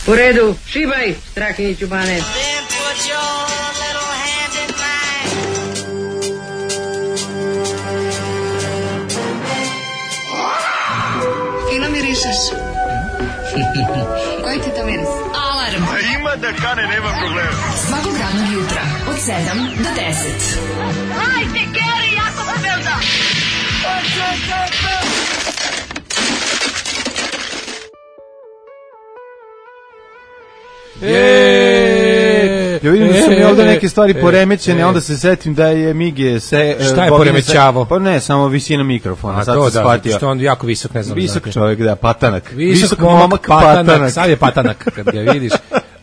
U redu, šibaj, Strahinjiću Bane. Fino mirišeš. Koji ti to miris? Alarm. Ima da kane, nema problema. Svakog radnog jutra od 7 do 10. Hajde, Geri, jako se belda. Ja vidim da su mi ovdje neke stvari poremećene, onda se setim da je Mige se... Šta je poremećavo? Pa ne, samo visina mikrofona. A sad to se da, shvatio. što on jako visok, ne znam. Visok čovjek, da, patanak. Visok momak patanak. Sad je patanak, kad ga vidiš.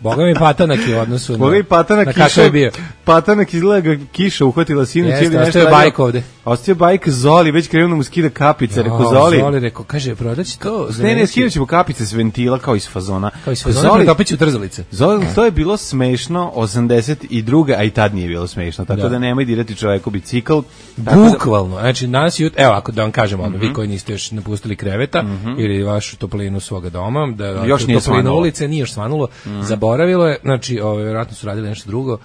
Boga mi patanak je u odnosu na patanak kakav je bio. Patanak izgleda ga kiša uhvatila sinoć ili nešto. Ostao je bajk ovde. Ostao je bajk Zoli, već krenuo da mu skida kapice, rekao Zoli. Zoli rekao, kaže, prodaći to. Ne, skidat ćemo kapice s ventila kao iz fazona. Kao iz fazona, pretopit ću trzalice. Zoli, to je bilo smešno 82. a i tad nije bilo smešno, tako da nemoj dirati čoveku bicikl. Bukvalno, znači danas evo ako da vam kažemo, vi koji niste još napustili kreveta ili vašu toplinu svoga doma, da još nije svanulo. Ulice nije još svanulo, zaboravilo je, znači vjerojatno su radili nešto drugo.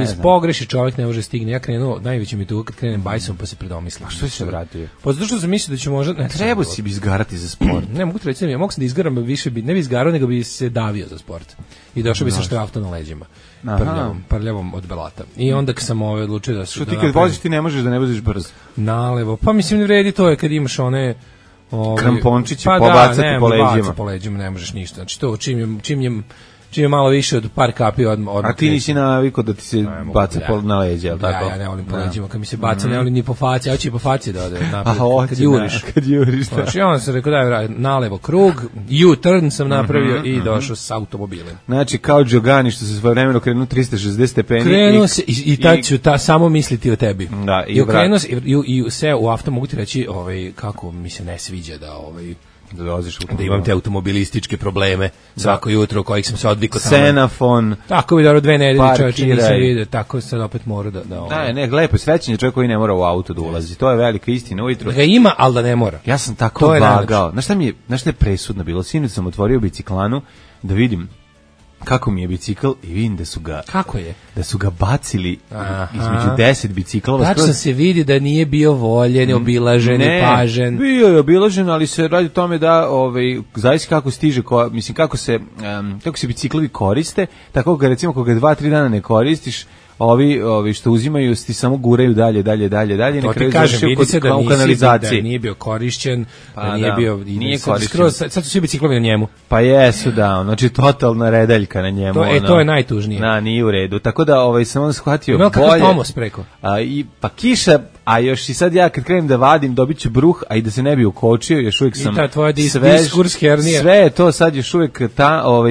Iz pogreši čovjek ne može stigne. Ja krenuo, najveći mi tu kad krenem bajsom pa se predomislim. A što si se vratio? Pa zato što sam mislio da ću možda... Ne, treba si bi izgarati za sport. Ne, mogu ti reći, ja mogu sam da izgaram više, ne bi izgarao, nego bi se davio za sport. I došao bi sa štrafta na leđima. Prljavom od belata. I onda kad sam odlučio da... Što ti kad voziš ti ne možeš da ne voziš brzo? Nalevo. Pa mislim ne vredi to je kad imaš one... krampončići pobacati po leđima. Pa po leđima ne možeš ništa. Znači to čim je malo više od par kapi odmah. A ti nisi navikao da ti se baca na leđe, je li tako? Ja ne volim po leđima, kad mi se baca, ne volim ni po faci, ja ću i po faci da ode napred, kad juriš. Znači, onda sam rekao daj nalevo krug, U-turn sam napravio i došao s automobilem. Znači, kao Đogani što se svojevremeno krenuo 360 stepeni. Krenuo se i tad ću samo misliti o tebi. Da, i krenuo se i sve u auto, mogu ti reći kako mi se ne sviđa da da imam te automobilističke probleme svako jutro kojih sam se odvikao Xenofon. Tako bi dobro 2 nedelje čovječe nisam vidio, tako sad opet mora da... Ne, lepo, srećen je čovjek koji ne mora u auto da ulazi, to je velika istina ujutro. Da ga ima, ali da ne mora. Ja sam tako vagao, znaš šta je presudno bilo, sinoć sam otvorio biciklanu da vidim kako mi je bicikl i vidim da su ga... Kako je? Da su ga bacili između 10 biciklova. Tačno se vidi da nije bio voljen, obilažen i pažen. Bio je obilažen, ali se radi o tome da zavisi kako stiže, mislim kako se biciklovi koriste, tako ga recimo ako ga 2-3 dana ne koristiš, ovi što uzimaju ti samo guraju dalje. To ti kažem, vidi se da nije bio korišćen, da nije bio... Nije korišćen. Sad su svi biciklovi na njemu. Pa jesu, da, znači totalna redaljka na njemu. To je najtužnije. Nije u redu, tako da sam onda shvatio bolje. Kakav tomos preko? Pa kiša, a još i sad ja kad krenem da vadim dobit ću bruh, a i da se ne bi ukočio, još uvijek sam... I ta tvoja diskurs hernija. Sve je to sad još uvijek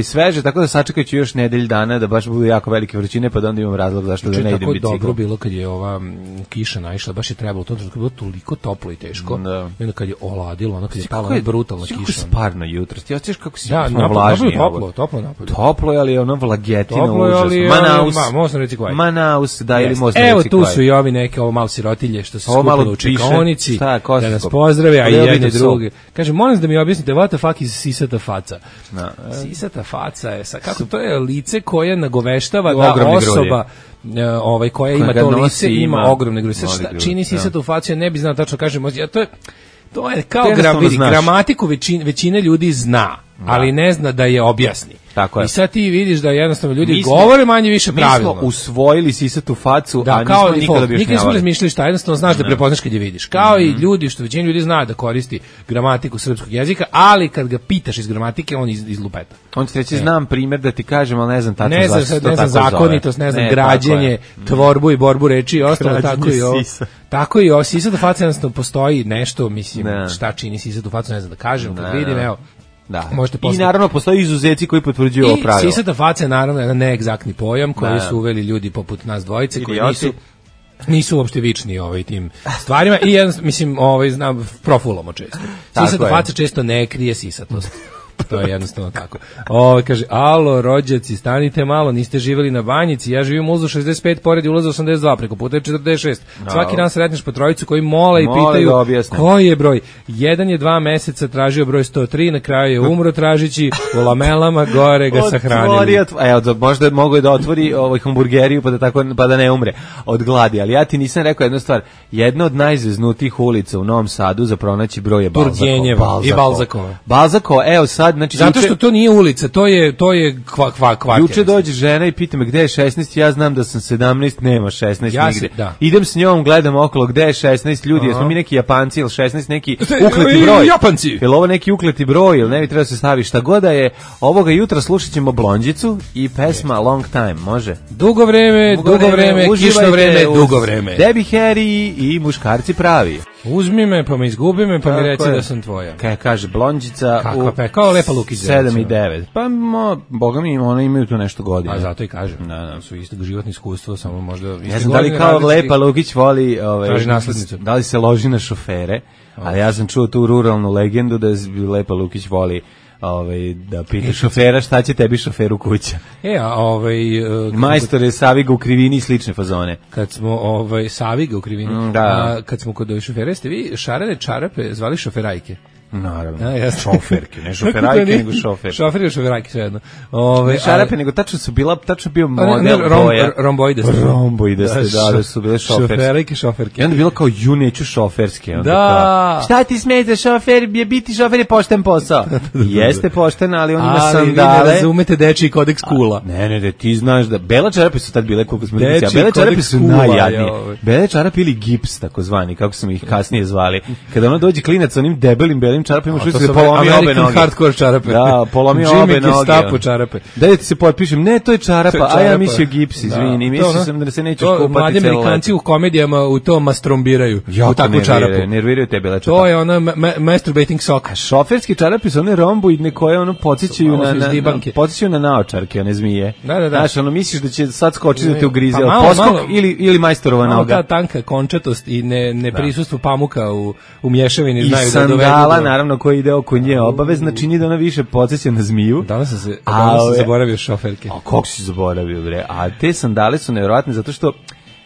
sveže, tako da sačekat ću još nedelj dana da baš budu jako velike vrućine, pa da onda imam razlog zašto da ne idem biciklom. Tako dobro bilo kad je ova kiša naišla, baš je trebalo, to bilo toliko toplo i teško. I onda kad je oladilo, ono kad je pala brutalna kiša. Kako je sparno jutro, ti osjećaš kako si vlažniji. Toplo napolje. Toplo je, ali je ono vlagetina užas. Manaus, da, ili možda reći evo tu su i ovi neke malo sirotilje što se skupili u čekaonici, da nas pozdrave, a i jedni drugi. Kaže, molim da mi objasnite, what the fuck is sisata faca? Sisata faca je, kako to je lice koje nagoveštava da osoba koja ima to lice ima ogromne grudi. Šta čini sisatu facu, ne bi znao tačno kažem, to je kao gramatiku većine ljudi zna, ali ne zna da je objasni. I sad ti vidiš da jednostavno ljudi govore manje više pravilno. Mi smo usvojili sisatu facu, a nismo nikada objašnjavali. Nikad nismo razmišljali šta, jednostavno znaš da prepoznaš kad je vidiš. Kao i ljudi, što većina ljudi zna da koristi gramatiku srpskog jezika, ali kad ga pitaš iz gramatike, on iz lupeta. On će reći, znam primjer da ti kažem, ali ne znam tačno zašto se to tako zove. Ne znam zakonitost, ne znam građenje, tvorbu i borbu reči i ostalo, tako i ovo. Sisatu faca jednostavno postoji nešto, mislim, šta čini sisatu facu, ne znam da kažem, kad vidim, evo. Da. I naravno postoji izuzeci koji potvrđuju ovo pravilo. I sisata faca je naravno jedan neegzaktni pojam koji su uveli ljudi poput nas dvojice koji nisu uopšte vični tim stvarima i mislim znam profulomo često. Sisata faca često ne krije sisatost. To je jednostavno tako. Kaže, alo, rođaci, stanite malo, niste živjeli na Banjici, ja živim u ulazu 65, pored ulaza 82, preko puta je 46. Svaki dan sretneš po trojicu koji mole i pitaju koji je broj. Jedan je 2 meseca tražio broj 103, na kraju je umro tražići u lamelama, gore ga sahranili. Evo, možda mogu da otvori hamburgeriju pa da ne umre od gladi, ali ja ti nisam rekao jednu stvar. Jedna od najzveznutijih ulica u Novom Sadu za pronaći broj je Balzakova. I Balzakova. Balzakova, evo sad, znači zato što to nije ulica, to je kvartir. Juče dođe žena i pita me gde je 16, ja znam da sam 17, nema 16 nigde. Idem s njom, gledam okolo gde je 16 ljudi, jesmo mi neki Japanci ili 16 neki ukleti broj. Japanci. Jel ovo neki ukleti broj ili ne bi treba se stavi šta god da je. Ovoga jutra slušat ćemo Blondjicu i pesma Long Time, može? Dugo vreme, kišno vreme, dugo vreme. Debbie Harry i muškarci pravi. Uzmi me, pa me izgubi me, pa mi reci da sam tvoja. Kaže Blondjica kao Lepa Lukić 7 i 9. Pa boga mi ona imaju tu nešto godina. A zato i kažem. Da. Su isto životno iskustvo, samo možda ne znam da li kao Lepa Lukić voli traži naslednicu. Da li se loži na šofere, ali ja sam čuo tu ruralnu legendu da Lepa Lukić voli da pita šofera šta će tebi šoferu kuća. Majstore Saviga u krivini i slične fazone. Kad smo Saviga u krivini, kad smo kod šofera, ste vi šarene čarape zvali šoferajke? Naravno, šoferke, ne šoferajke, nego šofer. Šofer i šoferajke, sve jedno. Ne šarape, nego tačno bio model boja. Romboidaste, da su bile šoferske. Šoferajke, šoferke. I onda je bilo kao, neću šoferske. Da. Šta ti smeta, šofer, biti šofer je pošten posao. Jeste pošten, ali on ima sandale. Ali vi ne razumete dečiji kodeks kula. Ne, ti znaš da, bele čarape su tad bile, koliko smo licija, bele čarape su najjadnije. Bele čarape ili gips, takozvani, kako smo ih kasnije zvali. Kada ono dođe klinac onim debelim belim čarapima, što se polomio obe noge. Hardcore čarape. Da, polomio obe noge. Gestapo čarape. Da ti se potpišem, ne, to je čarapa, a ja mislio gips, izvini, mislio sam da se nećeš kupati. Mladi Amerikanci u komedijama u to mastrombiraju, u takvu čarapu. Nerviraju te bele čarape. To je ona masturbating sock. A šoferski čarapi su one romboidne koje ono podsjećaju na naočarke, one zmije. Da. Znaš, ono misliš da će sad skočiti da te ugrize, poskok ili majstorova noga. Ta tanka končatost i neprisustvo pamuka u mješavini znaju da dovedu. Sandala, naravno, koji ide oko nje obavezna, čini da ona više podsjeća na zmiju. Danas sam zaboravio šoferke. A kako si zaboravio, bre? A te sandale su nevjerojatne zato što,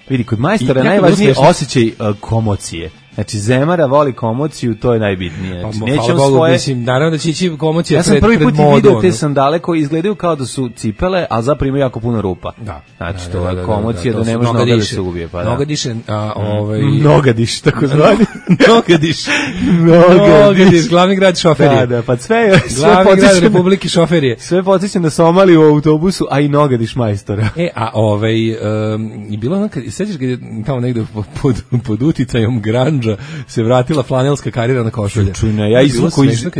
vidi, kod majstora najvažniji osjećaj komocije. Znači, Zemara voli komociju, to je najbitnije. Znači, nećem svoje... Mislim, naravno da će ići komocija pred modu. Ja sam prvi put vidio te sandale koji izgledaju kao da su cipele, ali zapravo imaju jako puno rupa. Da. Znači, to je komocija da ne može noga da se ubije. Noga diše, Noga diš, tako zvani. Noga diš, glavni grad šoferije. Da, pa sve glavni grad Republike šoferije. Sve podsjećam na Somaliju u autobusu, a i noga diš majstora. I bilo ono, sećaš kad je tamo negde pod uticajom grandža se vratila flanelska karijera na košulje.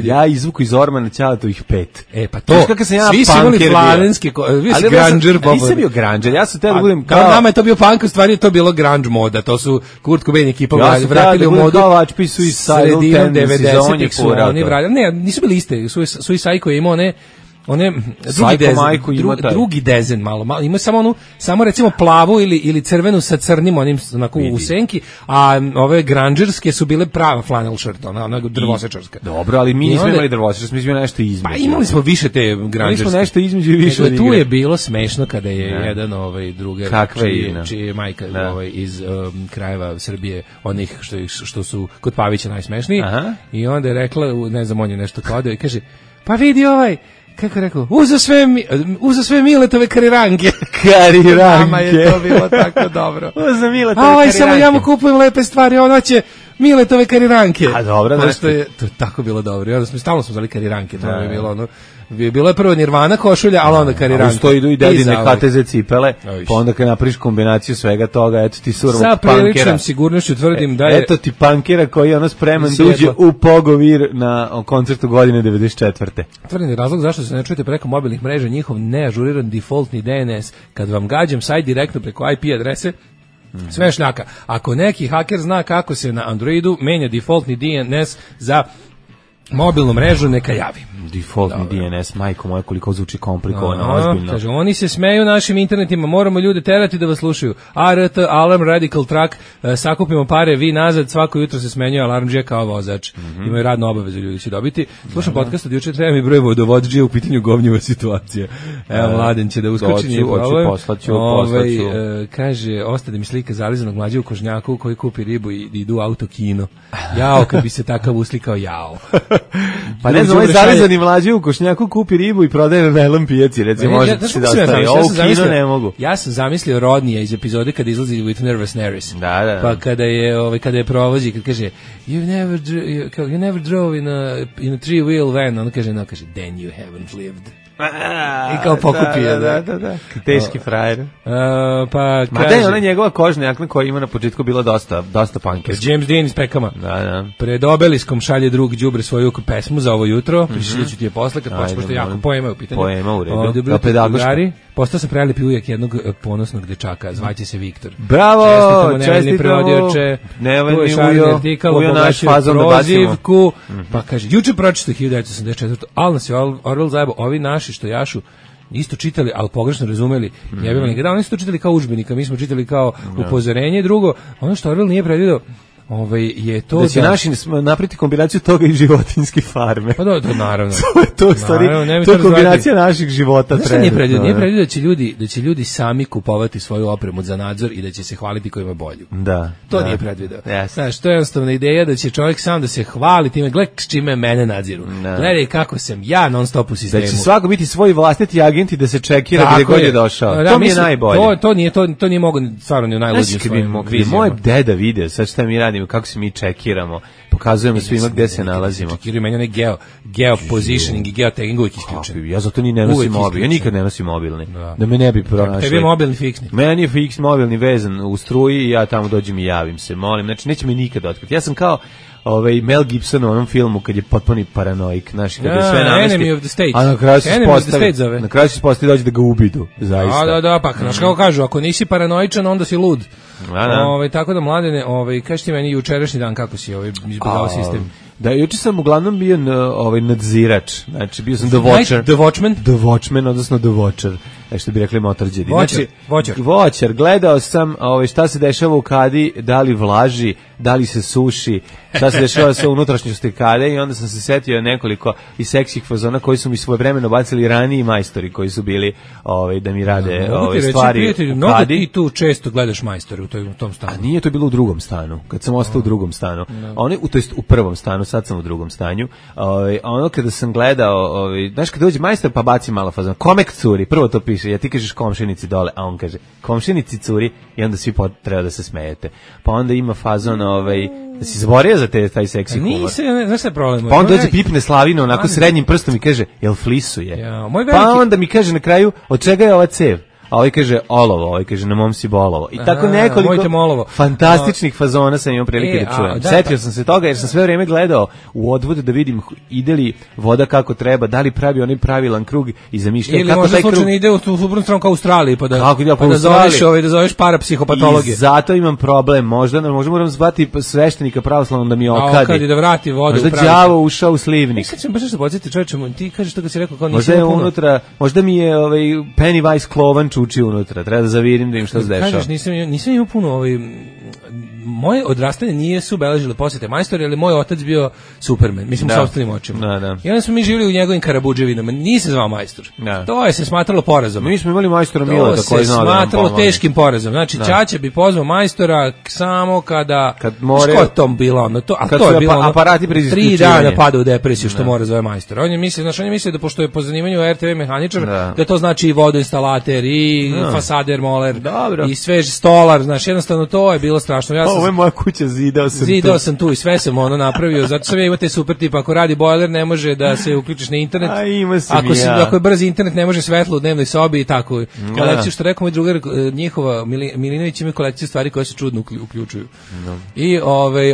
Ja izvuku iz Ormana Ćalatovih 5. Pa to. Svi su imali flanelske, vi si grandžer. Nisam bio grandžer, ja sam teo da budem kao... Nama je to bio punk, u stvari je to bilo grunge moda, to su Kurt Cobain ekipa vratili u modu sredinom 90-ih su oni vratili. Ne, nisu bili iste, Suicide koji je imao drugi dezen malo ima samo recimo plavu ili crvenu sa crnim onim onako u senki, a ove grungerske su bile prava flannel shirt, ona drvosečarska. Dobro, ali mi nismo imali drvosečarske, mi smo imali nešto između. Pa imali smo više te grungerske. Mi smo nešto između i više. Tu je bilo smešno kada je jedan drugar čiji je majka iz krajeva Srbije, onih što su kod Pavića najsmešniji, i onda je rekla, ne znam, on je nešto kodao i kaže, pa vidi kako je rekao, uza sve Miletove kariranke. Nama je to bilo tako dobro. Uza Miletove kariranke. Samo ja mu kupujem lepe stvari, ono će Miletove kariranke. A dobro, znači. To je tako bilo dobro. I onda stalno smo zvali kariranke, to je bilo ono. Bilo je prvo Nirvana košulja, ali onda kariranke. Uz to idu i dedine HTZ cipele, pa onda kad napriš kombinaciju svega toga, eto ti surovog punkera. Sa priličnom sigurnošću tvrdim da je... Eto ti punkera koji je ono spreman da uđe u Pogovir na koncertu godine 94. Tvrdim je razlog zašto se ne čujete preko mobilnih mreža njihov neažuriran defaultni DNS. Kad vam gađam sajt direktno preko IP adrese, sve šljaka. Ako neki haker zna kako se na Androidu menja defaultni DNS za mobilnu mrežu neka javi. Defaultni DNS, majko moja, koliko zvuči komplikovano, ozbiljno. Kaže, oni se smeju našim internetima, moramo ljude terati da vas slušaju. ART, Alarm, Radical Track, sakupimo pare, vi nazad, svako jutro se smenjuje alarmđija kao vozač. Imaju radnu obavezu, ljudi će dobiti. Slušam podcast od juče, treba mi broj vodovodđija u pitanju govnjiva situacija. Evo, Mladen će da uskoči, nije problem. Poslaću. Kaže, ostade mi slika zalizanog mlađa u kožnjaku koji kupi ribu i idu u autokino. Jao, kad bi se takav uslikao, jao. Pa ne znam, ovaj zalizani mlađi u košnjaku kupi ribu i prodaje na najlon pijaci, recimo, možete se da ostaje. Ovo kino ne mogu. Ja sam zamislio Rodnija iz epizode kada izlazi with Nervous Nervous. Da. Pa kada je provozi, kad kaže you never drove in a three-wheel van, on kaže, then you haven't lived. I kao pokupio. Da. Teški frajer. Pa ma da je ona njegova kožna jakna koja ima na početku bila dosta pankerska. James Dean iz Pekama. Da. Pred obeliskom šalje drug đubre svoju pesmu za ovo jutro. Prišliću ti je posle kad počne, pošto jako poema u pitanju. Poema u redu. Dobro, drugari. Postao sam prelepi ujak jednog ponosnog dečaka, zvaće se Viktor. Bravo, čestitamo, prevodioče. Ujo naš fazon da bacimo. Pa kaže, juče pročito 1984. Ali nas je Orwell zajebao, ovi naši što jašu isto čitali, ali pogrešno razumeli. Jebili ga, oni su to čitali kao udžbenika, mi smo čitali kao upozorenje. Drugo, ono što Orwell nije predvidio, je to da će naši napriti kombinaciju toga i životinjske farme. Pa da, naravno. to je stvari, to je kombinacija naših života. Nije predvidio da će ljudi sami kupovati svoju opremu za nadzor i da će se hvaliti ko ima bolju. Da. To nije predvidio. Znaš, to je jednostavna ideja da će čovjek sam da se hvali time, gledaj s čime mene nadziru. Gledaj kako sam ja non stop u sistemu. Da će svako biti svoj vlastiti agent i da se čekira gdje god je došao. To mi je najbolje. To nije mogo stvarno ni u najluđim svojim vizijama. Moj deda video, sad šta mi radimo, kako se mi čekiramo, pokazujemo svima gde se nalazimo. Čekiraju meni onaj geopositioning i geotagging uvijek isključen. Ja zato ni ne nosim mobil, ja nikad ne nosim mobilni, da me ne bi pronašli. Tebi je mobilni fiksni. Meni je fiksni mobilni vezan u struji i ja tamo dođem i javim se, molim, znači neće me nikad otkriti. Ja sam kao Mel Gibson u onom filmu kad je potpuni paranoik, znaš, kad je sve namesti. Enemy of the State. A na kraju se ispostavi dođe da ga ubidu, zaista. Da, pa znaš kako kažu, ako nisi paranoičan, onda si lud. Tako da, Mladene, kaži ti meni jučerašnji dan kako si izbjegao sistem. Da, juče sam uglavnom bio nadzirač, znači bio sam The Watcher. The Watchman? The Watchman, odnosno The Watcher, što bi rekli motorđedi. Watcher. Gledao sam šta se dešava u kadi, da li vlaži, da li se suši, šta se dešava sa unutrašnjosti kade i onda sam se setio nekoliko i seksih fazona koji su mi svojevremeno bacili raniji majstori koji su bili da mi rade stvari u kadi. Ti tu često gledaš majstore u tom stanu. A nije to bilo u drugom stanu, kad sam ostao u drugom stanu. To jest u prvom stanu, sad sam u drugom stanju. Ono kada sam gledao, znaš kad dođe majstor pa baci malo fazon, komek curi, prvo to piše, ja ti kažeš komšinici dole, a on kaže komšinici curi i onda svi treba da se smejete. Pa onda ima fazon, da si zborio za taj seksi humor. Nisam, znaš šta je problem? Pa onda dođe pipne Slavina onako srednjim prstom i kaže, jel flisuje? Pa onda mi kaže na kraju, od čega je ova cev? A ovaj kaže olovo, kaže na mom si bolovo. I tako nekoliko fantastičnih fazona sam imao prilike da čujem. Setio sam se toga jer sam sve vrijeme gledao u odvod da vidim ide li voda kako treba, da li pravi onaj pravilan krug i zamišljam ili kako možda taj krug... slučajno ide u suprotnu stranu kao u Australiji pa da zoveš parapsihopatologiju. I zato imam problem, možda moram zvati sveštenika pravoslavnog da mi okadi. Da vrati vodu. Možda đavo ušao u slivnik. Sad ćemo baš nešto podsjetiti čovječe, ti kažeš to kad si rekao kao nisi unutra, možda mi je Pennywise klovan čuči unutra, treba da zavirim da im šta se dešava. Kažeš, nisam imao puno moje odrastanje nije su beležile posjete majstori, ali moj otac bio Superman, mislim u sopstvenim očima. I onda smo mi živjeli u njegovim Karabuđevinama, nije se zvao majstor. To je se smatralo porazom. Mi smo imali majstora Mileta koji znao da nam smatralo teškim porazom. Znači, Ćaća bi pozvao majstora samo kad more... Što je tom bilo ono? Kad su aparati bez isključivanja. 3 dana pada u depresiju što mora zove majstora. On je mislio da pošto je po zanimanju RTV mehaničar, da to znači i vodoinstalater, i fasader, moler, i svež stolar. Znači, jednostavno to je bilo strašno. Ovo je moja kuća, zidao sam tu i sve sam napravio, zato sam ja imate super tip, ako radi bojler ne može da se uključiš na internet, ako je brzi internet ne može svetlo u dnevnoj sobi i tako. Kolekciju što rekao moj drugar, njihova Milinović ima kolekciju stvari koje se čudno uključuju. I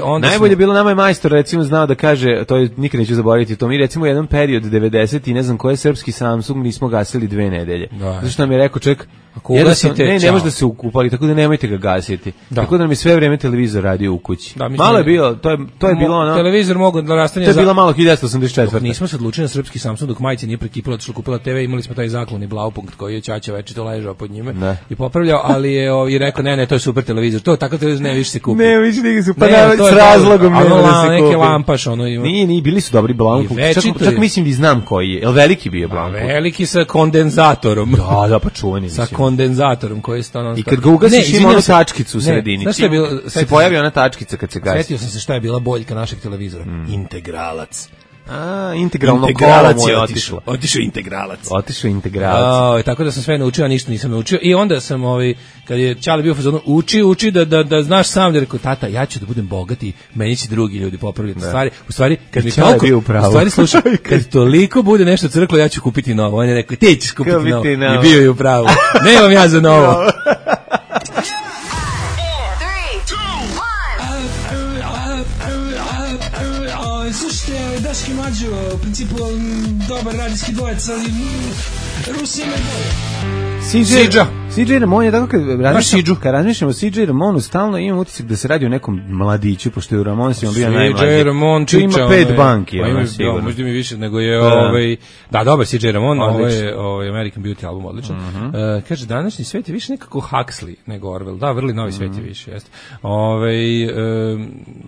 onda najbolje bilo nama je majstor recimo znao da kaže, to je nikad neću zaboraviti, to mi recimo jedan period 90 i ne znam koji srpski Samsung nismo gasili 2 nedelje. Zašto nam je rekao ček, ako ugasite, ne može da se ukupali, tako da nemojte ga gasiti. Tako da nam je sve vrijeme televizor radio u kući. Da, malo je bilo, to je bilo ono. Televizor mogu da rastanje. To je bilo malo 1984. Nismo se odlučili na srpski Samsung dok majica nije prekipila, otišla kupila TV, imali smo taj zakloni Blaupunkt koji je ćaća večito ležao pod njime i popravljao, ali je i rekao ne, to je super televizor. To takav televizor ne više se kupi. Ne, više nije su s razlogom ne da se kupi. Neke lampaš ono ima. Nije, bili su dobri Blaupunkt. Čak mislim da znam koji je. Jel veliki bio Blaupunkt? Veliki sa kondenzatorom. Da, pa čuveni. Sa kondenzatorom koji je stano. I kad ga ugasiš ima onu tačkicu u sredini. Se pojavi ona tačkica kad se gasi. Setio sam se šta je bila boljka našeg televizora. Integralac. Integralno kolo mu je otišlo. Otišao integralac. Tako da sam sve naučio, a ništa nisam naučio. I onda sam, kad je Ćale bio u fazonu, uči da znaš sam, rekao, tata, ja ću da budem bogat i meni će drugi ljudi popravljati stvari. U stvari, kad mi toliko, u stvari, slušaj, kad toliko bude nešto crklo, ja ću kupiti novo. On je rekao, ti ćeš kupiti novo. I bio je u pravu. Nemam ja za novo. Slušajte, Daški Mađo, u principu dobar radijski dvojec, ali Rusija me bolje. CJ Ramon je tako kad razmišljamo o CJ Ramonu, stalno imam utisak da se radi o nekom mladiću, pošto je u Ramonsima bio najmlađi. CJ Ramon tu ima 5 banki. Možda mi više nego je dobar CJ Ramon, ovo je American Beauty album, odličan. Kaže, današnji svet je više nekako Huxley nego Orwell. Da, vrli novi svet je više, jeste.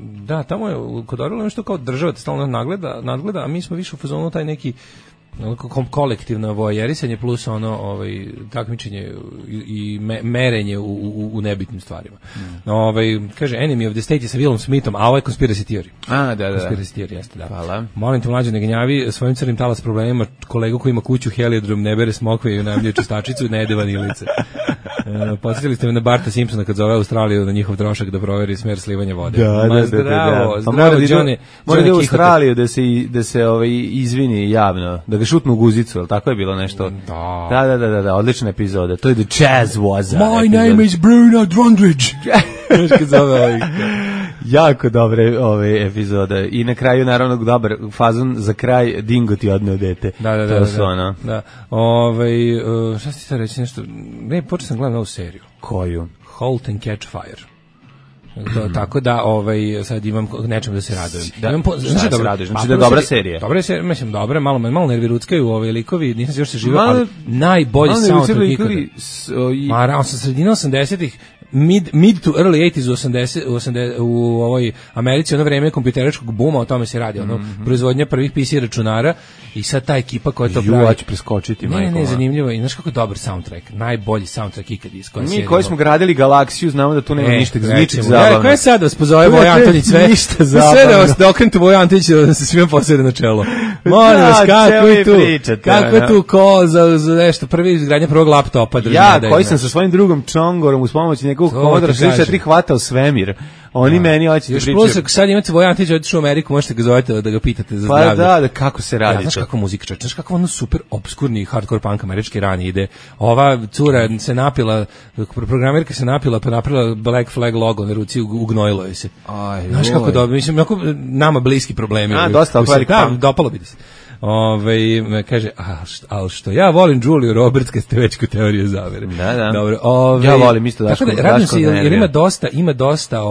Da, tamo je kod Orwella nešto kao država te stalno nadgleda, a mi smo više u fazonu taj neki kolektivno voajerisanje plus takmičenje i merenje u nebitnim stvarima. Kaže Enemy of the State je sa Willom Smithom, a ovo je Conspiracy Theory. Da. Conspiracy Theory, jeste, da. Hvala. Molim te, mlađe, ne gnjavi svojim crnim talas problemima kolegu koji ima kuću heliodrom, ne bere smokve i unajmljuje čistačicu i ne jede vanilice. Podsjetili ste me na Barta Simpsona kad zove Australiju na njihov trošak da proveri smer slivanja vode. Zdravo, Johnny. Mora da u Australiju da se izvini javno, da ga šutnu u guzicu, ali tako je bilo nešto. Da, odlična epizoda. To je The Jazz Waza. My name is Bruno Drondridge. Kad zove jako dobre ove epizode. I na kraju, naravno, dobar fazon za kraj, Dingo ti odneo dete. Da. Šta si sad reći nešto? Ne, počeo sam gledati novu seriju. Koju? Halt and Catch Fire. Tako da sad imam nečem da se radujem. Šta se raduješ? Znači da je dobra serija. Dobra serija, mislim dobra, malo nerviruckaju likovi, nisam se još se živio, ali najbolji soundtrack ikada. Ma, sa sredina 80-ih, mid to early 80s u ovoj Americi, ono vreme kompjuteričkog buma, o tome se radi, proizvodnja prvih PC računara i sad ta ekipa koja to pravi. Ja ću preskočiti, majko. Ne, zanimljivo. I znaš kako je dobar soundtrack, najbolji soundtrack ikad iz koje serije. Mi koji smo gradili Galaksiju, znamo da tu nema ništa zabavno. Ko je sad vas pozove Voja Antonić sve? Ništa zabavno. Sve da vas okrenete Voja Antonić da se svima posede na čelo. Molim vas, kako je tu ko za nešto, prvi izgradnja prvog laptopa. Ja, koji sam sa svojim drugom Čongorom uz pomoć nekog Commodore 64 hvatao svemir. Oni meni hoće da pričaju. Još plus, sad imate Voja Antonić, otišao u Ameriku, možete ga zovete da ga pitate za zdravlje. Pa da, kako se radi. Znaš kako muzika čeče, znaš kako ono super obskurni hardcore punk američki rani ide. Ova cura se napila, programerka se napila, pa napravila Black Flag logo na ruci, ugnojilo je se. Znaš kako dobro, mislim, nama bliski problemi. Dosta velik punk. Dopalo bi se. Kaže, ali što ja volim Juliju Roberts kad ste već kod teorije zavere. Da. Dobro, ja volim isto Daško. Tako da, radim se, jer ima dosta,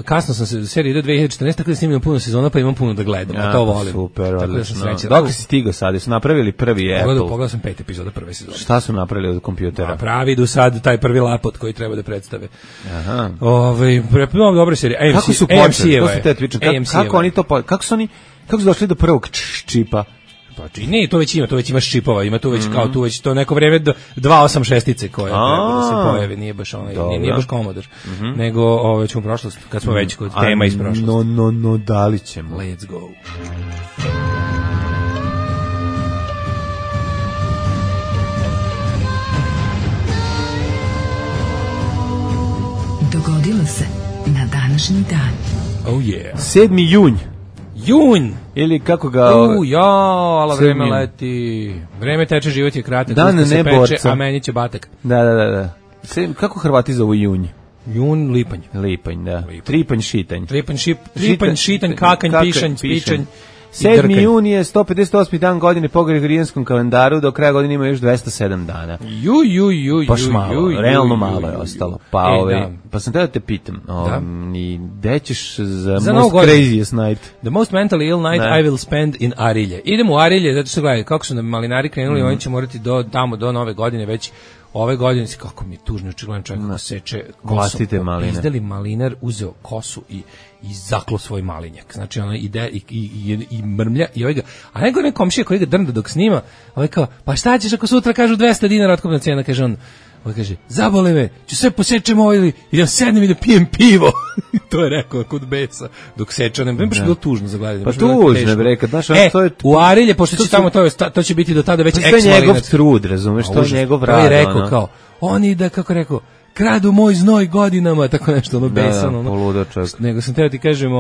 kasno sam se, serija ide 2014, tako da snimljam puno sezona, pa imam puno da gledam, a to volim. Super, odlično. Dok si stigao sad, su napravili prvi Apple? Pogledao sam 5 epizoda prve sezone. Šta su napravili od kompjutera? Pravi do sad taj prvi lapot koji treba da predstave. Aha. Dobre serije. Kako su počeli? To su te tvičan. Kako oni to, kako su došli do prvog čipa? Pa ne, to već ima šipova, ima tu već kao tu već to neko vreme 286-ice koje treba da se pojave, nije baš nije baš Commodore, nego već u prošlost, kad smo već kod tema iz prošlosti. No, da li ćemo? Let's go. Dogodilo se na današnji dan. Oh yeah. 7. junj. Ili kako ga... ala vreme leti. Vreme teče, život je kratak. Dan se peče, a meni će batak. Da. Kako Hrvati zovu junj? Jun, lipanj. Lipanj, da. Tripanj, šitanj. Tripanj, šitanj, kakanj, pišanj. 7. juni je 158. dan godine po Gregorijanskom kalendaru, do kraja godine ima još 207 dana. Baš malo, realno malo je ostalo. Pa sam teo te pitam, ni gde ćeš za most craziest night? The most mentally ill night I will spend in Arilje. Idemo u Arilje, zato što gledaj, kako su nam malinari krenuli, oni će morati tamo do nove godine već. Ove godine, kako mi je tužno, očigledan čovjek ko seče kosom. Izdeli malinar, uzeo kosu i zaklo svoj malinjak. Znači, ona ide i mrmlja i ovaj ga, a nego ne komšija koji ga drnda dok snima, ovaj kao, pa šta ćeš ako sutra kažu 200 dinara otkupna cijena, kaže on, ovaj kaže, zabole me, ću sve posečem ovo ili idem sednem i da pijem pivo. To je rekao kod besa, dok seče, ne baš bilo tužno za gledanje. Pa tužno, bre, kad znaš, to je... U Arilje, pošto će tamo, to će biti do tada već ex-malinac. To je njegov trud, razumeš, to je njegov rad. To je rekao kao, oni da, kako rekao, kradu moj znoj godinama, tako nešto, ono besano. Poludočak. Nego sam teo ti kažem,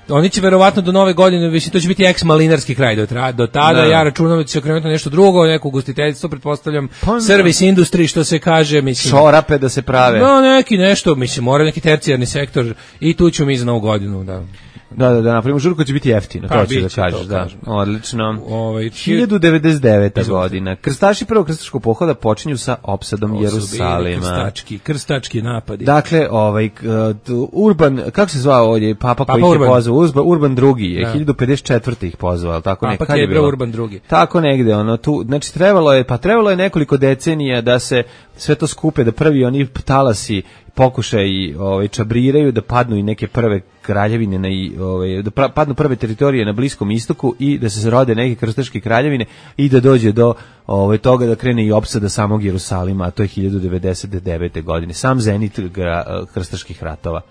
oni će verovatno do nove godine, mislim, to će biti ex-malinarski kraj do tada, ja računam da će se okrenuti nešto drugo, neko ugostiteljstvo, pretpostavljam, service industry, što se kaže, mislim. Šorape da se prave. No, neki nešto, mislim, mora neki tercijarni sektor i tu ćemo mi za novu godinu, da. Da, napravimo žurko će biti jeftino, to ću da kažeš, da. Odlično. 1099. godina. Krstaši prvog krstaškog pohoda počinju sa opsadom Jerusalima. Krstački napadi. Dakle, Urban, kako se zvao ovdje, papa koji ih je pozvao, Urban II je 1054. ih pozvao, tako nekad. Papa Kebra Urban II. Tako negde, tu, znači trebalo je nekoliko decenija da se sve to skupe, da prvi oni talasi pokušaj čabriraju, da padnu i neke prve kraljevine da padnu prve teritorije na Bliskom istoku i da se rode neke krstaške kraljevine i da dođe do toga da krene i opsada samog Jerusalima, a to je 1099. godine. Sam zenit krstaških ratova.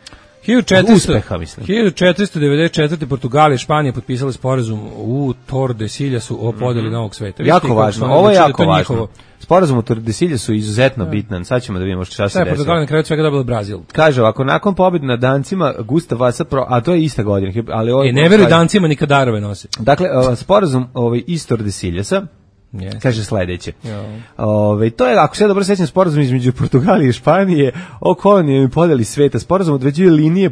1494. Portugal i Španija potpisali sporazum u Tordesiljasu o podeli novog sveta. Jako važno, ovo je jako važno. Sporazum u Tordesiljasu je izuzetno bitan. Sad ćemo da vidimo šta se desilo. Portugal na kraju svega dobila Brazil. Kaže ovako, nakon pobjede nad Dancima, Gustav Vasa, a to je ista godina. Ali ne veruj Dancima ni kadarove nose. Dakle, sporazum iz Tordesiljasa, kaže sledeće. To je, ako se dobro sećam, sporazum između Portugalije i Španije o kolonijama i podeli sveta. Sporazum određuje linije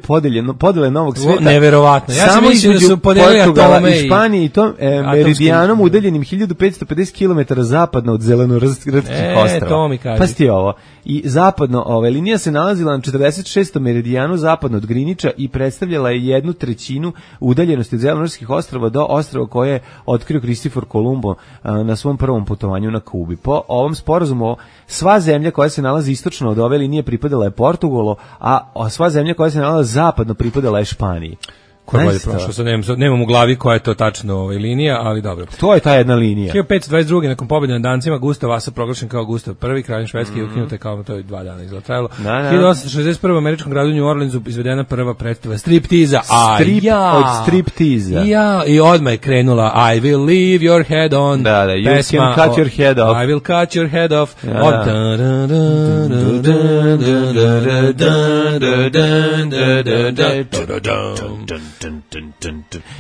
podele novog sveta. Neverovatno. Ja sam mislio da su podelili atome i Španije i to meridijanom udaljenim 1550 km zapadno od Zelenorodskih ostrava. Pasti ovo. I zapadno, linija se nalazila na 46. meridijanu zapadno od Grinića i predstavljala je 1/3 udaljenosti od Zelenorodskih ostrava do ostrava koje je otkrio Kristofor Kolumbo na svom prvom putovanju na Kubi. Po ovom sporazumu sva zemlja koja se nalazi istočno od ove linije pripadala je Portugalu, a sva zemlja koja se nalazi zapadno pripadala je Španiji. Ko je bolje prošlo, sad nemam u glavi koja je to tačno linija, ali dobro. To je ta jedna linija. 1522. nakon pobjede nad Dancima, Gustav Vasa proglašen kao Gustav I, kralj Švedske, i ukinute kao to je 2 dana izlatrajalo. 1861. u američkom gradu New Orleansu izvedena prva predstava striptiza. Od striptiza. I odmah je krenula I will leave your head on. You can cut your head off. I will cut your head off.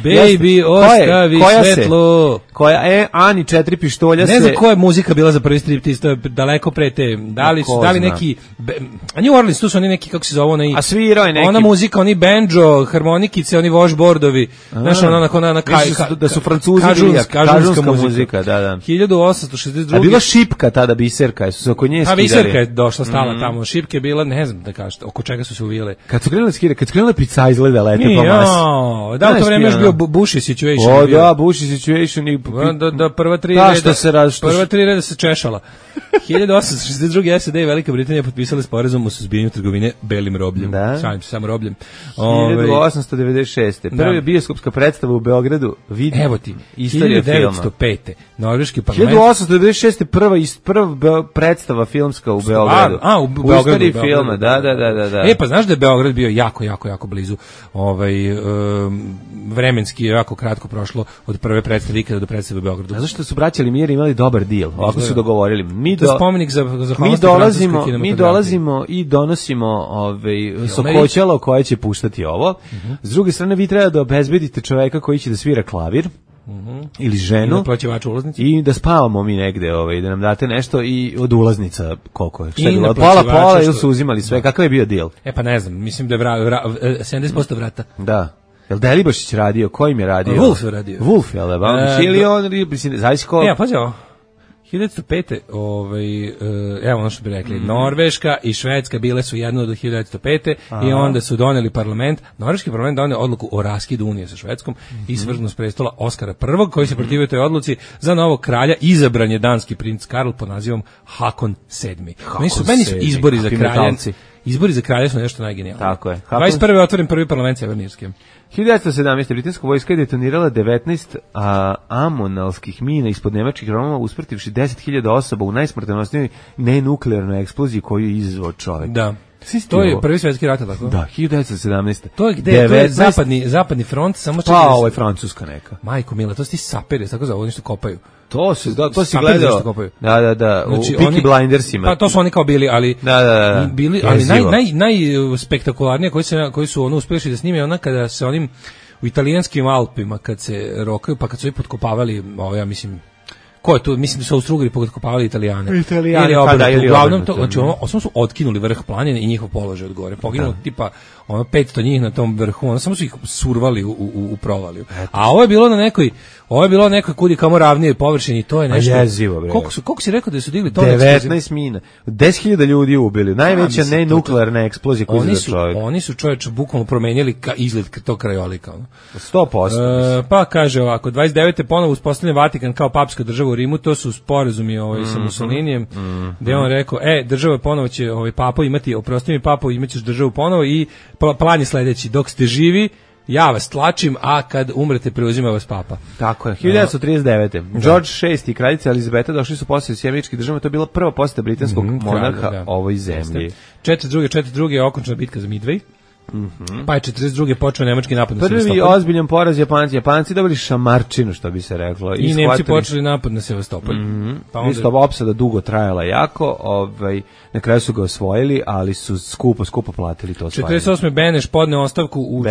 Baby, ostavi svetlo. Ani 4 pištolja se... Ne znam koja je muzika bila za prvi striptiz, to je daleko pre te. Da li neki... A New Orleans, tu su oni neki, kako se zove, a svirao je neki... Ona muzika, oni banjo, harmonikice, oni washboardovi. Znaš, ona da su Francuzi kažunska muzika, da. 1862. A bila šipka tada, biserka, su se oko nje skidali. Biserka je došla stala tamo, šipke je bila, ne znam da kažete, oko čega su se uvijele. Kad su krenule pica izgleda lete po masi. Da, u to vreme još bio Bushy situation. Bushy situation i... Da, prva tri reda se češala. 1862. SAD i Velika Britanija potpisali sporazum o suzbijanju trgovine belim robljem. Šalim se, samo robljem. 1896. Prva bioskopska predstava u Beogradu, vidi istorija filma. 1905. Norveški parlament. 1896. prva predstava filmska u Beogradu. U Beogradu. Istorija filma, da. Pa znaš da je Beograd bio jako blizu vremenski jako kratko prošlo od prve predstave ikada do predstave u Beogradu. A zašto su braća Limijeri imali dobar deal? Ovako su dogovorili. Mi dolazimo i donosimo sokoćalo koje će puštati ovo. S druge strane, vi treba da obezbedite čoveka koji će da svira klavir. Ili ženu i da spavamo mi negde, da nam date nešto i od ulaznica koliko je. Pola ili su uzimali sve, kakav je bio deal? Pa ne znam, mislim da je 70% vrata. Da. Jel Delibašić radio? Ko im je radio? Wolf je radio. Wolf, jel da? Ili on, zavisi ko... Ja, pazi ovo. 1905. Evo ono što bi rekli, Norveška i Švedska bile su jedno do 1905. I onda su doneli parlament, norveški parlament doneo odluku o raskidu unije sa Švedskom i svrgnu s prestola Oskara I, koji se protivio toj odluci. Za novog kralja izabran je danski princ Karl pod nazivom Hakon VII. Meni su izbori za kralja. Izbori za kralja su nešto najgenijalnije. Tako je. 21. otvoren prvi parlament Severne Irske. 1917. britanska vojska je detonirala 19 amonalskih mina ispod nemačkih Roma, usmrtivši 10.000 osoba u najsmrtonosnijoj nenuklearnoj eksploziji koju je izazvao čovjek. Da. To je prvi svjetski rat, tako? Da, 1917. To je gde? To je zapadni front, samo pa ovo je Francuska neka. Majko mila, to su ti saperi, tako zove, oni što kopaju. To si gledao. Da. Znači, u Peaky Blindersima. Pa to su oni kao bili, ali da. Bili, ali najspektakularnije koji su ono uspjeli da snime, ona kada se onim u italijanskim Alpima kad se rokaju, pa kad su i potkopavali, ja mislim, ko je tu? Mislim da su Austro-Ugri potkopavali Italijane. Uglavnom to, znači samo su otkinuli vrh planine i njihov položaj od gore. Poginulo tipa 500 njih na tom vrhu, samo su ih survali u provaliju. A ovo je bilo na nekoj kudi kamo ravnije površini, to je nešto. Jezivo, bre. Koliko si rekao da su digli to? 19 mina. 10.000 ljudi ubili. Najveća nenuklearna eksplozija koju je za čovjek. Oni su čovječe bukvalno promenjali izgled tog krajolika. 100%. Pa kaže ovako, 29. ponovo uspostavljen Vatikan kao papska država u Rimu, to su sporazumi sa Mussolinijem, gde on rekao, država ponovo će papu imati, oprosti mi papu, imaćeš državu ponovo i plan je sledeći, dok ste živi, ja vas tlačim, a kad umrete preuzima vas papa. Tako je. 1939. George VI i kraljica Elizabeta došli su posjeti Sjedinjenih Američkih Država, to je bila prva posjeta britanskog monarha ovoj zemlji. 42. je okončana bitka za Midway. Pa je 42. počeo nemački napad na Sevastopol. Prvi ozbiljan poraz Japanci dobili šamarčinu, što bi se reklo. I Nemci počeli napad na Sevastopol. Pa onda opsada dugo trajala jako, na kraju su ga osvojili, ali su skupo platili to osvajanje. 48. Beneš podneo ostavku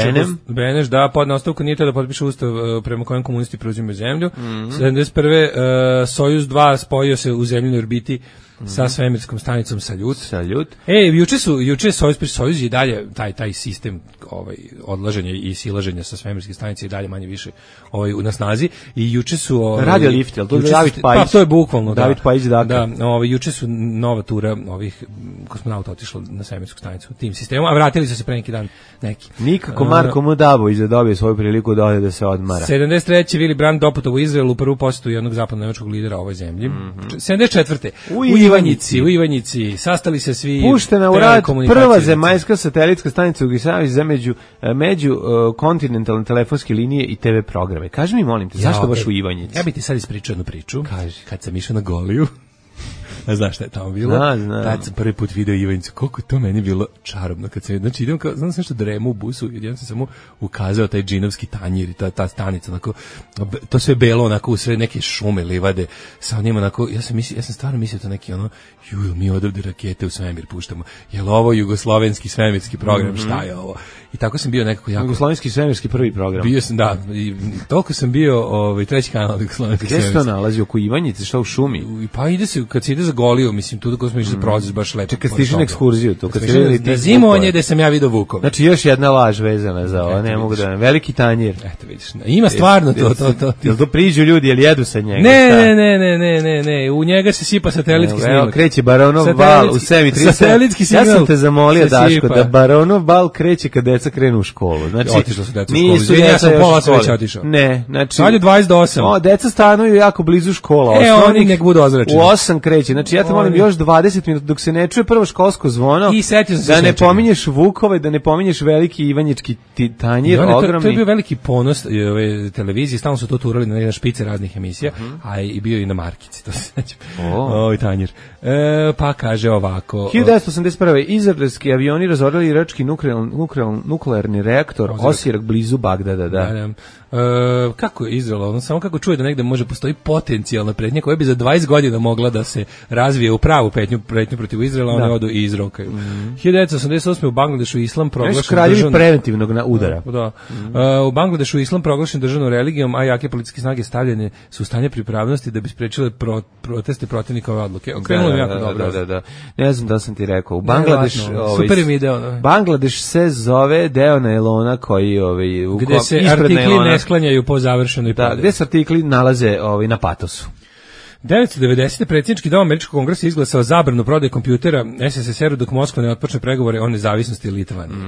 Beneš podneo ostavku, nije to da potpiše ustav prema kojem komunisti preuzimaju zemlju. 71. Sojuz 2 spojio se u zemljinoj orbiti sa svemirskom stanicom Saljut. Juče Sojuz i dalje taj sistem odlaženja i silaženja sa svemirske stanice i dalje manje više na snazi i juče su radio lift, jel to David Pajić? Pa to je bukvalno David Pajić, da, juče su nova tura ovih kosmonauta otišla na svemirsku stanicu tim sistemom, a vratili su se pre neki dan neki. Nikako Marko Mudabović da dobije svoju priliku da ode da se odmara. 73. Willy Brandt doputovao u Izrael u prvu posjetu jednog zapadno-nemačkog lidera ovoj zemlji. 74. U Ivanjici sastali se svi. Puštena u rad prva zemaljska satelitska stanica u Gisaviji za među kontinentalne telefonske linije i TV programe. Kaži mi, molim te, zašto baš u Ivanjici? Ja bih ti sad ispričao jednu priču. Kad sam išao na Goliju, a znaš šta je tamo bilo? Tad sam prvi put video Ivanjicu, koliko to meni bilo čarobno. Znači idem kao, znam nešto dremu u busu, jedan sam samo ukazao taj džinovski tanjir i ta stanica, onako, to sve belo, onako, u sve neke šume, livade, sa njima, onako, ja sam stvarno mislio to neki, mi odavde rakete u svemir puštamo, jel ovo jugoslovenski svemirski program, šta je ovo? I tako sam bio nekako jako... Jugoslovenski svemirski prvi program. Bio sam, da, i toliko sam bio treći kanal jugoslovenski svemirski. Gde se to nalazi, oko Ivanjice, šta u šumi? Pa kad se ide za Goliju, mislim, tu dok smo išli za proces, baš lepo. Čekaj, stiži na ekskurziju tu. Na zimovanje gde sam ja vidio vukove. Znači, još jedna laž vezana za ovo, ne mogu da... Veliki tanjir. Eto, vidiš, ima stvarno to. Jel to priđu ljudi, jel jedu sa njega? Ne, u njega se sipa satelitski snimak. Kreće Baronov bal u Semi 3. Satelitski snimak. Ja sam te zamolio, Daško, da Baronov bal kreće kad deca krenu u školu. Znači, otišla su deca u školu. Ja sam pola sve već otišao. Ne, znači... Sad je 20 do 8. Deca stanuju jako blizu škola. Oni nek budu ozračeni. U 8 kreće. Znači, ja te molim još 20 minuta dok se ne čuje prvo školsko zvono. I setio sam se da ne pominješ Vukove, da ne pominješ veliki Ivanjički tanjir, ogromni. To je bio veliki ponos ove televizije, stalno su to turali na špice raznih emisija, a i bio i na markici, to se sećam. Tanjir. Pa kaže ovako. 1981. izraelski avioni razorili irački nuklearni reaktor Osirak blizu Bagdada, da. kako je Izrael, ono samo kako čuje da negde može postoji potencijalna pretnja koja bi za 20 godina mogla da se razvije u pravu pretnju protiv Izraela, one odu i izrokaju. 1988. u Bangladešu islam proglašen državnom preventivnog udara. Da. U Bangladešu islam proglašen državnom religijom, a jake političke snage stavljene su u stanje pripravnosti da bi sprečile proteste protivnika ove odluke. Okrenulo mi jako dobro. Da. Ne znam da sam ti rekao. U Bangladeš, super mi deo. Bangladeš se zove deo nailona koji gde se artikli ne sklanjaju po završenoj prodaji. Da, gde se artikli nalaze na patosu. 1990. predsjednički dom Američkog kongresa izglasao zabranu prodaje kompjutera SSSR-u dok Moskva ne otpočne pregovore o nezavisnosti Litvanije.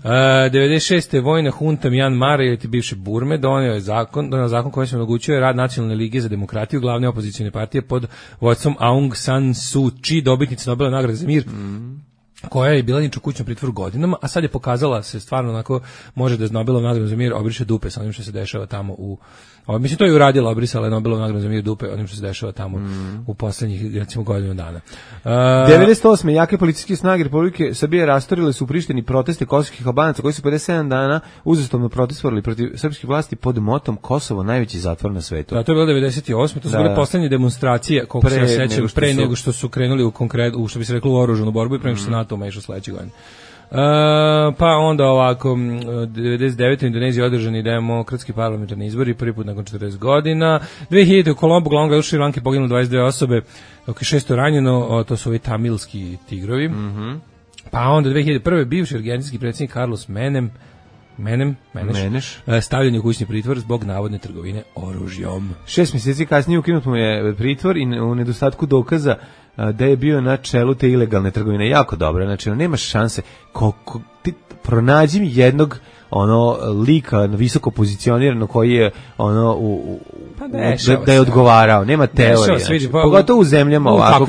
96. vojna hunta Mjanmara ili bivše Burme donio zakon koji se omogućuje rad Nacionalne lige za demokratiju, glavne opozicijne partije pod vodstvom Aung San Suu Kyi, dobitnice Nobelove nagrade za mir, koja je bila inače u kućnom pritvoru godinama, a sad je pokazala se stvarno onako može da je Nobelovu nagradu za mir obriše dupe sa onim što se dešava tamo u mislim to je uradila, obrisala je Nobelovu nagradu za mir dupe onim što se dešava tamo u poslednjih recimo godinu dana. 98. jake policijske snage Republike Srbije rastorile su u Prištini proteste kosovskih Albanaca koji su 57 dana uzastopno protestovali protiv srpskih vlasti pod motom Kosovo najveći zatvor na svetu. Da, to je bilo 98. To su bile poslednje demonstracije koliko se sećam pre nego što su krenuli u što bi se reklo u oružanu borbu i pre nego što se NATO umešao sledeće godine. Pa onda ovako 99. u Indoneziji održani demokratski parlamentarni izbori prvi put nakon 40 godina. 2000. u Kolombu, glavnom gradu Šri Lanke, poginulo 22 osobe, dok je 600 ranjeno, to su ovi tamilski tigrovi. Pa onda 2001. bivši argentinski predsjednik Carlos Meneš stavljen je u kućni pritvor zbog navodne trgovine oružjom. 6 mjeseci kasnije ukinut mu je pritvor i u nedostatku dokaza da je bio na čelu te ilegalne trgovine. Jako dobro, znači nema šanse. Ti pronađi mi jednog lika visoko pozicionirano koji je da je odgovarao, nema teorije. Pogotovo u zemljama ovako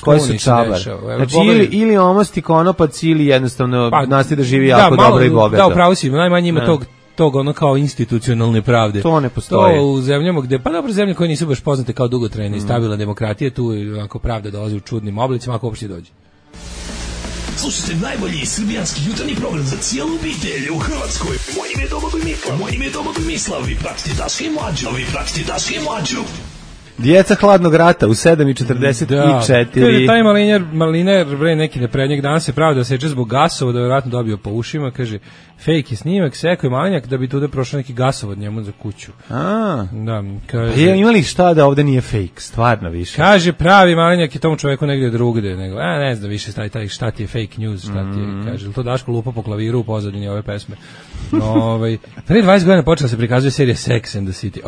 koje su čabar. Znači ili omosti konopac ili jednostavno nastavi da živi jako dobro i bogato. Da, upravo si, najmanje ima tog kao institucionalne pravde. To ne postoji. To u zemljama gde, pa dobro, zemlje koje nisu baš poznate kao dugotrajne i stabilna demokratija, tu onako pravda dolazi u čudnim oblicima, ako uopšte dođe. Slušajte najbolji srbijanski jutarnji program za cijelu obitelj u Hrvatskoj. Moje ime je Domagoj Mislav. Vi pratite Daška i Mlađu. Djeca hladnog rata u 7:44. Taj Maliner neki neprednjeg danas se pravda seče zbog gasova, da je vjerojatno dobio po ušima, kaže, fake je snimak, sekao je Malinjak da bi tuda prošao neki gasovod njemu za kuću. Da, kaže, imali šta da ovde nije fake, stvarno više. Kaže, pravi Malinjak je tomu čoveku negdje drugde, nego, ne znam više šta ti je fake news, šta ti je, kaže, to Daško lupa po klaviru u pozadini ove pesme. Prije 20 godina počela se prikazuje serija Sex and the City,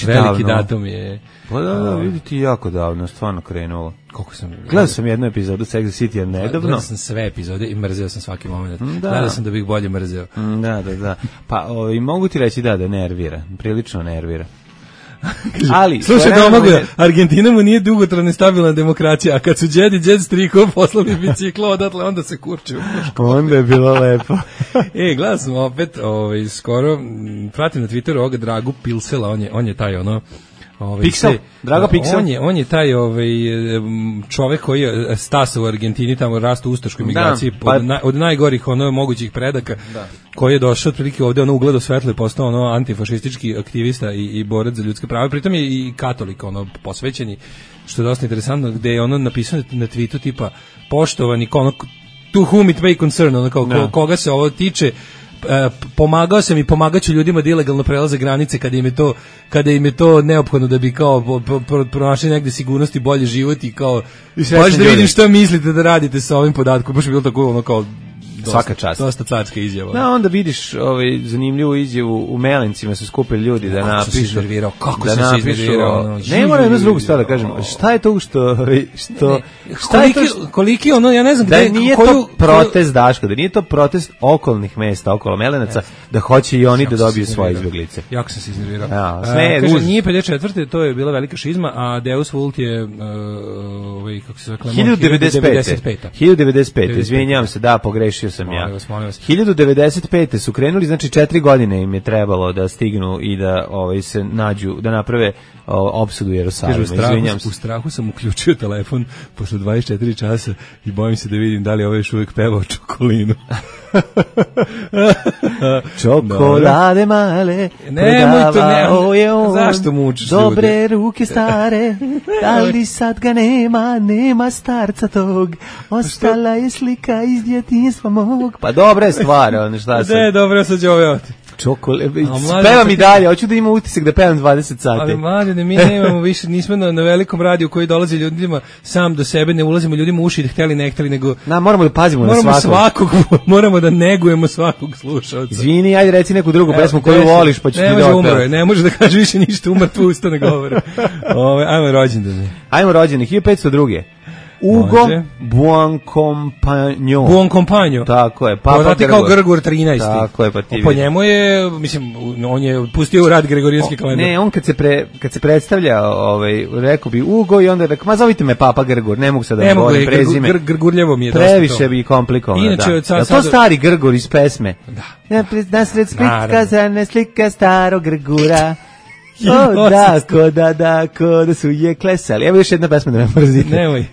veliki datum je. Pa da, vidite jako davno, stvarno krenulo. Koliko sam gledao sam jednu epizodu Sex and the City nedavno. Gledao sam sve epizode i mrzeo sam svaki moment. Gledao sam da bih bolje mrzeo. Da. Pa mogu ti reći da nervira, prilično nervira. Ali slušaj, Domagoj, Argentina mu nije dugotrajna stabilna demokracija, a kad su Đed striko poslali biciklo odatle, onda se kurče. Onda je bilo lepo. Gledao sam opet, skoro pratim na Twitteru ovoga Dragu Pilsela, on je taj Pixel, Drago Pixel. On je taj čovek koji je stasa u Argentini, tamo rastu u ustaškoj migraciji, od najgorih mogućih predaka, koji je došao otprilike ovde, ugledao svetlo i postao antifašistički aktivista i borac za ljudske prava. Pritom je i katolik, posvećeni, što je dosta interesantno, gde je napisano na tweetu tipa, poštovani, to whom it may concern, koga se ovo tiče, pomagao sam i pomagaću ljudima da ilegalno prelaze granice kada im je to neophodno da bi kao pronašli negde sigurnost i bolji život i kao baš da vidim šta mislite da radite sa ovim podatkom, baš je bilo tako kao svaka čast. Dosta carska izjava. Da, onda vidiš zanimljivu izjavu u Melencima su skupili ljudi da napišu. Kako se iznervirao. Ne moram jednu drugu stvar da kažem. Šta je to što koliki ja ne znam gde nije to protest Daško, da nije to protest okolnih mesta, okolo Melenaca, da hoće i oni da dobiju svoje izbeglice. Jako sam se iznervirao. Kaže, nije 54. to je bila velika šizma, a Deus Vult je kako se zove, 1095. Izvinjavam se, da, pogrešio mislio sam ja. Molim vas. 1095. su krenuli, znači 4 godine im je trebalo da stignu i da se nađu, da naprave opsadu Jerusalima. U strahu sam uključio telefon posle 24 časa i bojim se da vidim da li ovaj još uvijek pevao Čokolinu. Čokolade male, nemoj to, zašto mučiš dobre ruke stare, da li sad ga nema starca tog, ostala je slika iz djetinjstva mog. Pa dobra je stvar, šta sam. Ne, dobro, sad ću ovdje. Pevam i dalje, hoću da imam utisak da pevam 20 sati. Ali mladine, mi nemamo više, nismo na velikom radiju koji dolazi ljudima sam do sebe, ne ulazimo ljudima u uši, hteli ne hteli, nego moramo da pazimo na svakog. Moramo da negujemo svakog slušalca. Izvini, ajde reci neku drugu pesmu koju voliš, pa ću ti da otpevam. Ne može da kaže više ništa, umrtvo usta ne govore. Ajmo rođendane. Ajmo rođene, 1502. Ugo Buoncompagno. Buoncompagno. Tako je. Poznati kao Grgur 13. Tako je, pa ti. Po njemu je, mislim, on je pustio u rad Gregorijanski kalendar. Ne, on kad se predstavlja, rekao bi Ugo i onda rekao, ma zovite me Papa Grgur, ne mogu sad da govorim prezime. Grgurljevo mi je dosta to. Previše bi komplikovano, inače, da. Je to stari Grgur iz pesme? Da. Nasred Splitska zrane slika starog Grgura. Da su je klesali. Evo još jedna pesma da me mrzite. Nemoj.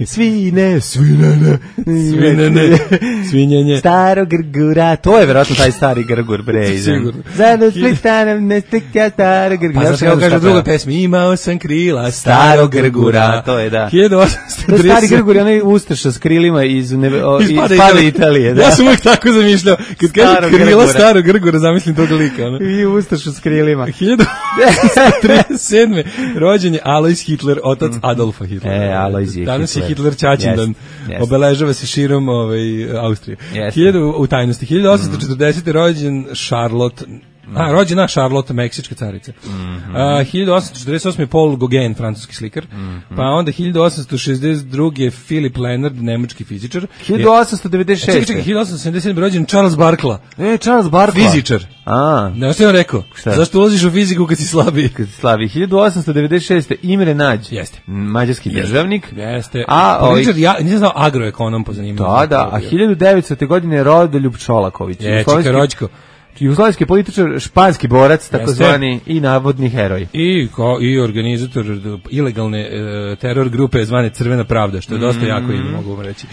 Svinjenje. Staro Grgura. To je verovatno taj stari Grgur, bre. Sigurno. Zadno splitana ne slika staro Grgura. Pa znaš kaže u drugoj pesmi, imao sam krila staro Grgura. To je da. 1830. Stari Grgur je onaj ustaša s krilima iz Pada Italije. Ja sam uvijek tako zamišljao. Kad kaže krila staro Grgura, zamislim tog lika. I ustaša s krilima. 37. rođen je Alois Hitler, otac Adolfa Hitlera. Alois je danas je Hitler Ćaćindan. Obeležava se širom Austrije. U tajnosti. 1840. rođen Charlotte, rođena Charlotte, meksička carica. 1848. Paul Gauguin, francuski slikar. Pa onda 1862. Philip Leonard, nemački fizičar. 1896. Čekaj, 1877. rođen Charles Barkla. Charles Barkla. Fizičar. Ne, što je on rekao? Zašto ulaziš u fiziku kad si slabiji? 1896. Imre Nađ. Jeste. Mađarski državnik. Jeste. Ja nisam znao agroekonom po zanimanju. Da. A 1900. godine Rodoljub Čolaković. Čeka Rođko. Jugoslavijski političar, španski borac, takozvani i navodni heroj. I organizator ilegalne teror grupe zvane Crvena pravda, što je dosta jako ime, mogu vam reći.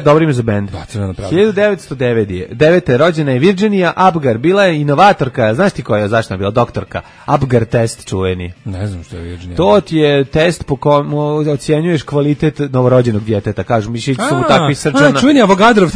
Dobro ime za bend. Da, Crvena pravda. 1909. rođena je Virginia Abgar, bila je inovatorka, znaš ti koja je, zašto je bila doktorka? Abgar test čuveni. Ne znam što je Virginia. To ti je test po kom ocjenjuješ kvalitet novorođenog djeteta, kažu, mišići su mu takvi srčana. Čuveni Avogadrov.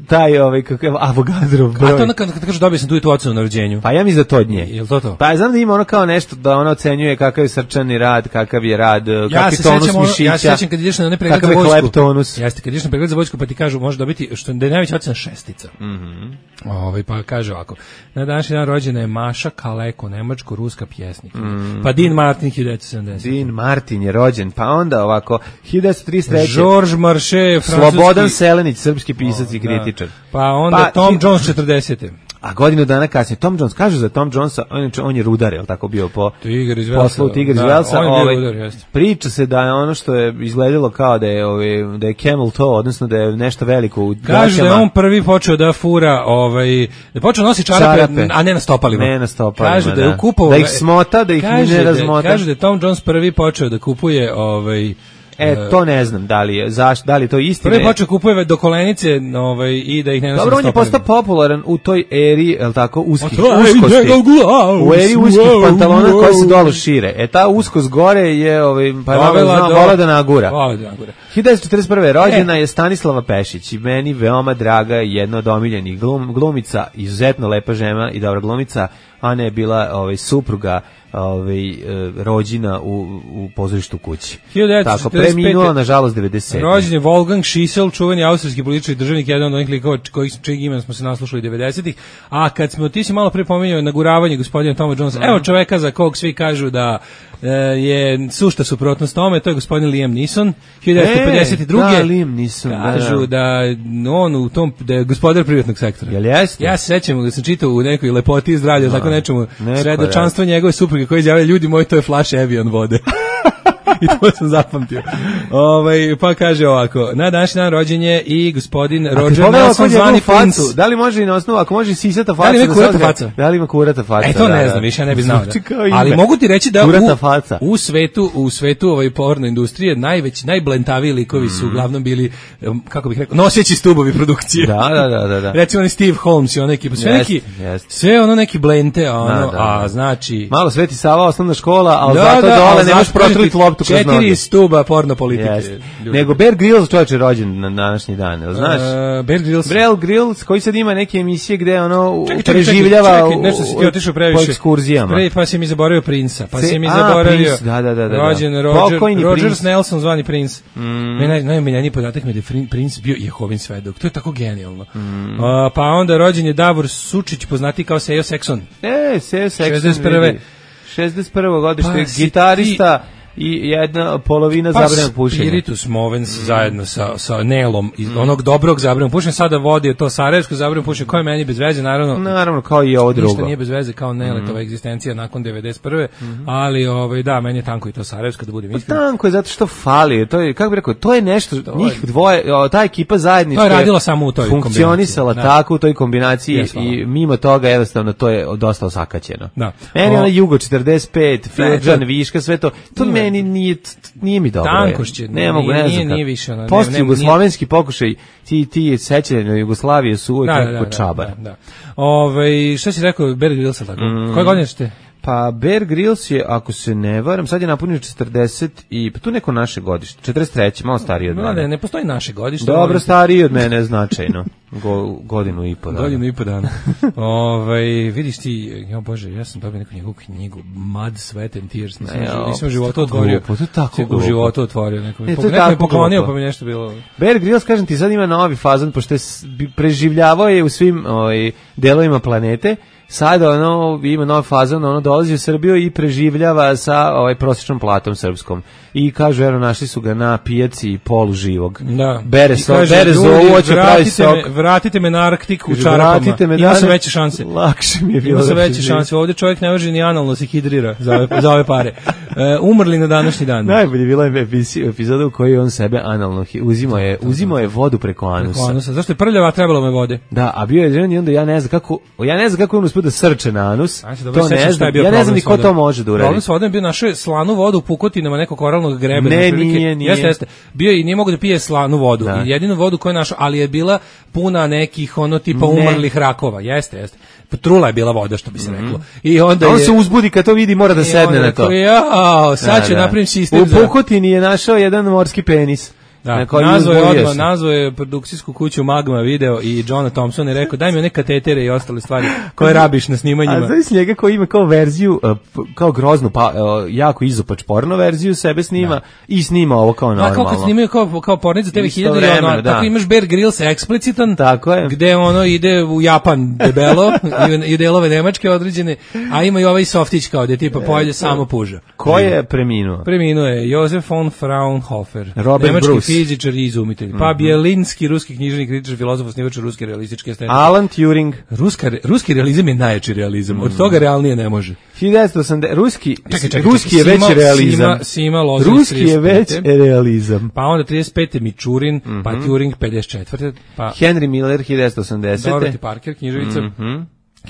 Taj, kakav Avogadrov broj. Kaže, dobio sam tu ocenu na rođenju. Pa ja mislim da to od nje. Jel to? Pa znam da ima ono kao nešto da ona ocenjuje kakav je srčani rad, kakav je rad, kakav je tonus mišića. Ja se sjećam kad ideš na pregled za vojsku. Kakav je leptonus. Jeste, kad ideš na pregled za vojsku pa ti kažu može dobiti, što da je najveća ocena 6. Pa kaže ovako. Na današnji dan rođena je Maša Kaleko, nemačko-ruska pjesnikinja. Pa Dean Martin 1970. Dean Martin je rođen, pa onda ovako 1933. Georges Marchais, francuski. Slobodan Selenić, srpski pisac i kritičar. Pa onda Tom Jones 40. A godinu dana kasnije, Tom Jones, kažu za Tom Jonesa, on je rudar, je li tako bio po poslu Tigar iz Velsa. Priča se da je ono što je izgledalo kao da je camel toe, odnosno da je nešto veliko u gaćama. Kažu da je on prvi počeo da fura, da počeo nosi čarape, a ne na stopalima. Ne na stopalima, kažu da je kupovao, da ih smota, da ih ne razmota. Kažu da je Tom Jones prvi počeo da kupuje to ne znam, da li je to istina. Prvi počeo kupuje do kolenice i da ih ne nosi. Dobro, on je postao popularan u toj eri, je li tako, uskosti. U eri uskih pantalona koji se dolu šire. Ta uskost gore je, pa je vola da nagura. 1941. rođena je Stanislava Pešić i meni veoma draga, jedna od omiljenih glumica, izuzetno lepa žena i dobra glumica. Ana je bila supruga rođena u pozorištu kući. Tako, preminula, nažalost, 97. Rođen je Wolfgang Schissel, čuveni austrijski političar i državnik, jedan od onih likova čijeg imena smo se naslušali 90-ih. A kad ti si malo pre pominjao naguravanje gospodina Toma Jonesa, evo čoveka za kog svi kažu da je sušta suprotnost tome, to je gospodin Liam Neeson, 1952. Liam Neeson. Kažu da on u tom, da je gospodar privatnog sektora. Jel jeste? Ja se sećam da sam čitao u nekoj lepoti i zdravlju, tako nečemu, svedočanstvo njegove supruge koji izjavljaju, ljudi moji, to je flash Evian vode. I to sam zapamtio. Pa kaže ovako, na današnji dan rođen je i gospodin Roger Nelson zvani Prince. Da li može i na osnovu, ako može sisata faca? Da li ima kurata faca? Da li ima kurata faca? To ne znam, više ja ne bi znao. Ali mogu ti reći da u svetu porno industrije najblentaviji likovi su uglavnom bili, kako bih rekao, noseći stubovi produkcije. Da. Recimo oni Steve Holmes i ona ekipa, sve ono neki blente, a znači... Malo Sveti Sava, osnovna škola, ali zato dole nemaš protrlit loptu kroz noge. 4 stuba porno politike. Nego Bear Grylls čovječ je rođen na današnji dan, znaš? Bear Grylls, koji sad ima neke emisije gde ono preživljava nešto si ti otišao previše po ekskurzijama. Pa si mi zaboravio Princa, pa si mi zaboravio rođen Roger Nelson zvani Prince. Najomiljeniji podatak mi je da je Prince bio Jehovin svedok. To je tako genijalno. Pa onda rođen je Davor Sučić, poznati kao Sejo Sekson. Sejo Sekson. 61. godište, gitarista i jedna polovina zabranjenog pušenja. Spiritus Movens zajedno sa Nelom iz onog dobrog zabranjenog pušenja, sada vodi to sarajevsko zabranjeno pušenje, koje meni bez veze, naravno kao i ovo drugo. Ništa nije bez veze kao Neletova egzistencija nakon 91. Ali da, meni je tanko i to sarajevsko, da budem iskren. Tanko je zato što fali, to je, kako bih rekao, to je nešto, njih dvoje, ta ekipa zajednička je radila samo u toj kombinaciji. Funkcionisala tako u toj kombinaciji i mimo toga jednostavno to je dosta osakaćeno. Meni ona Jugo 45, Filđan, Viška, sve to meni nije mi dobro. Tankošće. Ne mogu, ne znam. Nije više. Post-jugoslovenski pokušaj, ti sećanje na Jugoslavije su uvijek nekako čabar. Šta si rekao, Bear Grylls, tako? Koje godine ste? Pa Bear Grylls je, ako se ne varam, sad je napunio 40 i pa tu neko naše godište, 43, malo stariji od mene. Ne postoji naše godište. Dobro, stariji od mene značajno. Godinu i po dana. Godinu i po dana. Vidiš ti, Bože, ja sam dobio neku njegovu knjigu, Mud, Sweat and Tears, nisam u životu otvorio. To je tako glupo. U životu otvorio. Neko me poklonio, pa mi nešto bilo... Bear Grylls, kažem ti, sad ima novi fazon, pošto je preživljavao je u svim delovima planete. Sada ima nov fazon, dolazi u Srbiju i preživljava sa prosječnom platom srpskom. I kažu, našli su ga na pijaci poluživog. Da. Bere zovu, hoće pravi sok. Vratite me na Arktik u čarapama. Ima se veće šanse. Lakše mi je bilo. Ima se veće šanse. Ovdje čovjek ne može ni analno se hidrira za ove pare. Umrli na današnji dan. Najbolje bila je epizoda u kojoj on sebe analno uzimao je vodu preko anusa. Zašto je prljava, trebalo me vode? Da, a bio je žen i onda ja ne znam kako on uspio da srče na anus. To ne znam. Ja ne znam ni ko to može da uradi. Problem s vodom je bio našao slanu vodu u pukotinama nekog koralnog greba. Nije. Jeste. Bio i nije mogu da pije slanu vodu. I jedinu vodu koju je našao, ali je bila puna nekih tipa umrlih rakova. Jeste. Trula je bila voda, što bi se reklo. I onda on se uzbudi kad to vidi, mora da sedne na to. Sad ću napravim sistem. U pukotini je našao jedan morski penis. Da, nazvao je produkcijsku kuću Magma Video i Johna Thompson je rekao daj mi one katetere i ostale stvari koje rabiš na snimanjima. A znaš njega koji ima kao verziju, kao groznu, jako izopač porno verziju, sebe snima i snima ovo kao normalno. Kao kad snimaju kao pornic za TV 1000 tako imaš Bear Grylls eksplicitan, gde ide u Japan debelo i delove Nemačke određene, a ima i ovaj softić kao gde tipa pojede samo puža. Ko je preminuo? Preminuo je Josef von Fraunhofer, Robert Bruce, fizičar i izumitelj. Pa Bjelinski, ruski književnik, kritičar, filozof, osnivač ruske realističke estetike. Alan Turing. Ruski realizam je najjači realizam. Od toga realnije ne može. 1980 ruski je veći realizam. Ruski je već realizam. Pa onda 35. Mičurin, pa Turing 54. Pa Henry Miller 1980. Dorothy Parker, književica.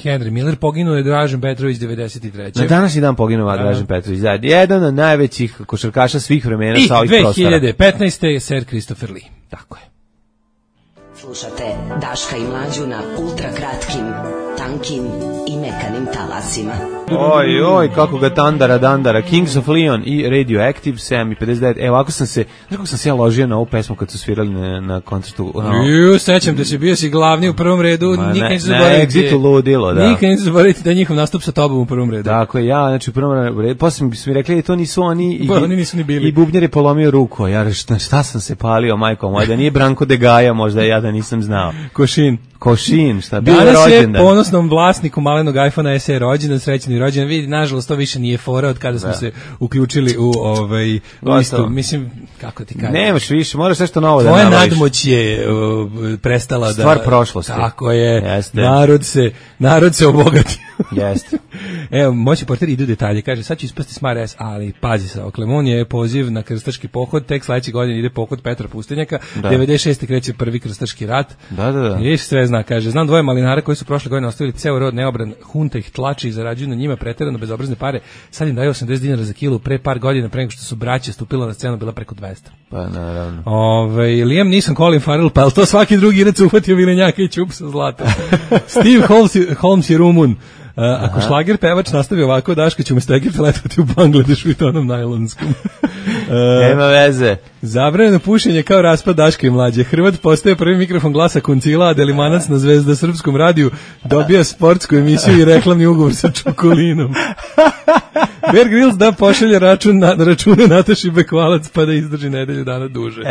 Henry Miller, poginuo je Dražen Petrović 93. Na današnji dan poginuo Dražen Petrović. Jedan od najvećih košarkaša svih vremena sa ovih prostora. I 2015. je Sir Christopher Lee. Tako je. Slušate Daška i Mlađu na ultra kratkim, tankim i mekanim talasima. Oj, kako ga dandara. Kings of Leon i Radioactive, 7:59. Evo, ovako sam se ja ložio na ovu pesmu kad su svirali na koncertu. Sećam da si bio glavni u prvom redu. Na Exitu ludilo, da. Nikad neću zaboraviti da je njihov nastup sa tobom u prvom redu. Dakle, ja, znači u prvom redu, posle mi su mi rekli da to nisu oni oni nisu ni bili. I bubnjar je polomio ruku. Ja šta sam se palio, majko moja, da nije Branko Degaja, možda ja da nisam znao. Košin, šta bio rođendan. Danas je ponosnom vlasniku malenog iPhone SE rođendan, srećni rođendan. Vidi, nažalost, to više nije fora od kada smo se uključili u listu. Mislim, kako ti kažem. Nemaš više, moraš nešto novo da nalaziš. Tvoja nadmoć je prestala da... Stvar prošlosti. Tako je. Jeste. Narod se obogatio. Jeste. Evo, moći portir idu detalje, kaže, sad ću ispasti smart ass, ali pazi se, Oklemon je poziv na krstaški pohod, tek sledeće godine ide pohod Petra Pustinjaka, 96. kreće prvi krstaški rat. Da. Viš sve zna, kaže, znam dvoje malinara koji su prošle godine ostavili ceo rod neobran, hunta ih tlači i zarađuju na njima preterano bezobrazne pare, sad im daju 80 dinara za kilu, pre par godina, pre nego što su braće stupila na scenu, bila preko 200. Pa naravno. Liam Neeson, Colin Farrell, pa to svaki drugi irac uhvatio vilenjaka i čup sa zlatom. Steve Holmes je Rumun. Ako šlager pevač nastavi ovako, Daško će umesto Egipta letovati u Bangladešu i to onom najlonskom. Nema veze. Zabranjeno pušenje kao raspad Daška i mlađe. Hrvat postaje prvi mikrofon Glasa Koncila, a Delimanac na Zvezda srpskom radiju dobija sportsku emisiju i reklamni ugovor sa Čokolinom. Bear Grylls da pošalje račune Nataši Bekvalac pa da izdrži nedelju dana duže.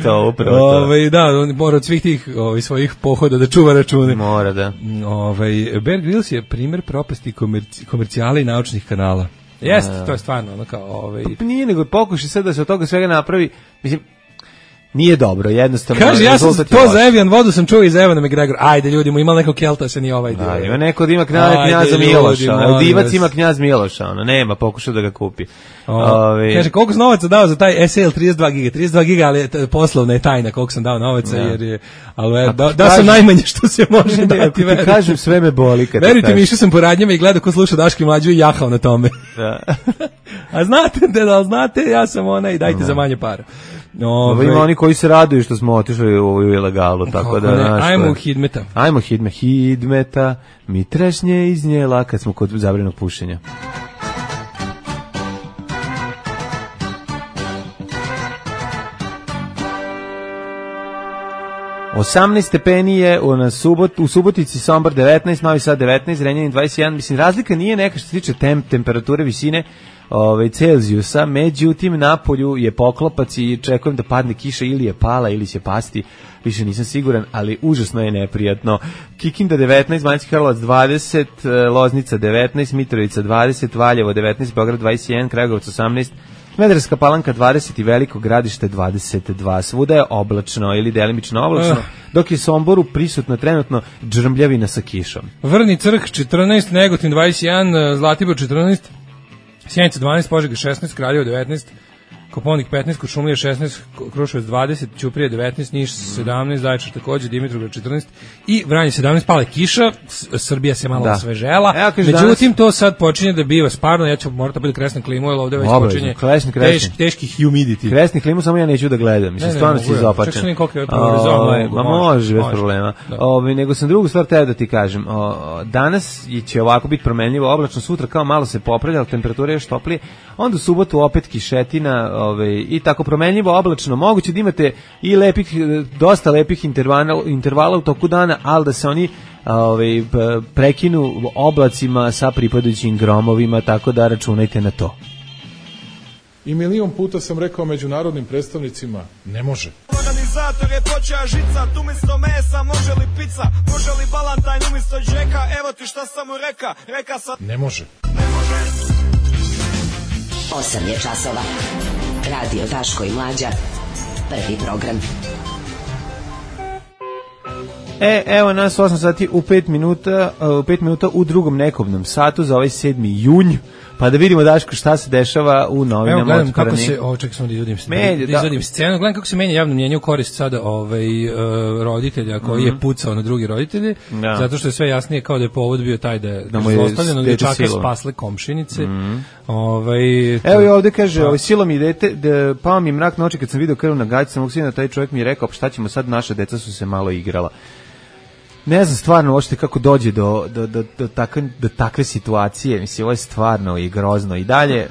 To upravo to. Da, on mora od svih tih svojih pohoda da čuva račune. Mora, da. Bear Grylls je primer propasti komercijala i naučnih kanala. Jeste, to je stvarno ono kao Pa nije, nego pokušaj sad da se od toga svega napravi, mislim, nije dobro, jednostavno. Kaže, ja sam to za Evian vodu sam čuo iz Evana McGregor. Ajde, ljudi, mu imali nekog Kelta, se nije ovaj dio. Da, ima neko da ima knjaza Miloša, Divac ima knjaz Miloša, nema, pokušao da ga kupi. Kaže, koliko sam novaca dao za taj SL 32 giga, ali poslovna je tajna koliko sam dao novaca, jer je, ali da sam najmanje što se može dati. Ti kažem, sve me boli. Verujte mi, išao sam po radnjama i gledao ko sluša Daško i Mlađu i jahao na tome. A znate, ja sam i dajte za manje para. Ima oni koji se raduju što smo otišli u ilegalu, tako da... Ajmo u Hidmeta. Ajmo Hidmeta, mi trešnje iz njela kad smo kod zabranjenog pušenja. – 18 stepeni je u Subotici, Sombor 19, Novi Sad 19, Zrenjanin 21. Mislim, razlika nije neka što se tiče temperature, visine Celzijusa, međutim napolju je poklopac i čekujem da padne kiša, ili je pala ili će pasti, više nisam siguran, ali užasno je neprijatno. Kikinda 19, Banjski Karlovac 20, Loznica 19, Mitrovica 20, Valjevo 19, Beograd 21, Kragujevac 18, Smederevska Palanka 20 i Veliko Gradište 22. Svuda je oblačno ili delimično oblačno, dok je Somboru prisutno trenutno džrmljavina sa kišom. Vrni Crk 14, Negotin 21, Zlatibor 14, Sjenica 12, Požega 16, Kraljevo 19, Koponik 15, Kuršumlija 16, Kruševac 20, Ćuprija 19, Niš 17, Zaječar takođe, Dimitrovgrad 14 i Vranje 17, pale kiša, Srbija se malo osvežela, međutim to sad počinje da biva sparno, ja ću morati biti kresna klimu, jer ovde već počinje teški humidity. Kresni klimu samo ja neću da gledam, mislim, stvarno si zapačen. Čak sam koliko je ma može, bez problema. Nego sam drugu stvar teo da ti kažem, danas će ovako biti promenljivo, oblačno, sutra kao malo se popravlja, temperatura je još toplije, onda u subotu opet kišetina, i tako promenljivo, oblačno, moguće da imate i dosta lepih intervala u toku dana, ali da se oni prekinu oblacima sa pripadajućim gromovima, tako da računajte na to. I milion puta sam rekao međunarodnim predstavnicima, ne može. Organizator je počeo žicat, umjesto mesa može li pizza, može li balantajn umjesto džeka, evo ti šta sam mu reka sam... Ne može. 8 je časova. Radio Daško i Mlađa. Prvi program. Evo nas 8 sati u 5 minuta u drugom nekobnom satu za ovaj 7. junj. Pa da vidimo, Daško, šta se dešava u novinama. Evo, gledam kako se, čekaj samo da izvodim scenu, gledam kako se menja javno mnjenje u korist sada roditelja koji je pucao na drugi roditelje, zato što je sve jasnije kao da je povod bio taj da je zlostavljeno dječaka spasle komšinice. Evo i ovde kaže, silo mi dete, pao mi mrak na oči kad sam vidio krv na gaći, sam uksina, taj čovjek mi je rekao, šta ćemo sad, naša deca su se malo igrala. Ne znam stvarno uopšte kako dođe do takve situacije, mislim, ovo je stvarno i grozno i dalje,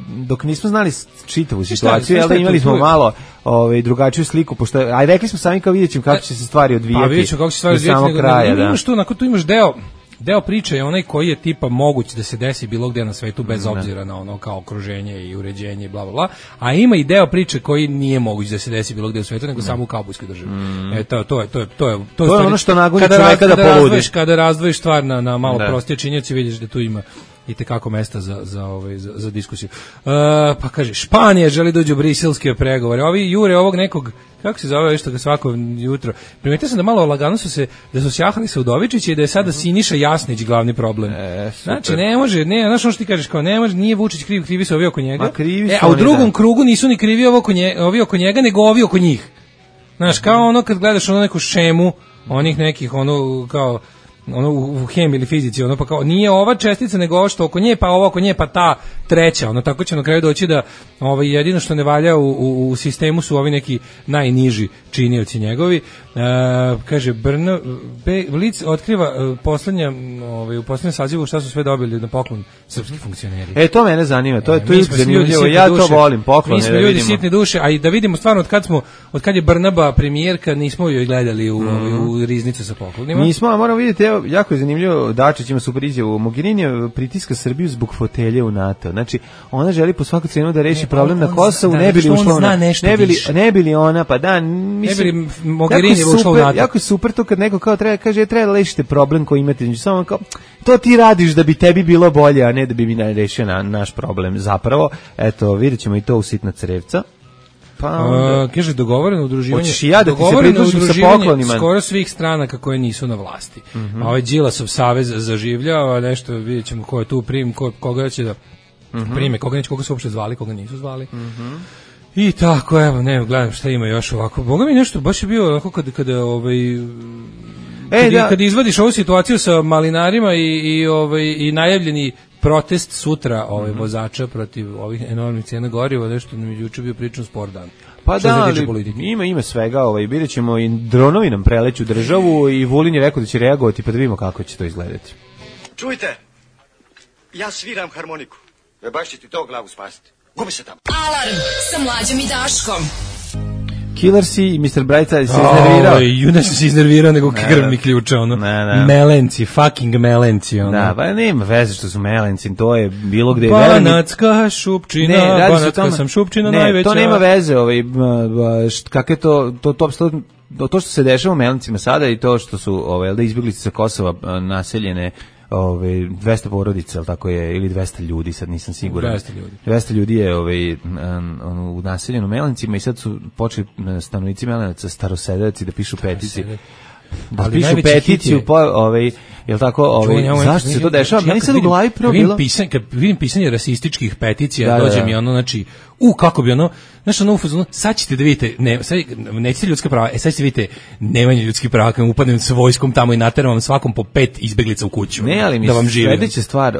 dok nismo znali čitavu situaciju, ali imali smo malo drugačiju sliku, pošto, a rekli smo sami kao vidjet ćemo kako će se stvari odvijati, pa vidjet ćemo kako će se stvari odvijati, tu imaš deo priče je onaj koji je tipa moguć da se desi bilo gdje na svetu bez obzira na ono kao okruženje i uređenje i bla bla bla, a ima i deo priče koji nije moguć da se desi bilo gdje u svetu nego samo u kaubojskoj državi. To je ono što nagonji čoveka da poludi. Kada razdvojiš stvar na malo prostije činjenice, vidiš da tu ima i tekako mesta za diskusiju. Pa kaže, Španija želi dođu u briselske pregovore. Ovi jure ovog nekog, kako se zove što ga svako jutro. Primetio sam da malo lagano su sjahali sa Udovičića i da je sada Siniša Jasnić glavni problem. Znači, ne može, znaš ono što ti kažeš, kao ne može, nije Vučić krivi su ovi oko njega. A u drugom krugu nisu ni krivi ovi oko njega, nego ovi oko njih. Znaš, kao ono kad gledaš ono neku šemu, onih nekih, ono, kao, ono u hemiji ili fizici, ono pa kao nije ova čestica nego ovo što oko nje, pa ovo oko nje, pa ta treća, ono tako će na kraju doći da jedino što ne valja u sistemu su ovi neki najniži činioci njegovi. Kaže Blic otkriva u poslednjem sazivu šta su sve dobili na poklon srpski funkcioneri. To mene zanima, to je zanimljivo, ja to volim, poklone. Mi smo ljudi sitne duše, a i da vidimo stvarno od kad je Brnaba premijerka, nismo joj gledali u riznicu sa poklonima. Nismo, moramo vidjeti, evo, jako je zanimljivo, Dačić ima super izjavu, Mogherini pritiska Srbiju zbog fotelje u NATO. Znači, ona želi po svaku cenu da reši problem na Kosovu, ne bi li ušla ona, ne bi li ona, pa da, mislim, Mogherini ušla u NATO. Jako je super to kad neko kao kaže treba da rešite problem koji imate, samo kao to ti radiš da bi tebi bilo bolje, a ne da bi mi rešio naš problem. Zapravo, eto, vidjet ćemo i to u sitna crevca. Kaže dogovoreno udruživanje. Hoćeš i ja da ti se pridružim sa poklonima. Skoro svih stranaka koje nisu na vlasti. A ovaj Đilasov savez zaživljava, nešto vidjet ćemo ko je tu koga će da prime, koga su uopšte zvali, koga nisu zvali. I tako, evo, ne, gledam šta ima još ovako. Boga mi nešto, baš je bio onako kad izvadiš ovu situaciju sa malinarima i najavljeni protest sutra vozača protiv ovih enormnih cena goriva, nešto nam je juče bio pričan spor dan. Pa da, ima svega, vidjet ćemo i dronovi nam preleću državu i Vulin je rekao da će reagovati, pa da vidimo kako će to izgledati. Čujte, ja sviram harmoniku. Baš će ti to glavu spasiti. Gubi se tamo. Alarm sa Mlađom i Daškom. Killersi i Mr. Brightside se iznervirao. Juda se iznervirao nego krvni ključa, ono. Melenci, fucking melenci, ono. Da, pa nema veze što su melenci, to je bilo gde... Banatska šupčina, Banatska sam šupčina najveća. To nema veze, kak je to što se dešava u melencima sada i to što su izbjeglice sa Kosova naseljene 200 porodica, ali tako je, ili 200 ljudi, sad nisam siguran. 200 ljudi je u naseljenu Melencima i sad su počeli stanovnici Melenaca, starosedevaci, da pišu peticije. Da pišu peticiju, jel tako, zašto se to dešava? Meni sad u glavi prvo bilo... Kad vidim pisanje rasističkih peticija, dođe mi ono, znači, kako bi ono, znaš, ono, sad ćete da vidite, nećete ljudska prava, sad ćete vidite nemanje ljudskih prava, kad upadnem sa vojskom tamo i nateram vam svakom po 5 izbeglica u kuću. Ne, ali mi sledeća stvar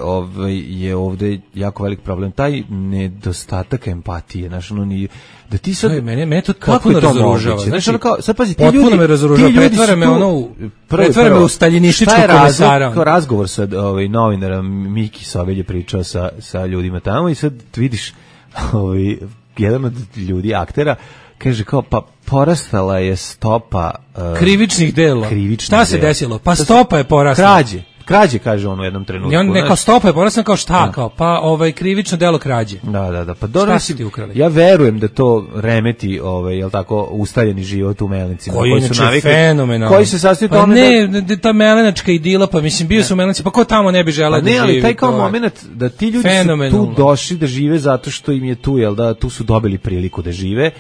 je ovde jako velik problem, taj nedostatak empatije, znaš, ono, da ti sad... Mene to potpuno razoružava. Znači, sad pazi, potpuno me razoružava, pretvara me u staljinističkog komesara. Kao razgovor sa novinarom, Miki Sovelj je pričao sa ljudima tamo i sad vidiš jedan od ljudi, aktera, kaže kao, pa porastala je stopa... krivičnih dela. Šta se desilo? Pa stopa je porastala. Krađe, kaže on u jednom trenutku. Neka stopa je porasla, kao šta, kao, pa krivično delo krađe. Da, pa dobro, ja verujem da to remeti, jel tako, ustaljeni život u Melencima. Koji inače fenomenalno. Koji se sastoji u tome ta melenačka idila, pa mislim, bio su u Melenci, pa ko tamo ne bi želeo da živi? Ne, ali taj kao moment da ti ljudi su tu došli da žive zato što im je tu, jel da, tu su dobili priliku da žive,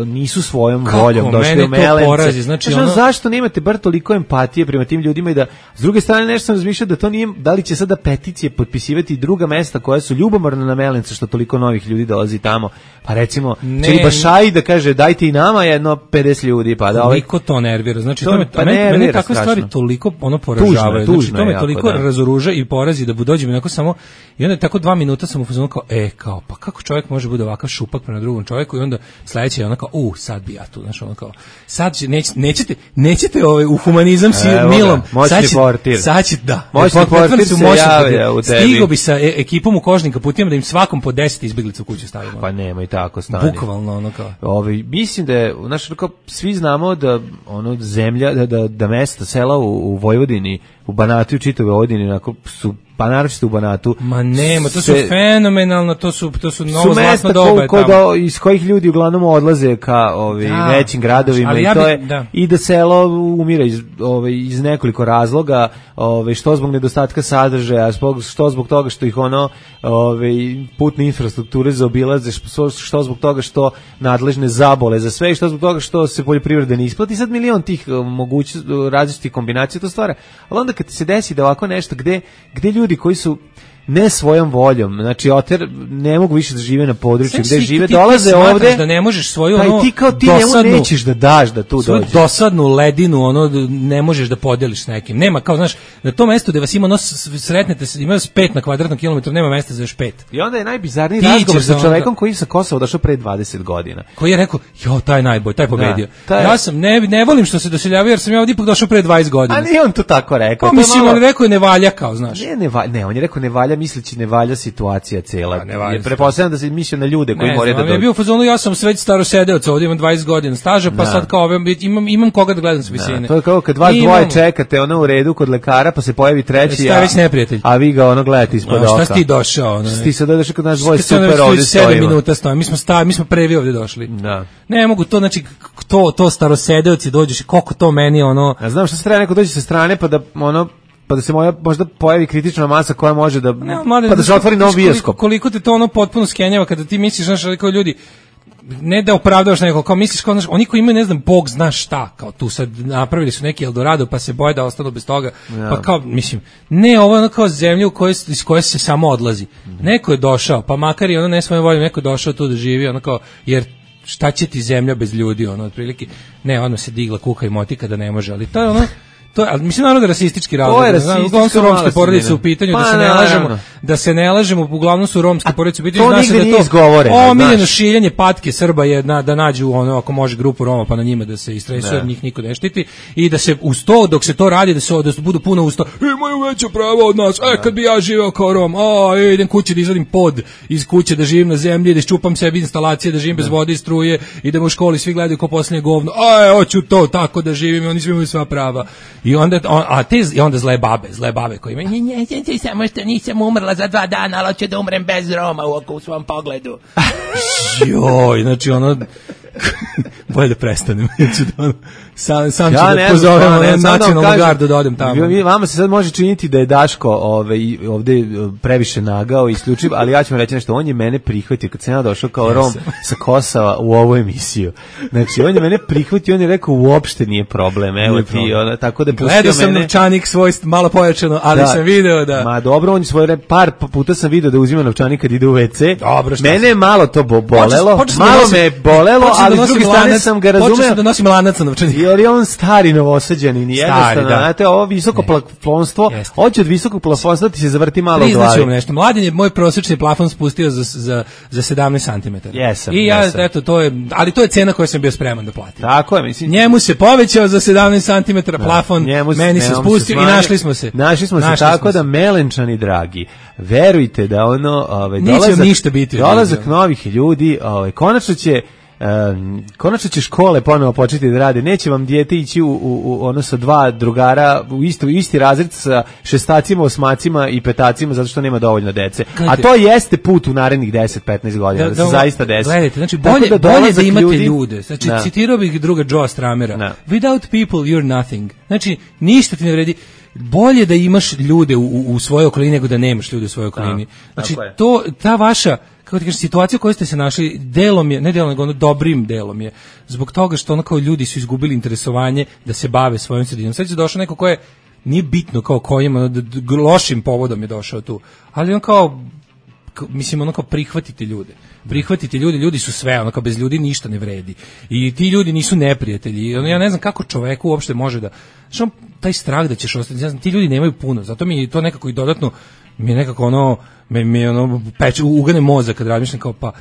nisu svojom voljom došli u Melence. Znači, zašto nemate bar toliko empatije prema tim ljudima i da, s druge strane, nešto sam razmišljao da to nije, da li će sada peticije potpisivati i druga mesta koja su ljubomorna na Melence što toliko novih ljudi dolazi tamo, pa recimo Čeribašaj da kaže dajte i nama jedno 50 ljudi, pa da toliko to nervira, znači mene takve stvari toliko poražavaju, znači to me toliko razoruža i porazi da dođem onako samo i onda tako 2 minuta sam u fazonu kao, pa kako čovjek može bude ovakav šupak prema drugom čovjeku i onda sledeće je onako, sad bi ja tu, znači ono kao, sad nećete u humanizam si milom, sad će, da. Moćni portir se javlja u tebi. Stigo bi sa ekipom u Kožnika putijama da im svakom po 10 izbeglica u kuću stavimo. Pa nema i tako stani. Bukvalno ono kao. Mislim da je, svi znamo da zemlja, da mesta, sela u Vojvodini, u Banatu i čitavoj Vojvodini su pa naročito u Banatu. Ma nema, to su fenomenalno, to su novo zlatno doba tamo. Iz kojih ljudi uglavnom odlaze ka većim gradovima i to je i da selo umira iz nekoliko razloga, što zbog nedostatka sadržaja, što zbog toga što ih putne infrastrukture zaobilaze, što zbog toga što nadležne zabole za sve i što zbog toga što se poljoprivreda ne isplati. Sad milion tih različitih kombinacija to stvara. Ali onda kad se desi da ovako nešto gde ljudi koji su ne svojom voljom, znači ne mogu više da žive na području gde žive, dolaze ovde da ne možeš svoju ti njemu nećeš da daš da tu dođe. Dosadnu ledinu ne možeš da podeliš s nekim. Nema kao, znaš, na tom mestu gde vas ima sretnete, ima vas 5 na kvadratnom kilometru, nema mesta za još 5. I onda je najbizarniji razgovor sa čovekom koji sa Kosova došao pre 20 godina. Koji je rekao, taj najbolj, taj pobedio. Ja sam, ne volim što se doseljavaju jer sam ja ovdje ipak došao pre 20 godina. A nije on to tako rekao. Mislim, on rekao ne valja kao, znaš. Ne, on je rekao ne valja misleći ne valja situacija cela. Je pretpostavljam da se mislio na ljude koji moraju da dođu. Ja bio u fazonu, ja sam već starosedeoc, ovdje imam 20 godina staža, pa sad kao imam koga da gledam s visine. To je kao kad vas dvoje čekate u redu kod lekara, pa se pojavi treći, a vi ga gledate ispod oka. Šta si ti došao? Ti sad došao kod nas dvoje super ovdje stojimo. 7 minuta stojimo, mi smo prvi ovdje došli. Ne mogu to, znači, to starosedeoci dođeš, koliko to meni Ja znam što se treba neko dođe sa strane, pa da se možda pojavi kritična masa koja može da pa da se otvori nov bioskop. Koliko te to potpuno skenjava kada ti misliš, znaš, kao ljudi, ne da opravdavaš nekog, kao misliš, kao, znaš, oni koji imaju, ne znam, Bog zna šta, kao tu sad napravili su neki Eldorado pa se boje da ostanu bez toga, pa kao, mislim, ne, ovo je kao zemlja iz koje se samo odlazi. Neko je došao, pa makar i ne svojom voljom, neko je došao tu da živi, kao, jer šta će ti zemlja bez ljudi, otprilike, ne, se digla kuka i motika da ne može, ali to je ali mislim naravno da rasistički razlog. Uglavnom su romske porodice u pitanju, da se ne lažemo, uglavnom su romske porodice u pitanju, zna se da je to omiljeno šiljanje patke Srba je da nađu ako može grupu Roma pa na njima da se istresuje, njih niko ne štiti i da se uz to, dok se to radi, da budu puno usta, imaju veća prava od nas, kad bi ja živeo kao Rom, idem kući da izvadim pod iz kuće, da živim na zemlji, da iščupam sebi instalacije, da živim bez vode i struje i da u školi svi gledaju kao posljednje govno, hoću to tako da živim i oni svi imaju sva prava. I onda zle babe koji imaju, samo što nisam umrla za 2 dana, ali hoću da umrem bez Roma u svom pogledu. Joj, znači bolje da prestanem. Sam ću da pozovem nacionalnu gardu da odem tamo. Vama se sad može činiti da je Daško ovde previše nagao i isključiv, ali ja ću vam reći nešto, on je mene prihvatio kad sam ja došao kao Rom sa Kosova u ovu emisiju. Znači, on je mene prihvatio, on je rekao uopšte nije problem, evo ti, tako da pustio mene. Gledao sam novčanik svoj malo pojačano, ali sam video da... Ma dobro, on je svoj par puta sam video da uzima novčanik kad ide u WC. Dobro, mene je malo to bolelo, malo me je bolelo, ali s druge strane sam ga razumeo. Počeo sam da nosim lanac na novčanik. Jer je on stari Novosađanin i jednostavno, znate, ovo visoko plafonstvo, hoće od visokog plafonstva ti se zavrti malo u glavi. Priznaću vam nešto, Mladen je moj prosječni plafon spustio za 17 cm. I ja, eto, ali to je cena koju sam bio spreman da platim. Tako je, mislim. Njemu se povećao za 17 cm plafon, meni se spustio i našli smo se. Našli smo se tako da, Melenčani dragi, verujte da dolazak novih ljudi, konačno će škole ponovo početi da rade, neće vam dijete ići sa 2 drugara u isti razred sa šestacima, osmacima i petacima zato što nema dovoljno dece. A to jeste put u narednih 10-15 godina, da se zaista desi. Gledajte, znači bolje da imate ljude. Znači, citirao bih druga Joe Stramera. Without people you're nothing. Znači, ništa ti ne vredi. Bolje da imaš ljude u svojoj okolini nego da nemaš ljude u svojoj okolini. Znači, ta vaša, kako ti kažeš, situacija u kojoj ste se našli, dobrim delom je, zbog toga što kao ljudi su izgubili interesovanje da se bave svojom sredinom. Sad je došao neko ko je, nije bitno kao kojim, lošim povodom je došao tu, ali on kao, mislim, prihvatite ljude. Prihvatite ljudi su sve, kao bez ljudi ništa ne vredi. I ti ljudi nisu neprijatelji. Ja ne znam kako čoveku uopšte može da... Što taj strah da ćeš ostati, ja znam, ti ljudi nemaju puno, zato mi je to nekako i dodatno, mi je nekako peče, ugane mozak kad razmišljam kao pa,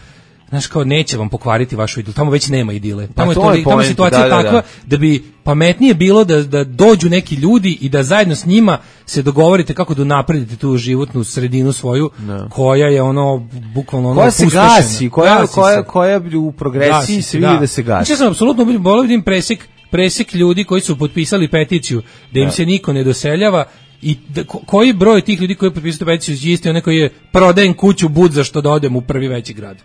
znaš, kao neće vam pokvariti vašu idilu, tamo već nema idile. Tamo je situacija takva da bi pametnije bilo da dođu neki ljudi i da zajedno s njima se dogovorite kako da napredite tu životnu sredinu svoju, koja je bukvalno koja se gasi, koja u progresiji se vidi da se gasi. Znači, ja sam apsolutno volio vidim presek ljudi koji su potpisali peticiju da im se niko ne doseljava I koji broj tih ljudi koji potpisuju tu peticiju je isti onaj koji je prodajem kuću budza što da odem u prvi veći grad.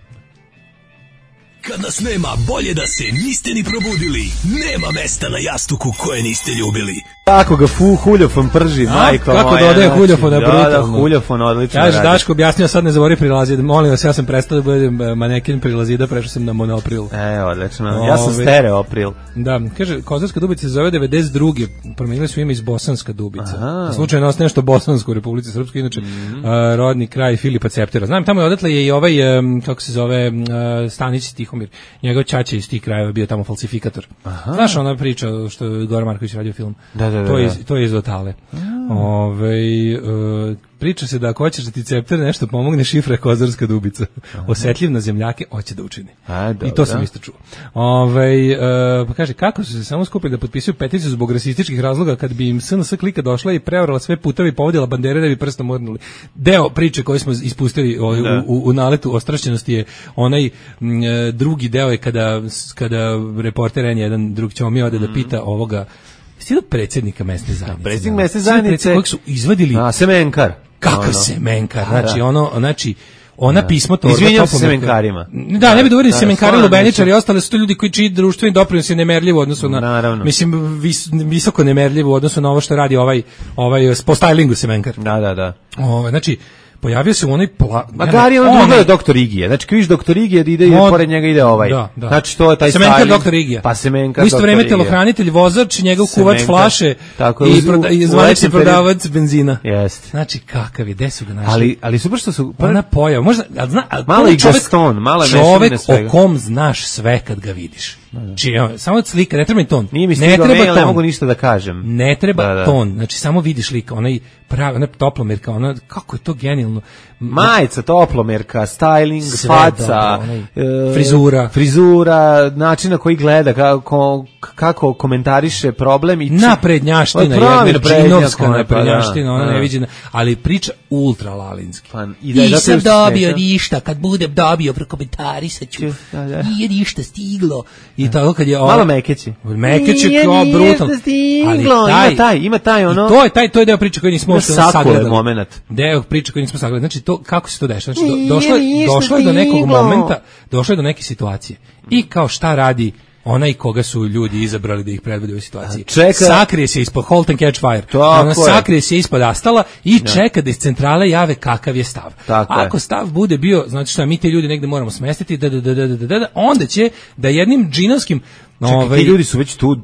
Kad nas nema, bolje da se niste ni probudili. Nema mesta na jastuku koje niste ljubili. Kako ga huljofon prži, majko moja. Kako dodaje huljofona, brutalno. Da, huljofon odlično radi. Daško objasnio, sad ne zaboravi prilazida. Molim vas, ja sam prestao da budem maneken prilazida, prešao sam na monopril. Odlično. Ja sam stereopril. Da, kaže, Kozarska Dubica se zove 92. Promenili su ime iz Bosanska Dubica. Slučajno ostaje nešto bosansko u Republici Srpskoj, inače rodni kraj Filipa Ceptera. Znam, tamo je odatle je i ovaj, kako se zove, Stanić Tihomir. Njegov ćaća iz tih krajeva bio tamo falsifikator. Znaš ona priča što je Goran Marković radio film? To je iz Otale. Priča se da ako hoćeš da ti Cepter nešto pomogne, šifra je Kozarska Dubica. Osetljiv na zemljake, hoće da učini. I to sam isto čuo. Pa kaže, kako su se samo skupili da potpisuju peticiju zbog rasističkih razloga kad bi im SNS klika došla i preorala sve puteve i povodila bandere da bi prstom murnuli. Deo priče koji smo ispustili u naletu ostrašćenosti je onaj drugi deo je kada reporter N1 drug Ćomi ode da pita ovoga stilu predsjednika mesne zajednice. Predsjednik mesne zajednice kojeg su izvadili Semenkar. Kakav Semenkar? Znači ona pismo to izvinjam se Semenkarima. Da, ne bi dovoljili Semenkari, Lubeničari, ostale su to ljudi koji čiji društveni doprinos je nemerljiv u odnosu na, mislim, visoko nemerljiv u odnosu na ovo što radi ovaj po stylingu Semenkar. Da. Znači, pojavio se u onoj Magari on drugo je doktor Igije. Znači, kad vidiš doktor Igije, ide pored njega ide ovaj. Da. Znači, to je taj Semenkar doktor Igija. Pa Semenkar u isto vreme telohranitelj, vozač, njegov kuvač flaše i zvanični prodavac benzina. Jeste. Znači, kakav je, gde su ga našli? Ali super što su... Ona pojava, možda... Malo i Gaston, malo čovek o kom znaš sve kad ga vidiš. Znači, samo slika, ne treba ni ton. Nije mi stigao mail, ne mogu ništa da kažem. Ne treba ton, znači samo vidiš lika, onaj toplomerka, ona, kako je to genijalno. Majica, toplomerka, styling, faca, frizura, način na koji gleda, kako komentariše problem. Naprednjaština, Džinovska naprednjaština, ona neviđena, ali priča ultra lalinski. Nisam dobio ništa, kad budem dobio prokomentarisat ću, nije ništa stiglo. I tako kad je malo Mekeći kao brutalno, ali ima taj ono, to je deo priče koji nismo sagledali, moment deo priče koji nismo sagledali, znači to kako se to dešava, znači došlo je do nekog momenta, došlo je do neke situacije i kao šta radi onaj koga su ljudi izabrali da ih predvodi u ovoj situaciji. Sakrije se ispod Halt and Catch Fire. Sakrije se ispod Astala i čeka da iz centrale jave kakav je stav. Ako stav bude bio, znači šta, mi te ljudi negde moramo smestiti, onda će da jednim džinovskim ti ljudi su već tu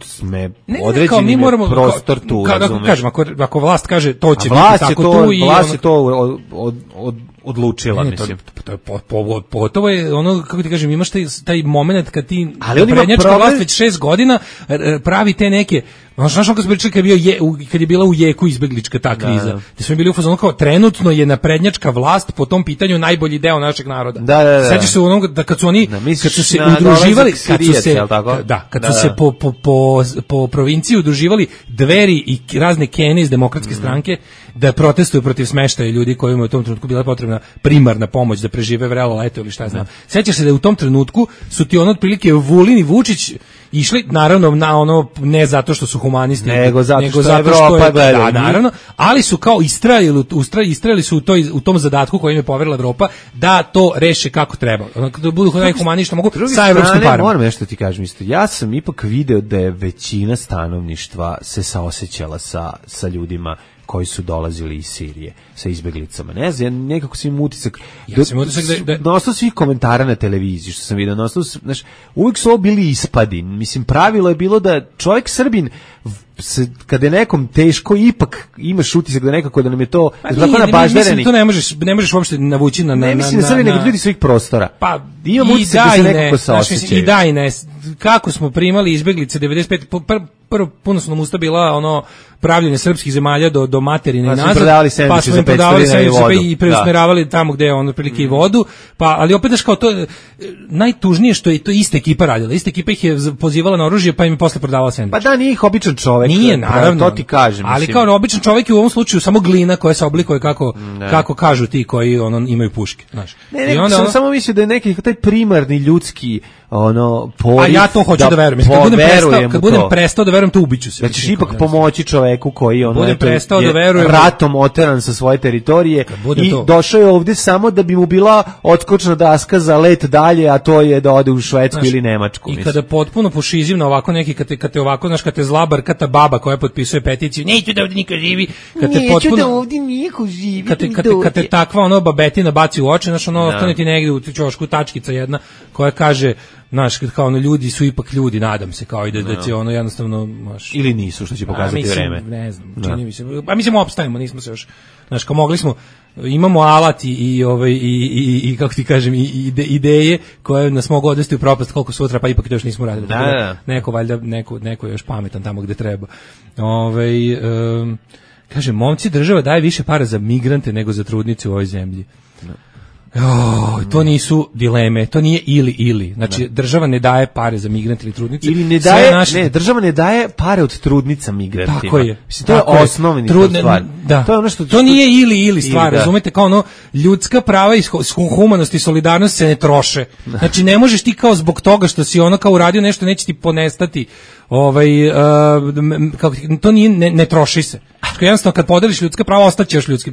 određeni prostor tu, razumeš? Ako vlast kaže to će biti tako tu i... Vlast je to odlučila, mislim. Pogotovo je ono, kako ti kažem, imaš taj moment kad ti prednjačka vlast već 6 godina pravi te neke... Znaš ono kad smo pričali kad je bila u jeku izbeglička ta kriza, gde smo bili u fazonu kao trenutno je naprednjačka vlast po tom pitanju najbolji deo našeg naroda. Sećaš se onog da kad su oni kad su se udruživali, kad su se po provinciji udruživali Dveri i razne Kene iz Demokratske stranke da protestuju protiv smeštaja ljudi kojima je u tom trenutku bila potrebna primarna pomoć da prežive vrelo leto ili šta znam. Sećaš se da u tom trenutku su ti ono otprilike Vulin i Vučić išli, naravno, na ono, ne zato što su humanisti, nego zato što Evropa gleda. Da, naravno, ali su kao istrajali su u tom zadatku koji im je poverila Evropa da to reše kako treba. Da budu najhumaniji što mogu sa evropskim parama. Moram nešto ti kažem isto. Ja sam ipak video da je većina stanovništva se saosećala sa ljudima koji su dolazili iz Sirije sa izbeglicama. Ne znam, nekako sam im utisak. Ja sam utisak na osnovu svih komentara na televiziji što sam vidio, na osnovu, znaš, uvijek su ovo bili ispadi. Mislim, pravilo je bilo da čovjek Srbin kada je nekom teško, ipak imaš utisak da nekako da nam je to mislim, to ne možeš uopšte navući na ne mislim da Srbi nego ljudi svih prostora. Pa imam utisak da se nekako saosećaju. I da i ne. Kako smo primali izbeglice 95 prvo puno su nam usta bila ono pravljenje srpskih zemalja do materine i nazad, pa smo im prodavali sendviče i preusmeravali tamo gde je ono prilike i vodu, pa ali opet daš kao to najtužnije što je to ista ekipa radila, ista ekipa ih je pozivala na oružje pa im je posle prodavala sendviče. Pa da, nije ih običan čovjek. Nije, naravno, to ti kažem. Ali mislim, kao običan čovjek je u ovom slučaju samo glina koja se oblikuje kako kažu ti koji imaju puške, znaš. I onda samo mislio da je neki taj primarni ljudski ono poriv. A ja to hoću da verujem. Kad budem prestao da verujem, to ubiću se. Da ćeš ipak pomoći čoveku koji budem prestao da verujem, ratom oteran sa svoje teritorije i došao je ovde samo da bi mu bila odskočna daska za let dalje, a to je da ode u Švedsku ili Nemačku. I kada potpuno pošizim na ovako neki, kad te ovako, znaš, kad te zlabarkata baba koja potpisuje peticiju, neću da ovde niko živi, neću da ovde niko živi, kad te takva ono babetina baci u oči, znaš, ono ostane ti negde u ćošku tačkica jedna koja kaže, znaš, kao ono, ljudi su ipak ljudi, nadam se, kao i da će ono jednostavno, znaš, ili nisu, što će pokazati vreme. Ne znam, čini mi se. A mislim opstajemo, nismo se još, znaš, kao mogli smo, imamo alat i kako ti kažem, i ideje koje nas mogu odvesti u propast koliko sutra, pa ipak to još nismo radili. Neko valjda, neko je još pametan tamo gde treba. Kaže, momci, država daje više para za migrante nego za trudnice u ovoj zemlji. To nisu dileme, to nije ili. Znači, država ne daje pare za migrante ili trudnice. Ili ne daje, država ne daje pare od trudnica migrantima. Tako je. Mislim, to je osnovni stvar. Da. To je ono što nije ili stvar, razumete, kao ono, ljudska prava i humanost i solidarnost se ne troše. Znači, ne možeš ti kao zbog toga što si ono kao uradio nešto, neće ti ponestati. To nije, ne troši se. Jednostavno, kad podeliš ljudska prava, ostaće još ljudski,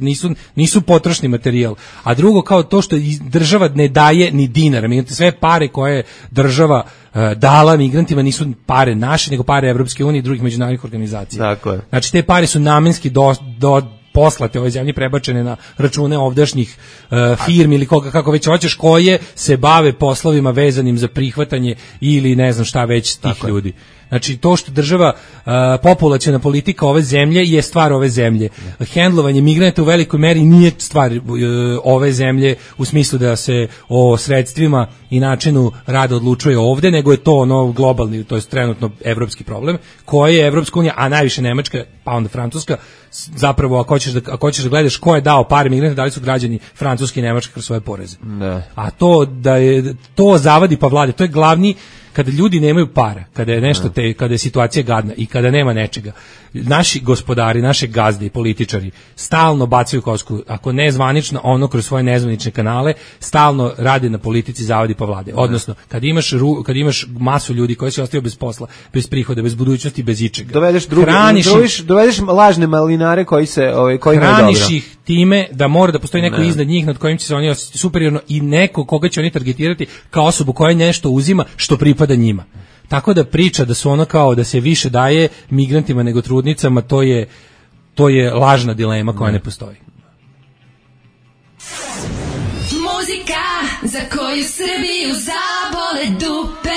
nisu potrošni materijal. A drugo, kao to što država ne daje ni dinara. Sve pare koje država dala migrantima nisu pare naše, nego pare Evropske unije i drugih međunarodnih organizacija. Tako je. Znači, te pare su namenski poslate ovoj zemlji, prebačene na račune ovdašnjih firmi ili koga, kako već hoćeš, koje se bave poslovima vezanim za prihvatanje ili ne znam šta već tih ljudi. Znači, to što država, populaciona politika ove zemlje je stvar ove zemlje. Hendlovanje migranata u velikoj meri nije stvar ove zemlje u smislu da se o sredstvima i načinu rada odlučuje ovde, nego je to ono globalni, to je trenutno evropski problem, koji je Evropska unija, a najviše Nemačka, pa onda Francuska, zapravo ako hoćeš da gledaš ko je dao pare migranta, da li su građani Francuske i Nemačke kroz svoje poreze. A to zavadi pa vlade, to je glavni. Kada ljudi nemaju para, kada je nešto kada je situacija gadna i kada nema nečega, naši gospodari, naše gazde i političari stalno bacaju kosku, ako ne zvanično, ono kroz svoje nezvanične kanale, stalno rade na politici zavadi pa vlade. Odnosno, kad imaš masu ljudi koji se ostaju bez posla, bez prihoda, bez budućnosti, bez ičega. Dovedeš lažne malinare koji hraniš ih time da mora da postoji neko iznad njih nad kojim će se oni osjetiti superiorno i neko koga će oni targetirati kao osobu koja nešto uzima što pripada njima. Tako da priča da su ono kao da se više daje migrantima nego trudnicama, to je lažna dilema koja ne postoji. Muzika za koju Srbiju zabole dupe.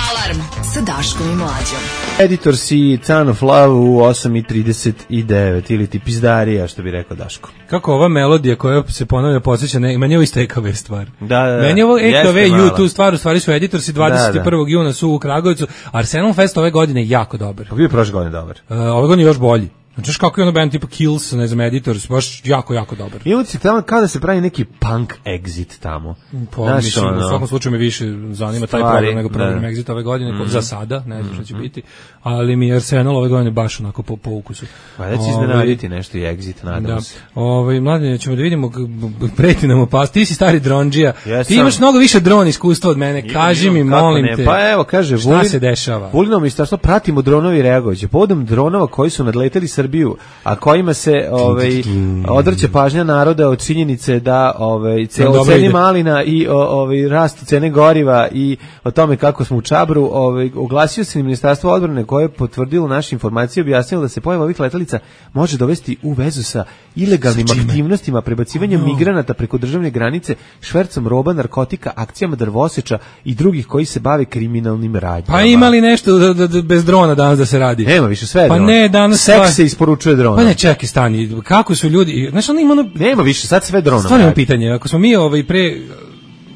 Alarm sa Daškom i Mlađom. Editor si Ton of Love u 8:39 ili ti pizdarija, što bi rekao Daško. Kako ova melodija koja se ponavlja podsjeća, meni je ovo isto EKV stvar. Da. Meni je ovo EKV YouTube stvar, u stvari su Editorsi 21. juna su u Kragujevcu. Arsenal Fest ove godine je jako dobar. Bio je prošle godine dobar. Ove godine još bolji. Znači kako je ono band tipa Kills, ne znam, Editors, baš jako, jako dobar. I ovdje tamo kao da se pravi neki punk exit tamo. Pa mislim, u svakom slučaju me više zanima taj program nego program exit ove godine, za sada, ne znam što će biti, ali mi je Arsenal ove godine baš onako po ukusu. Pa da će iznenaditi nešto i exit, nadam se. Mladine, ćemo da vidimo, preti nam opast, ti si stari dronđija, ti imaš mnogo više dron iskustva od mene, kaži mi, molim te, pa evo, kaže, šta se dešava? Vulino ministarstvo, pratimo dronovi reagovaće, povodom dronova koji su nadleteli Srbiju, a kojima se odvrće pažnja naroda od činjenice da o ceni malina i rastu cene goriva i o tome kako smo u Čabru, oglasio se Ministarstvo odbrane koje je potvrdilo naše informacije, objasnilo da se pojava ovih letelica može dovesti u vezu sa ilegalnim aktivnostima, prebacivanjem migranata preko državne granice, švercom roba, narkotika, akcijama drvoseča i drugih koji se bave kriminalnim radnjama. Pa ima li nešto bez drona danas da se radi? Nema više, sve je drona. Pa ne, danas seks se isporučuje drona. Pa ne, čekaj, stani, kako su ljudi, znaš, ono ima nema više, sad sve drona. Stvarno imam pitanje, ako smo mi pre,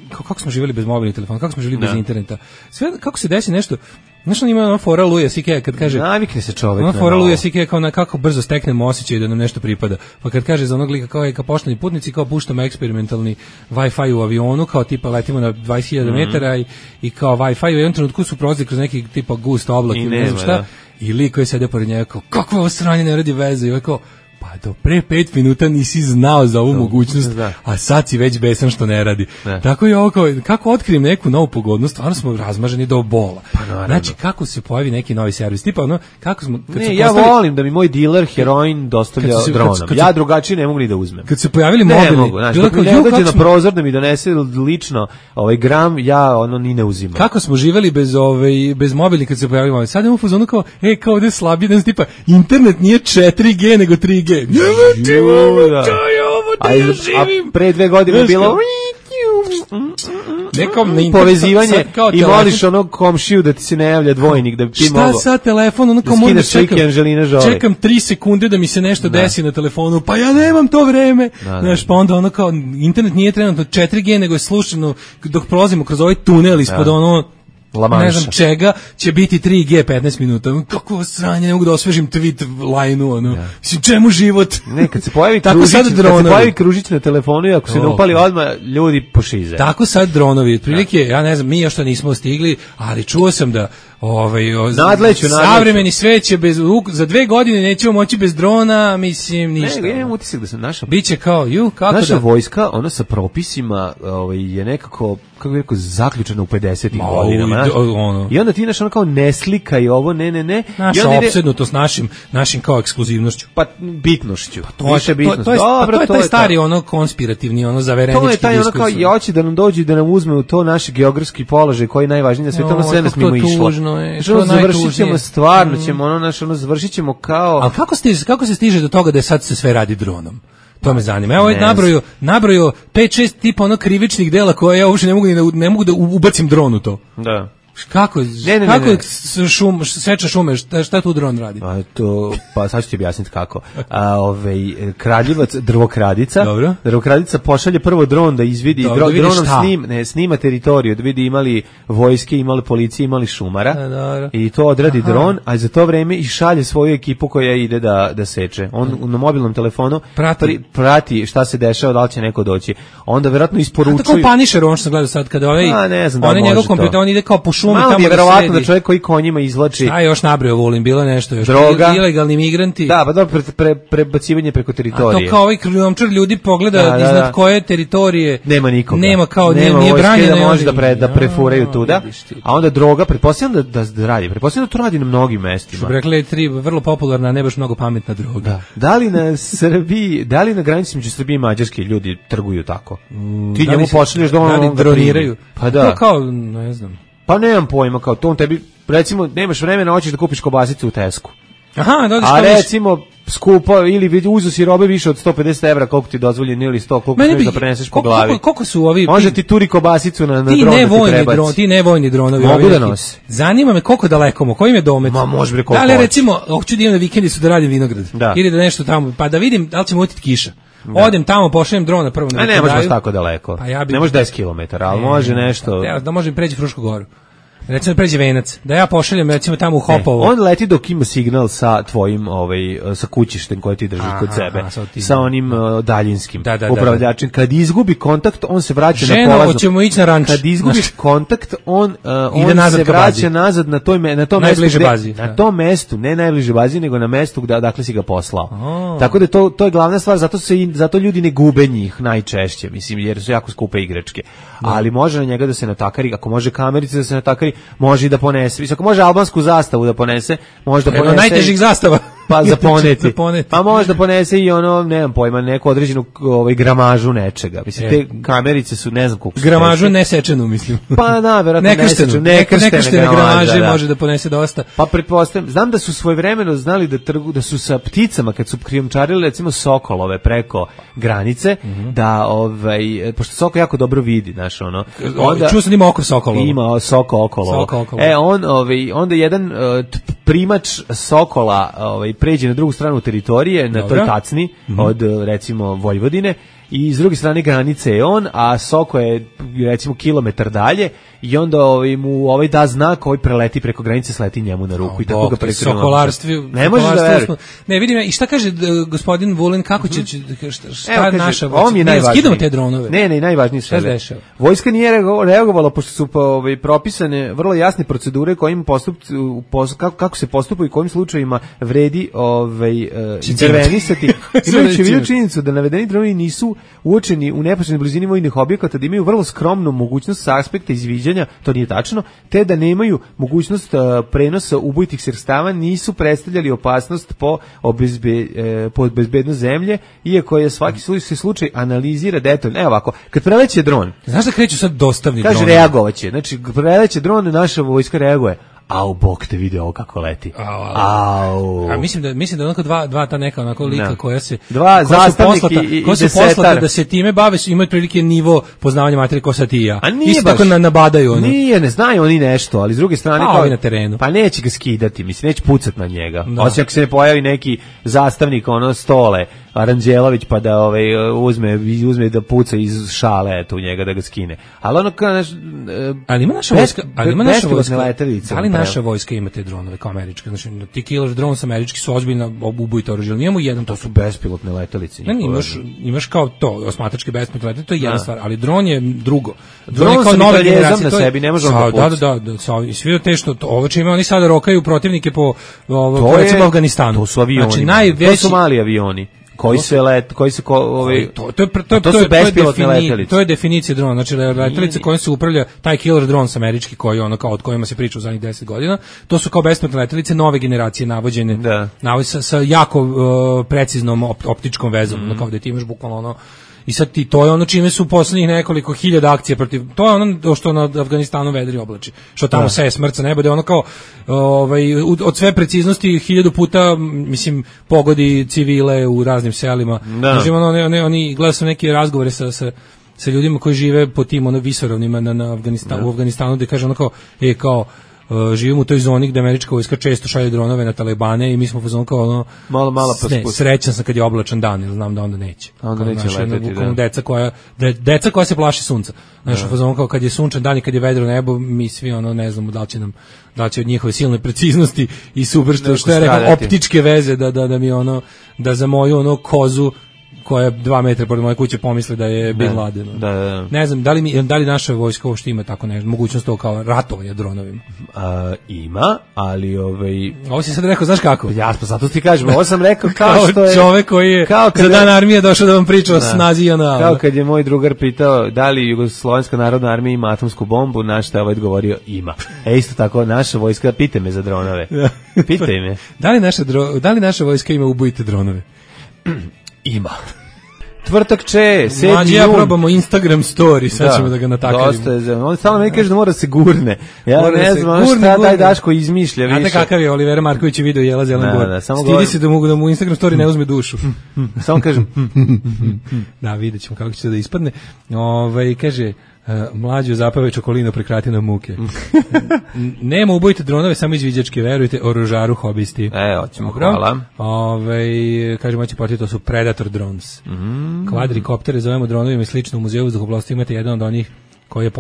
kako smo živjeli bez mobilnih telefona, kako smo živjeli bez interneta, sve, kako se desi nešto, znaš, on ima ona fora Luja C.K. kad kaže, navikne se čovjek, ona fora Luja C.K. kao na kako brzo steknemo osjećaj da nam nešto pripada, pa kad kaže za onog lika kao je kao pošteni putnici, kao puštamo eksperimentalni Wi-Fi u avionu, kao tipa letimo na 20.000 metara i kao Wi-Fi u jednom trenutku su prolazili kroz neki tipa gust oblak i ne znam šta, i lik koji sede pored njega kao, kako ovo sranje ne radi veze, i ovaj kao, Pa do pre 5 minuta nisi znao za ovu mogućnost, a sad si već besan što ne radi. Tako je ovo kako otkrijem neku novu pogodnost, stvarno smo razmaženi do bola. Znači, kako se pojavi neki novi servis, tipa ono, kako smo... Ja volim da mi moj diler heroin dostavlja dronom. Ja drugačije ne mogu ni da uzmem. Kad se pojavili mobilni... Ne mogu, znači, kako ne dođe na prozor da mi donese lično gram, ja ono ni ne uzimam. Kako smo živeli bez mobilni kad se pojavili mobilni. Sad imamo fazonu kao, kao ovde slabije, tipa, internet nije 4G nego 3G. A pre 2 godine bilo povezivanje i moliš onog komšiju da ti se ne javlja dvojnik da ti mogo. Šta sad telefon, ono kao moram da čekam 3 sekunde da mi se nešto desi na telefonu, pa ja nemam to vreme. Znaš, pa onda ono kao internet nije trenutno 4G nego je slučajno dok prolazimo kroz ovaj tunel ispod ono ne znam čega, će biti 3G 15 minuta. Kako sranje, ne mogu da osvežim tweet line-u, ono. Mislim, čemu život? Ne, kad se pojavi kružić na telefonu i ako se ne upali odmah, ljudi pošize. Tako sad dronovi, otprilike, ja ne znam, mi još to nismo stigli, ali čuo sam da nadleću. Savremeni svet će za 2 godine nećemo moći bez drona, mislim, ništa. Ne, imam utisak da se biće kao, kako naša vojska, ona sa propisima je nekako, kako bih rekao, zaključena u 50-ih godinama. I onda ti ono kao ne slika i ovo, ne. Naša opsednutost našim kao ekskluzivnošću. Pa bitnošću. To je taj stari ono konspirativni, ono zaverenički diskurs. To je taj ono kao, ja hoće da nam dođu da nam uzme u to naš geografski položaj koji je najvažniji na svijetu, ono sve nas mimo išlo. Završit ćemo stvarno, završit ćemo kao... Ali kako se stiže do toga da sad se sve radi dronom? To me zanima. Evo nabrojio 5-6 tipa ono krivičnih dela koje ja uopšte ne mogu da ubacim dron u to. Da. Kako seča šume, šta tu dron radi? Pa sad ću ti objasniti kako. Kraljevac, drvokradica pošalje prvo dron da izvidi, dronom snima teritoriju, da vidi imali vojske, imali policije, imali šumara i to odradi dron, a za to vreme i šalje svoju ekipu koja ide da seče. On na mobilnom telefonu prati šta se dešava, da li će neko doći. Onda verovatno isporučuju... Tako Punisher, on što sam gledao sad, kada njegov kompjuter, on ide kao po šumi. Malo je verovatno da čovjek koji konjima izvlači... A još nabrojao, volim, bilo nešto još. Droga. Ilegalni migranti. Da, pa dobro, prebacivanje preko teritorije. A to kao ovaj krijumčar ljudi pogleda iznad koje teritorije... Nema nikoga. Nema kao, nije branjeno. Da može da prefuraju tuda. A onda droga, pretpostavljam da radi. Pretpostavljam da to radi na mnogim mestima. Što bi rekli, vrlo popularna, ne baš mnogo pametna droga. Da li na granici među Srbije i Mađarske ljudi trguju tako? Ti njemu pošalješ da on droniraju. Pa da. Kao, ne znam. Pa nemam pojma, kao to on tebi, recimo, nemaš vremena, hoćeš da kupiš kobasicu u Tesku. Aha, a recimo, skupo, ili uzu si robe više od 150 evra, koliko ti dozvoljeno, ili 100, koliko smiješ da preneseš po glavi. Koliko su ovi... Može ti turi kobasicu na dron da ti prebaci. Ti nevojni dronovi. Mogu da nosi. Zanima me koliko daleko, koji im je domet. Ma može bre koliko hoće. Da li recimo, hoću da idem na vikendicu da radim vinograd. Ili da nešto tamo, pa da vidim da li će mutiti kiša. Odem tamo, pošaljem drona prvo na ne može baš tako daleko. Ne može 10 km, ali može nešto. Da može preći Frušku goru. Recimo pređe Venac, da ja pošaljem recimo tamo u Hopovo. On leti dok ima signal sa tvojim sa kućištem koje ti držiš kod sebe, sa onim daljinskim upravljačem. Kad izgubi kontakt, on se vraća na polazno. Hoćemo ići na ranč. Kad izgubiš kontakt, on se vraća nazad na tom mestu. Na tom mestu, ne najbliže bazi, nego na mestu dakle si ga poslao. Tako da to je glavna stvar, zato ljudi ne gube njih najčešće, mislim, jer su jako skupe igračke. Ali može na njega da se natakari, ako može kamerice da se natakari, može i da ponese. Mislim, ako može albansku zastavu da ponese, može da ponese... najtežih zastava. Pa za poneti. Pa može da ponese i ono, nemam pojma, neku određenu gramažu nečega. Mislim, te kamerice su, ne znam koliko su. Gramažu nesečenu, mislim. Pa da, verovatno nekrštene gramaže može da ponese dosta. Pa pretpostavljam, znam da su svojevremeno znali da su sa pticama, kad su krijumčarili, recimo sokolove preko granice, da, pošto sokol jako dobro vidi, znaš, ono. Čuo sam ima oko sokolovo. Ima soko okolo. Onda jedan primač sokola pređe na drugu stranu teritorije, na toj tacni od recimo Vojvodine i s druge strane granice je on, a Soko je recimo kilometar dalje i onda mu da znak, preleti preko granice, sleti njemu na ruku i tako ga prekrije. Ne možeš da veruješ. Ne, vidim ja, i šta kaže gospodin Vulin, kako će šta naša vojska? Skidamo te dronove. Ne, najvažnije sve. Vojska nije reagovala pošto su propisane vrlo jasne procedure kojim kako se postupa i kojim slučajevima vredi intervenisati. Imajući vidio činjenicu da navedeni dronovi nisu uočeni u neposrednoj blizini vojnih objekata, da imaju vrlo skromnu mogućnost sa aspekta izviđanja, to nije tačno, te da nemaju mogućnost prenosa ubojitih sredstava, nisu predstavljali opasnost po bezbednost zemlje, iako je svaki slučaj analizira detaljno. Evo ovako, kad preleće dron, znaš da kreću sad dostavni dron? Kaže reagovaće, znači preleće dron, naša vojska reaguje. Au, bog te vidi ovo kako leti. Au. A mislim da onako dva ta neka onako lika koja se dva zastavniki i poslata da se time bave, imaju prilike nivo poznavanja materije ko sad i ja. Isto tako nabadaju ono. Nije, ne znaju oni nešto, ali s druge strane kao na terenu. Pa neće ga skidati, mislim, neće pucat na njega. Osim ako se ne pojavi neki zastavnik Stole Aranđelović pa da uzme da puca iz šale eto u njega da ga skine. Ali ono kao ali ima naša vojska, ali naša vojska ima te dronove kao američke. Znači ti Killer drones američki su ozbiljno ubojito oružje. Nijemo jedan, to su bespilotne letelice. Ne, imaš kao to osmatračke bespilotne letelice, to je jedna stvar, ali dron je drugo. Dron je kao nova generacija, na sebi, ne može on da puca. Da, i svi te što ovo čime oni sada rokaju protivnike po recimo Afganistanu. To su avioni. Znači najveći, to su mali avioni. To su bespilotne letelice. To je definicija drona, znači letelice kojim se upravlja taj killer drones američki koji ono kao od kojima se priča u zadnjih 10 godina. To su kao bespilotne letelice nove generacije navođene, sa jako preciznom optičkom vezom, kao da ti imaš bukvalno ono. I sad to je ono čime su poslednjih nekoliko hiljada akcija protiv, to je ono što na Afganistanu vedri oblači, što tamo seje smrca nebo, da je ono kao od sve preciznosti 1000 puta, mislim, pogodi civile u raznim selima. Znači, oni gledaju su neke razgovore sa ljudima koji žive po tim visoravnima u Afganistanu, gde kaže ono kao, živimo u toj zoni gde američka vojska često šalje dronove na talibane i mi smo pozvani kao ono malo srećan sam kad je oblačan dan, jer znam da onda neće. Onda neće leteti, deca koja se plaši sunca. Znaš, pozvani kao kad je sunčan dan i kad je vedro nebo, mi svi ono ne znamo da li će od njihove silne preciznosti i super što je rekao optičke veze da mi ono, da za moju ono kozu koja je 2 metra pored moje kuće pomisli da je Bin Laden. Da. Ne znam, da li naša vojska uopšte ima tako nešto, mogućnost to kao ratovanja dronovima? Ima, ali Ovo si sad rekao, znaš kako? Ja, pa zato ti kažem, ovo sam rekao kao što je... čovek koji je za dan armije došao da vam priča o snazi JNA. Kao kad je moj drugar pitao da li Jugoslovenska narodna armija ima atomsku bombu, naš šta je odgovorio, ima. Isto tako, naša vojska, pitaj me za dronove. Pitaj me. Da li naša vojska ima ubojite dronove? Ima. Tvrtak će, 7. Mlađi, ja probamo Instagram story, sad ćemo da ga natakarimo. Dosta je, on stalno meni kaže da mora se gurne. Ja ne znam šta taj Daško izmišlja više. Znate kakav je Olivera Marković je video Jela Zelen Bor. Stidi se da mu Instagram story ne uzme dušu. Samo kažem. Da, vidjet ćemo kako će da ispadne. Kaže... Mlađu zapave čokolino, prekrati na muke. Nema ubojite dronove, samo izviđačke, verujte, oružaru hobisti. Hoćemo, hvala. Kaže moći porti, to su Predator drones. Kvadrikoptere zovemo dronovima i slično. U muzeju vazduhoplovstva imate jedan od onih koji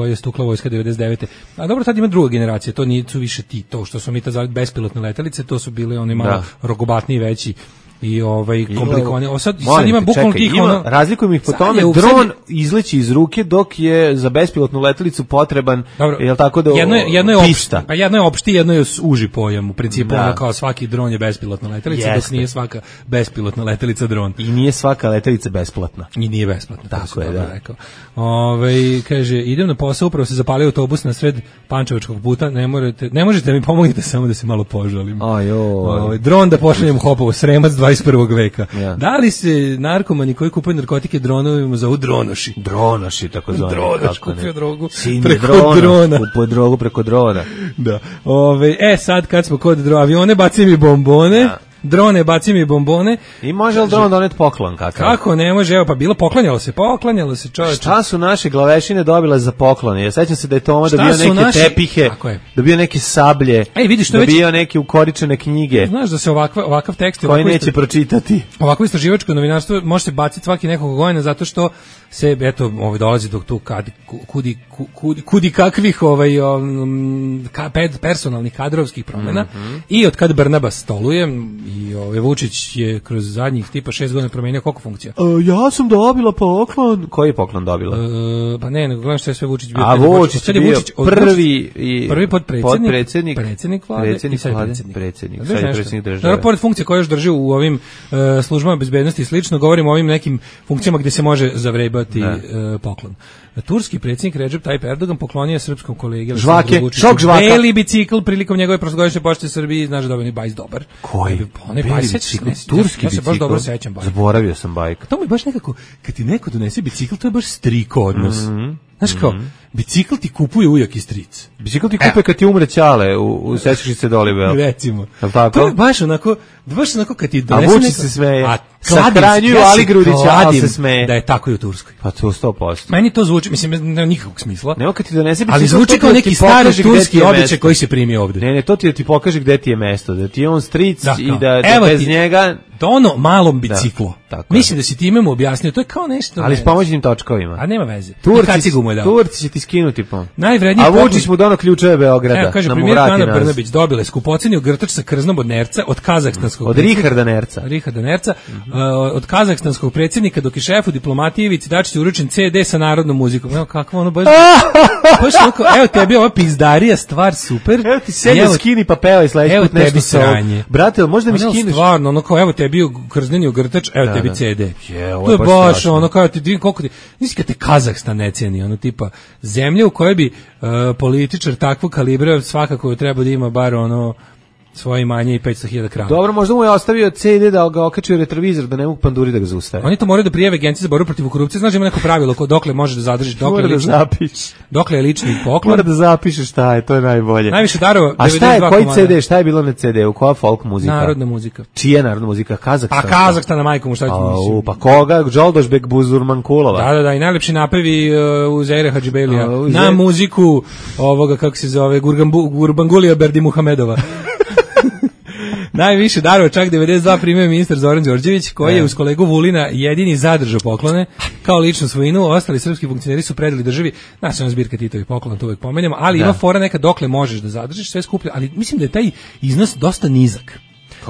je stukla vojska 99. A dobro, sad ima druga generacija, to nisu više to što su mi ta bespilotne letelice, to su bili oni malo rogobatniji, veći i komplikovani. Sad ima bukvalno tih razlikujem ih po tome, dron izleći iz ruke dok je za bespilotnu letelicu potreban, jel tako da pista. Pa jedno je opšti, jedno je uži pojam, u principu ono kao svaki dron je bespilotna letelica, dok nije svaka bespilotna letelica dron. I nije svaka letelica besplatna. I nije besplatna. Tako je, da. Kaže, idem na posao, upravo se zapalio autobus na sred Pančevačkog puta, ne možete mi pomognite samo da se malo požalim. Dron da pošaljem Hopovo, Sremac 21. veka. Da li se narkomani koji kupuju narkotike dronovima zovu dronoši? Dronoši, tako zvani. Dronoš kupio drogu preko drona. Kupuje drogu preko drona. Da. Sad kad smo kod avione, bacim i bombone. drone, baci mi bombone. I može li dron doneti poklon kakav? Kako ne može, evo pa bilo poklanjalo se čoveče. Šta su naše glavešine dobile za poklon? Ja sećam se da je Toma dobio neke tepihe, dobio neke sablje, dobio neke ukoričene knjige. Znaš da se ovakav tekst koji neće pročitati. Ovako istraživačko novinarstvo može se baciti svaki nekog godina zato što se eto dolazi do tu kudi kakvih personalnih kadrovskih promjena i od kad Brnabas stoluje i Vučić je kroz zadnjih tipa 6 godina promenio koliko funkcija. Ja sam dobila poklon. Koji je poklon dobila? Pa ne, nego gledam što je sve Vučić bio. A Vučić je bio prvi potpredsjednik, predsjednik vlade i sad predsjednik države. Pored funkcije koje još drži u ovim službama bezbednosti i slično, govorimo o ovim nekim funkcijama gdje se može zavrebati poklon. Turski predsjednik Recep Tayyip Erdogan poklonio srpskom kolegi šok žvaka. Beli bicikl prilikom njegove prošlogodišnje pošte Srbiji, znaš da je bajs dobar. Koji? Beli bicikl, turski bicikl. Ja se baš dobro sećam. Zaboravio sam bajk. To mi baš nekako, kad ti neko donese bicikl, to je baš striko odnos. Znaš kao, bicikl ti kupuje ujak i stric. Bicikl ti kupuje kad ti umre ćale u Sećaš Dolibel. Recimo. To je baš onako kad ti donese neko... A Vučić se smeje. Sahranjuju Ali Grudića, ali se smeje. Da je tako i u Turskoj. Pa to 100%. Meni to zvuči, mislim, nema nikakvog smisla. Nemo kad ti donese bicikl, ali zvuči kao neki stari turski običaj koji se primi ovde. Ne, to ti pokaže gde ti je mesto, da ti je on stric i da bez njega... To ono malom biciklu. Mislim da si ti imamo objasnio, to je kao nešto... Ali s pomoćnim točkovima. A nema veze. Turci će ti skinuti po. Najvredniji a Vučić mu dono ključeve Beograda. Evo, kaže, premijerka Ana Brnabić dobila je skupocenio grtač sa krznom od Nerca, od kazahstanskog... Od Richarda Nerca. Od kazahstanskog predsjednika, dok je šefu diplomatije Ivici Dačiću uručen CD sa narodnom muzikom. Evo, kakvo ono baš... Evo tebi ova pizdarija, stvar super. Evo ti sedje skini pa pevaj sledeći put nešto sa ovog. Brate, možda mi skineš? Stvarno, ono kao, evo tebi krzneni grtač, evo tebi CD. To je baš ono kao ti koliko ti nisi kad te Kazahstan ne ceni, ono tipa zemlja u kojoj bi političar takvog kalibra svakako treba da ima bar ono svoje imanje i 500.000 krava. Dobro, možda mu je ostavio CD da ga okači u retrovizor da ne mogu panduri da ga zaustave. Oni to moraju da prijave Agenciji za borbu protiv korupcije. Znaš, ima neko pravilo dokle možeš da zadržiš, dokle je lični poklon. Mora da zapišeš šta je, to je najbolje. Najviše darova. A šta je, koji CD, šta je bilo na CD-u, koja folk muzika? Narodna muzika. Čija narodna muzika? Kazahstana. A Kazahstana, majko mu, šta ću misliti? Pa koga? Džoldošbek Buzurmankulova. Da, i najlepši napravi Uzeira Hadžibelija. Na muziku ovoga, kako se zove, Gurbangulia Berdimuhamedova. Najviše darova, čak 92 primio ministar Zoran Đorđević, koji je uz kolegu Vulina jedini zadržao poklone kao ličnu svojinu. Ostali srpski funkcioneri su predali državi nacionalna zbirka Titovih poklona, to uvek pomenemo, ali ima fora neka dokle možeš da zadržiš, sve skuplje, ali mislim da je taj iznos dosta nizak.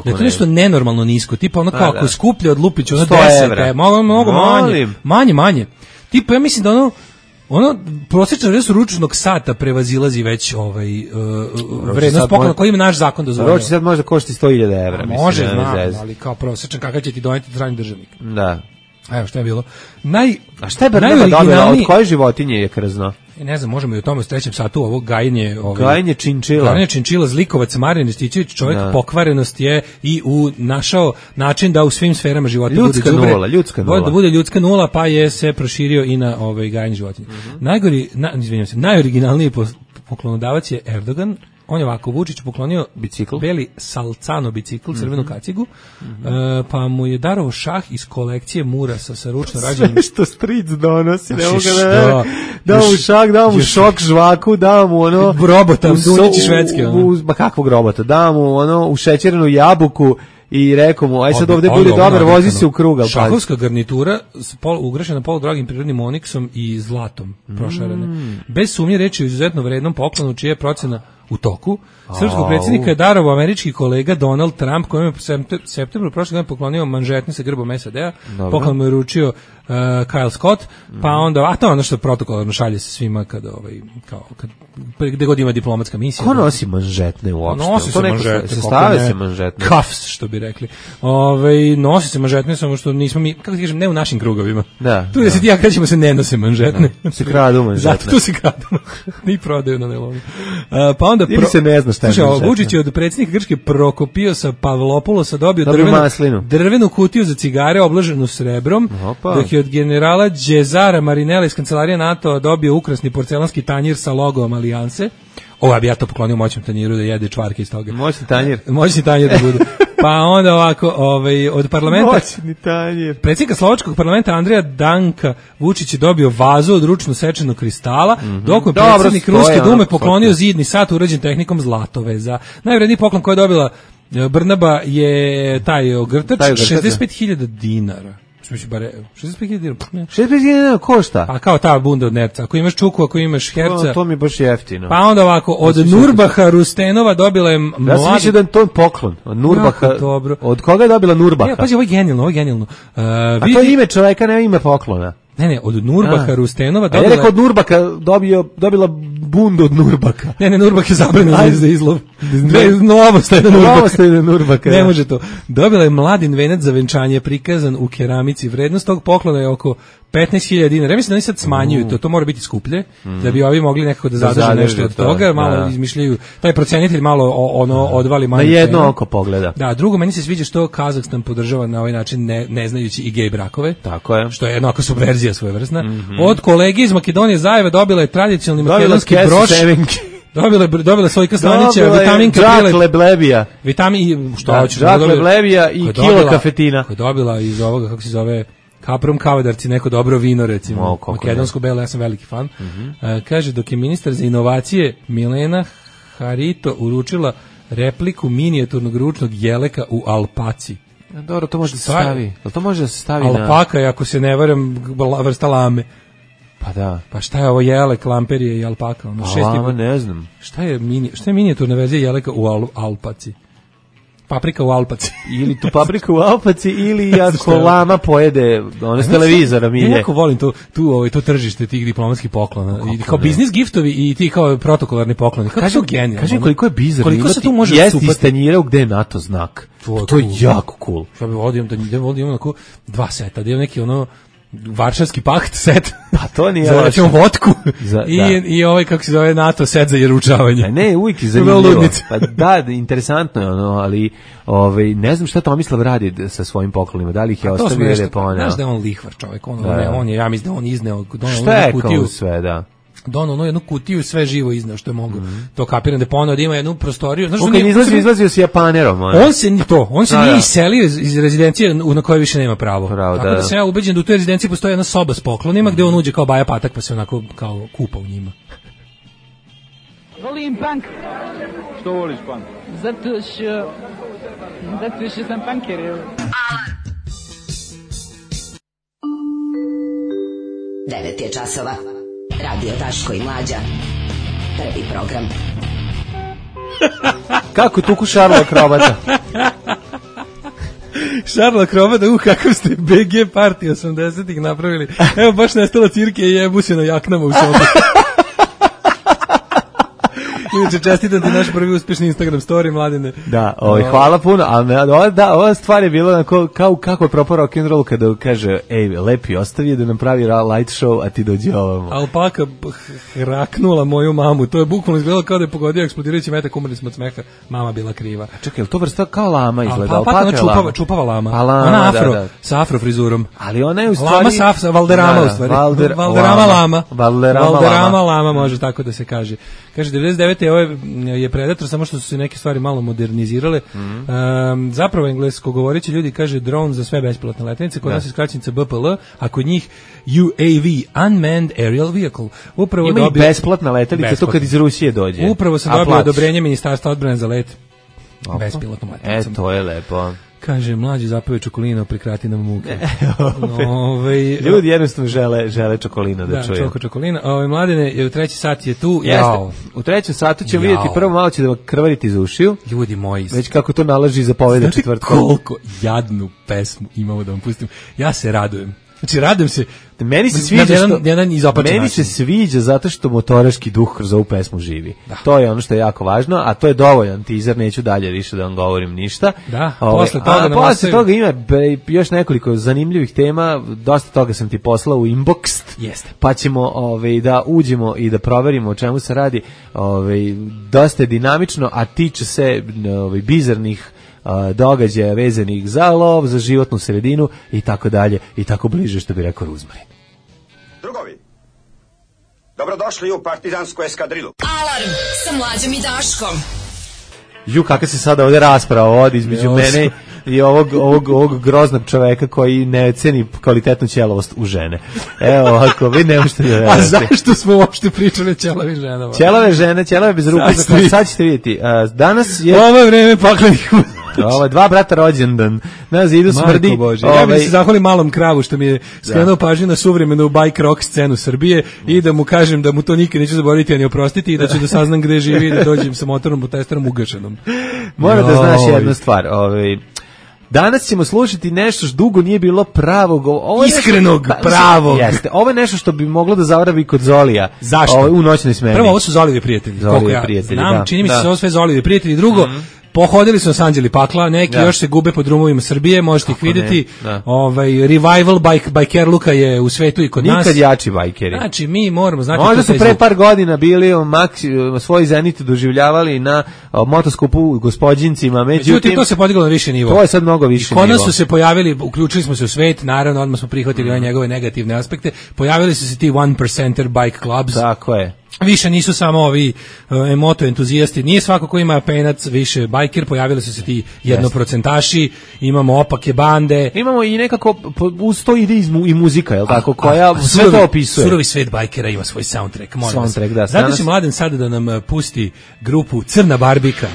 Da je to nešto nenormalno nisko, tipa ono kao ako je skuplje od Lupića, ono 10, mnogo manje. Tipa ja mislim da ono prosječna vrednost ručnog sata prevazilazi već vrednost poklona koji ima naš zakon dozvoljava. Roči sad možda košti 100.000 evra. Može, ali kao prosječan kakav će ti doneti strani državnik. Da. Evo šta je bilo. A šta je Brnaba dobila? Od koje životinje je krzno? Ne znam, možemo i o tome u 3. satu ovo gajenje činčila. Gajenje činčila, zlikovac Marijan Ristićević, čovjek pokvarenost je i našao način da u svim sferama života ljudska nula. Da bude ljudska nula, pa je se proširio i na gajenje životinja. Najoriginalniji poklonodavac je Erdogan. On je ovako Vučić poklonio bicikl, beli Salcano bicikl, crvenu kacigu, pa mu je darovao šah iz kolekcije Murasa sa ručno rađenim. Sve što stric donosi, ne mogu da mu šah, da mu šok žvaku, da mu ono... Robota, Dunjići švedski. Ma kakvog robota, da mu ono u šećerenu jabuku i rekao mu, aj sad ovde bude dobar, vozi se u krug. Šahovska garnitura ugrašena poludragim prirodnim oniksom i zlatom prošarene. Bez sumnje reći o izuzetno vrednom poklonu čija je procena u toku. Srpskog predsjednika je darovao američki kolega Donald Trump, kojem je u septembru prošle godine poklonio manžetne sa grbom SAD-a. Poklon mu je uručio Kyle Scott, pa onda, a to je ono što protokolarno šalje se svima kad gde god ima diplomatska misija. Ko nosi manžetne uopšte? Nosi se manžetne. Stave se manžetne. Cuffs, što bi rekli. Nosi se manžetne, samo što nismo mi, kako ti kažem, ne u našim krugovima. Tu da se ti ja krećemo se ne nose manžetne. Se kradu manžetne. Zato tu se kradu. Ni prodaju na nelonu. Pa onda ili se ne zna šta je manžetne. Vučić je od predsjednika Grčke Prokopiosa Pavlopoulosa dobio drvenu kutiju za cigare obloženu srebrom, dok je od generala Đezara Marinela iz kancelarije NATO dobio ukrasni porcelanski tanjir sa logom Alijanse. Ja bi ja to poklonio moćnom tanjiru da jede čvarke iz toga. Moćni tanjir. Moćni tanjir da bude. Pa onda ovako, od parlamenta... Moćni tanjir. Predsjednika slovačkog parlamenta Andreja Danka Vučić je dobio vazu od ručno sečenog kristala, dok je predsjednik Ruske dume poklonio zidni sat urađen tehnikom zlatoveza. Najvredniji poklon koji je dobila Brnaba je taj ogrtač, 65.000 dinara. 65.000 dinara. 65.000 dinara košta? Pa kao ta bunda od nerca. Ako imaš čuku, ako imaš herca. To mi je baš jeftino. Pa onda ovako, od Nurbaha Rustenova dobila je mladi... Ja sam mislio da je to poklon. Od Nurbaha. Dobro. Od koga je dobila Nurbaha? Ja, pazi, ovo je genijalno. A to je ime čoveka, ne ime poklona. Ne, od Nurbaha Rustenova dobila... A ja rekao od Nurbaka dobila bundu od Nurbaka. Ne, Nurbak je zabranjen za izlov. Novostajna Nurbaka. Ne može to. Dobila je mladin venac za venčanje prikazan u keramici. Vrednost tog poklona je oko 15.000 dinara. Ja mislim da oni sad smanjuju to mora biti skuplje, da bi ovi mogli nekako da zadrže nešto od toga, malo izmišljaju, taj procenitelj malo odvali manje. Na jedno oko pogleda. Da, drugo, meni se sviđa što Kazahstan podržava na ovaj način ne znajući i gej brakove. Tako je. Što je jednako subverzija svojevrsna. Od kolege iz Makedonije Zajeva dobila je tradicionalni makedonski broš. Dobila Sojka Slanića, vitaminka Džak Leblebija. Džak Leblebija i kilo kafetina. Koja je dobila iz ovoga, kako se zove, Kaprom Kavadarci, neko dobro vino, recimo, makedonsko belo, ja sam veliki fan. Kaže, dok je ministar za inovacije Milena Harito uručila repliku minijaturnog ručnog jeleka u alpaci. Dobro, to može da se stavi. To može da se stavi alpaka je, ako se ne varam, vrsta lame. Pa da. Pa šta je ovo jelek, lamperije i alpaka? Lama, ne znam. Šta je minijaturna verzija jeleka u alpaci? Paprika u Alpaci. Ili tu paprika u Alpaci, ili ako lama pojede s televizora milje. Ja jako volim to tržište tih diplomatskih poklona. I kao biznis giftovi i ti kao protokolarni pokloni. Kako su genijalni. Kaži koliko je bizarno. Koliko se tu može jesti iz tanjira gde je NATO znak. To je jako cool. Ja bih vodio onako 2 seta, da je neki Varšavski pakt set. Pa to nije za recimo vodku i ovaj kako se zove NATO set za jeručavanje. Ne, uvijek je zanimljivo. Pa da, interesantno je ali ne znam šta Tomislav radi sa svojim poklonima. Da li ih je ostavio ili poneo. Znaš da je on lihvar čovjek, on je, ja mislim da on izneo kutiju sve, da. Dono jednu kutiju, sve živo izneo što je mogao. To kapiram da poneo da ima jednu prostoriju. Znaš, izlazio s Japanerom. On se nije iselio iz rezidencije na koje više nema pravo. Tako da sam ja ubeđen da u toj rezidenciji postoji jedna soba s poklonima gde on uđe kao Baja Patak pa se onako kao kupa u njima. Volim punk. Što voliš punk? Zato što sam punker. Alarm. 9 je časova. Radio Daško i Mlađa. Prvi program. Kako tuku Šarla Krobata? Šarla Krobata, kakav ste BG party 80-ih napravili. Evo baš nestala cirke i jebu se na jaknama u sobi. Inače, čestitam ti naš prvi uspješni Instagram story, Mladine. Da, hvala puno, ali ova stvar je bila kako je propao rock'n'roll kada kaže, ej, Lepi ostavi da nam pravi light show, a ti dođi ovamo. Alpaka hraknula moju mamu, to je bukvalno izgledalo kao da je pogodio eksplodirajući metak, umrli smo od smeha, mama bila kriva. Čekaj, je li to vrsta kao lama izgleda? Alpaka čupava lama. Ona afro, sa afro frizurom. Ali ona je u stvari... Lama sa Valderama u stvari. Valderama lama može tako da se kaže. Kaže, 99. ovo je Predator, samo što su se neke stvari malo modernizirale. Zapravo englesko govoreći ljudi kaže dron za sve bespilotne letelice, kod nas je skraćenica BPL, a kod njih UAV, Unmanned Aerial Vehicle. Upravo ima i besplatna letelica, to kad iz Rusije dođe. Upravo sam dobio odobrenje Ministarstva odbrane za let bespilotnom letelicom. To je lepo. Kaže, Mlađi zapeo čokolino, prikrati nam muke. Ljudi jednostavno žele čokolino da čuju. Da, čokolino. Mladine, u 3. sat je tu. Jeste. U 3. satu ćemo vidjeti prvo malo će da vam krvariti iz ušiju. Ljudi moji. Već kako to nalaži zapoveda četvrtkom. Znate koliko jadnu pesmu imamo da vam pustim? Ja se radujem. Znači, radujem se. Meni se sviđa zato što motoraški duh kroz ovu pesmu živi. Da. To je ono što je jako važno, a to je dovoljan teaser, neću dalje više da vam govorim ništa. Da, posle toga ima još nekoliko zanimljivih tema, dosta toga sam ti poslao u inbox. Jeste. Pa ćemo da uđemo i da proverimo o čemu se radi. Dosta je dinamično, a tiče se bizarnih događaja vezanih za lov, za životnu sredinu i tako dalje i tako bliže, što bi rekao Ruzmarin. Drugovi, dobrodošli u partizansku eskadrilu. Alarm sa Mlađom i Daškom. Kakva se sada ovde rasprava vodi između mene i ovog groznog čoveka koji ne ceni kvalitetnu ćelavost u žene. Evo, ako vi ne možete da verujete. A zašto smo uopšte pričali o ćelavim ženama? Ćelave žene, ćelave bez ruku, sad ćete vidjeti. Danas je... Ovo je vreme paklenih Ovo je 2 brata rođendan. Na zidu smrdi. Marko Bože. Ja bih se zahvalim Malom Kravu što mi je skrenuo pažnju na suvremenu bike rock scenu Srbije i da mu kažem da mu to nikad neću zaboraviti ani oprostiti i da ću da saznam gde živi i da dođem sa motornom protesterom ugašenom. Mora da znaš jednu stvar. Danas ćemo slušati nešto što dugo nije bilo pravog, iskrenog, pravog. Jeste. Ovo je nešto što bi moglo da zavravi kod Zolija. Zašto? U noćnoj smeni. Prvo, ovo su Zolijevi prijatelji. Zolijevi prijatelji, znam, čini mi se ovo sve Zolijevi prijatelji. Drugo, pohodili su nas Anđeli Pakla, neki još se gube po drumovima Srbije, možete ih vidjeti. Revival bajkerluka je u svetu i kod nas. Nikad jači bajkeri. Znači, mi moramo znati... Možda su pre par godina bili svoji zenit doživljavali na motoskupu u Gospođincima, međutim to se podiglo na više nivo. To je sad mnogo više nivo. Kod nas su se pojavili, uključili smo se u svet, naravno, odmah smo prihvatili ove njegove negativne aspekte, pojavili su se ti 1%er bike clubs. Tako je. Više nisu samo ovi moto entuzijasti, nije svako ko ima penac više bajker, pojavili su se ti jednoprocentaši, imamo opake bande. Imamo i nekako, uz to ide i muzika, jel tako, koja sve to opisuje. Surovi svet bajkera ima svoj soundtrack, molim vas. Da. Zato će Mladen sada da nam pusti grupu Crna Barbika.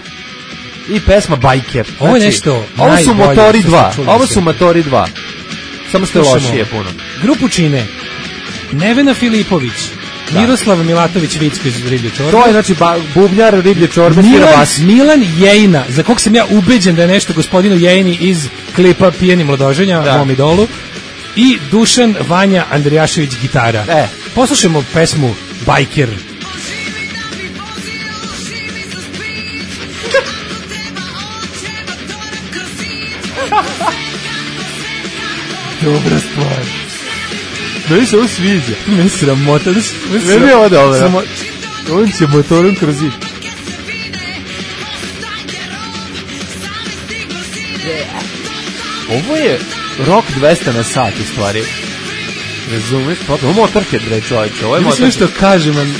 I pesma Bajker. Ovo je nešto ovo su Motori 2. Ovo su Motori 2. Samo što je lošije puno. Grupu čine Nevena Filipović, Miroslav Milatović Vicko iz Riblje čorbe. To je znači bubnjar Riblje čorbe. Milan Jejina, za kog sam ja ubeđen da je nešto gospodinu Jejini iz klipa Pijeni mladoženja, mom idolu. I Dušan Vanja Andrijašević gitara. Poslušajmo pesmu Bajker. Dobra stvar. Meni se ovo sviđa. Meni sramota. Meni je ovo dobro. On će motorom kroz zid. Ovo je rock 200 na sat u stvari. Razumeš? Ovo je Motorhead, bre čovječe. Ovo je Motorhead. Mislim što kažem, man.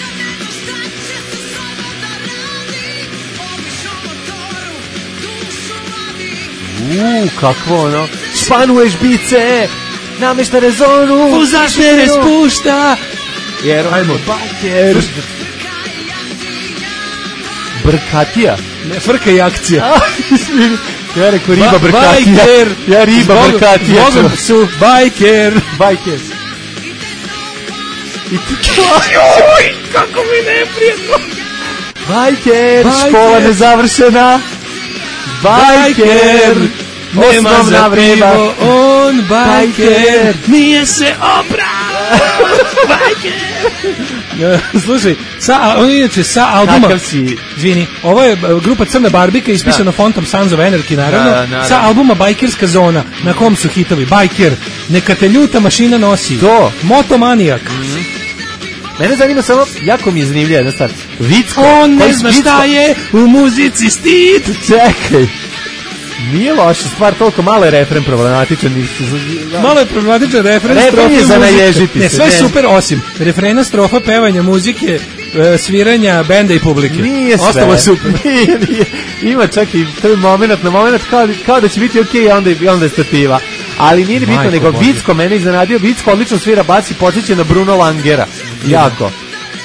Kakvo ono. Španuješ bice, namešta rezonu, Fuzaš me spušta. Jer ajmo, bajker. Brkatija. Ne, frka i akcija. Ja rekao riba brkatija. Bajker. Ja riba brkatija. Zbogom su bajker. Bajker. I oj, kako mi neprijetno. Bajker, škola nezavršena. Bajker, nema za pivo, on bajker, nije se oprao, bajker. Slušaj, on inače sa albuma, izvini, ovo je grupa Crna Barbika ispisana fontom Sons of Anarchy, naravno, sa albuma Bajkerska zona, na kom su hitovi Bajker, Neka te ljuta mašina nosi, Motomanijak. Mene zanima samo, jako mi je zanimljiva jedna stvar. Vicko. On ne zna šta je u muzici stid. Čekaj. Nije loša stvar, toliko malo je refren problematičan. Malo je problematičan refren, refren je za naježiti se. Sve super, osim refrena, strofa, pevanja, muzike, sviranja, benda i publike. Nije sve. Ostalo super. Nije. Ima čak i taj moment na moment kao da će biti okej, onda je stativa. Ali nije bitno, nego Vicko mene iznenadio. Vicko odlično svira bas i podsjeća na Bruno Langera. Jako.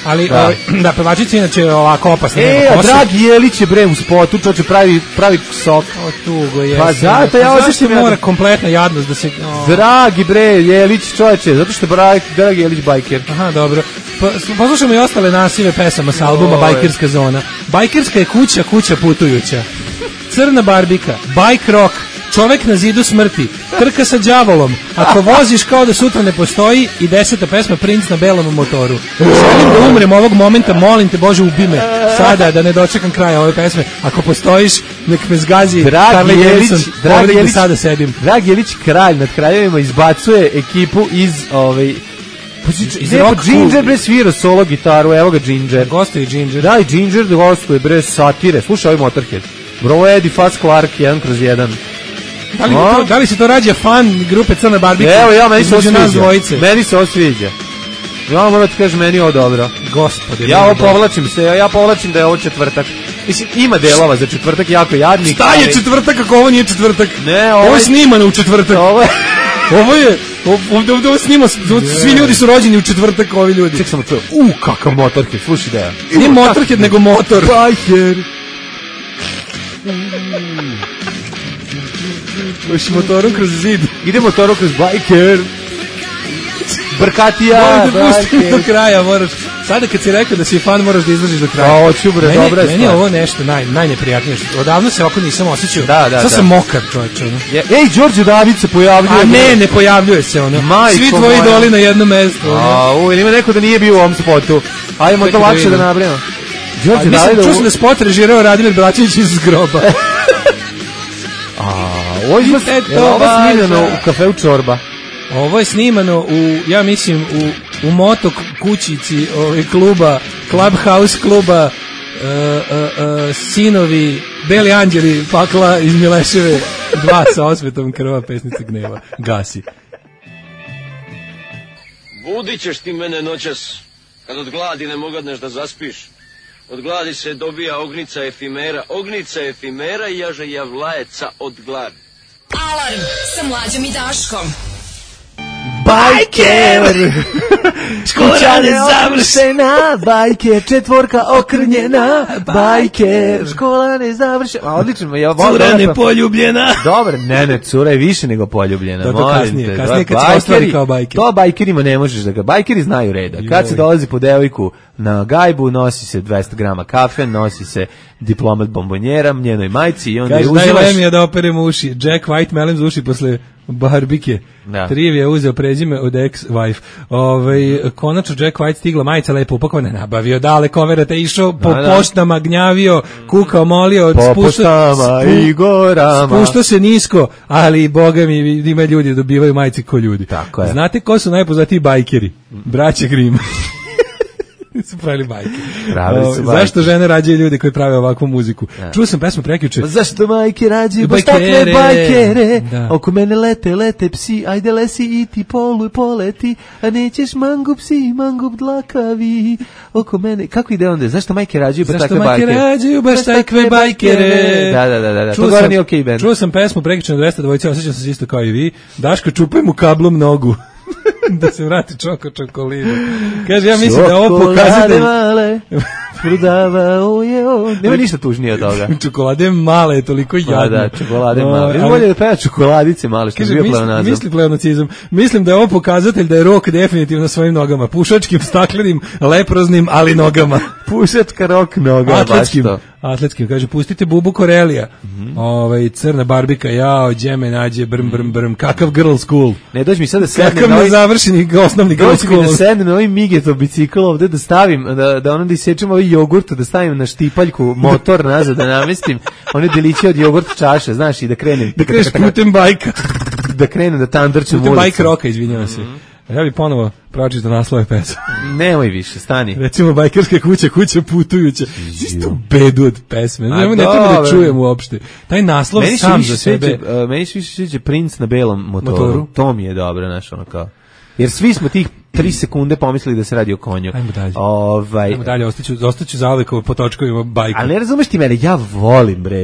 Ali, da, pevačica inače ovako opasna. Dragi Jelić je bre u spotu, čoče pravi sok. O, tugo je. Pa zato ja osjećam mora kompletna jadnost da se... Dragi bre Jelić, čoče, zato što je Dragi Jelić bajker. Aha, dobro. Poslušamo i ostale nasive pesama sa albuma Bajkerska zona. Bajkerska je kuća putujuća. Crna Barbika, bike rock, Čovek na zidu smrti, Trka sa đavolom, Ako voziš kao da sutra ne postoji i 10. pesma Princ na belom motoru. Želim da umrem ovog momenta, molim te Bože ubi me sada da ne dočekam kraja ove pesme. Ako postojiš, nek me zgazi Harley Davidson, da sada sedim. Dragi Jelić kralj nad kraljevima izbacuje ekipu iz Ginger bre svira solo gitaru, evo ga Ginger. Gostuje Ginger. Da, i Ginger gostuje bre satire. Slušaj ovaj Motorhead. Bro Eddie Fast Clark 1/1. Da li se to rađa fan grupe Crna Barbika? Evo, meni se osviđa. Meni se osviđa. Ja moram da ti kažem, meni je ovo dobro. Gospode. Ja povlačim da je ovo četvrtak. Mislim, ima delova za četvrtak jako jadnih. Šta je četvrtak ako ovo nije četvrtak? Ne, ovo je snimano u četvrtak. Ovo je ovdje snima, svi ljudi su rođeni u četvrtak, ovi ljudi. Ček samo to. Kakav Motorhead, slušaj da je. Nije Motorhead, nego motor. Biker. Uši motorom kroz zid. Ide motorom kroz Biker. Brkatija. Moram da pustim do kraja, moraš. Sada kad si rekao da si fan, moraš da izdržiš do kraja. Hoću bre, dobra je. Meni je ovo nešto najneprijatnije. Odavno se ovako nisam osjećao. Sad sam mokar, čovječe. Ej, Đorđe David se pojavljuje. A ne pojavljuje se ono. Svi tvoji idoli na jednom mestu. Ili ima neko da nije bio u ovom spotu. Ajmo to lakše da nabrijemo. Đorđe David. Čuo sam da spot režirao Radimir Braćević iz groba. Ovo je snimljeno u kafeu Čorba. Ovo je snimano ja mislim u moto kućici kluba, Clubhouse kluba, Sinovi, Beli anđeli, pakla iz Mileševe 2 sa osvetom krva, pesnica gneva. Gasi. Budit ćeš ti mene noćas, kad od gladi ne mogadneš da zaspiš. Od gladi se dobija ognica efimera i jaže javlajeca od gladi. Alarm sa Mlađom i Daškom. Bajker! Škola nezavršena, Bajker, četvorka okrnjena, Bajker, škola nezavršena. Odlično, cura nepoljubljena. Dobro, ne, cura je više nego poljubljena. To kasnije kad se ostvari kao Bajker. To Bajkerima ne možeš da ga, Bajkeri znaju reda. Kad se dolazi po devojku na gajbu, nosi se 200 grama kafe, nosi se diplomat bombonjera, njenoj majci i onda je uživaš. Najle mi je da operem uši. Jack White melem za uši posle barbike. Trivi je uzeo prezime od ex-wife. Konačno Jack White stigla, majica lepo upakovana, nabavio dale koverate, išao po poštama, gnjavio, kukao, molio, po poštama i gorama. Spuštao se nisko, ali boga mi ima ljudi dobivaju majice ko ljudi. Tako je. Znate ko su najpoznatiji bajkeri? Braća Grimm. Su pravili bajke. Zašto žene rađaju ljudi koji prave ovakvu muziku? Čuo sam pesmu prekjuče. Zašto majke rađaju baš takve bajkere? Oko mene lete psi, ajde lesi i ti poleti, a nećeš mangup si, mangup dlakavi. Oko mene, kako ide onda? Zašto majke rađaju baš takve bajkere? Zašto majke rađaju baš takve bajkere? Da. To gore nije okej band. Čuo sam pesmu prekjuče na 200 dvojice, osjećam se isto kao i vi. Daško, čupaj mu kablom nogu. Da se vrati čokolinu. Kaže, ja mislim da je ovo pokazatelj. Prodavao je on. Nema ništa tužnije od toga. Čokolade male je toliko jadno. Da, čokolade male. Bolje da peva čokoladice male, što je bio pleonazam. Misli pleonacizam. Mislim da je ovo pokazatelj da je Rok definitivno na svojim nogama. Pušačkim, staklenim, leproznim, ali nogama. Pušačka Rok noga. Atletskim. Kaže, pustite Bubu Korelija. Crna barbika, džeme nađe, brm. Kakav girl school. Ne, dođi mi sad da sednem. Kakav nezavršeni osnovni girl school. Dođi mi da sednem na ovaj Migetov bicikl ovde, da stavim, da ono da isečem ovaj jogurt, da stavim na štipaljku motor nazad, da namestim one deliće od jogurt čaše, znaš, i da krenem. Da kreneš putem bajka. Da krenem da tandrčem ulicu. Putem bajka Roka, izvinjavam se. Ja bih ponovo pročitao naslove pesma. Nemoj više, stani. Recimo, bajkerska kuća putujuća. Isto bedu od pesme. Ne treba da čujem uopšte. Taj naslov sam za sebe. Meni se više sviđa Princ na belom motoru. To mi je dobro, znaš, ono kao. Jer svi smo tih 3 sekunde pomislili da se radi o konju. Ajmo dalje, ostaću zauvek po točkovima bajka. Ali ne razumeš ti mene,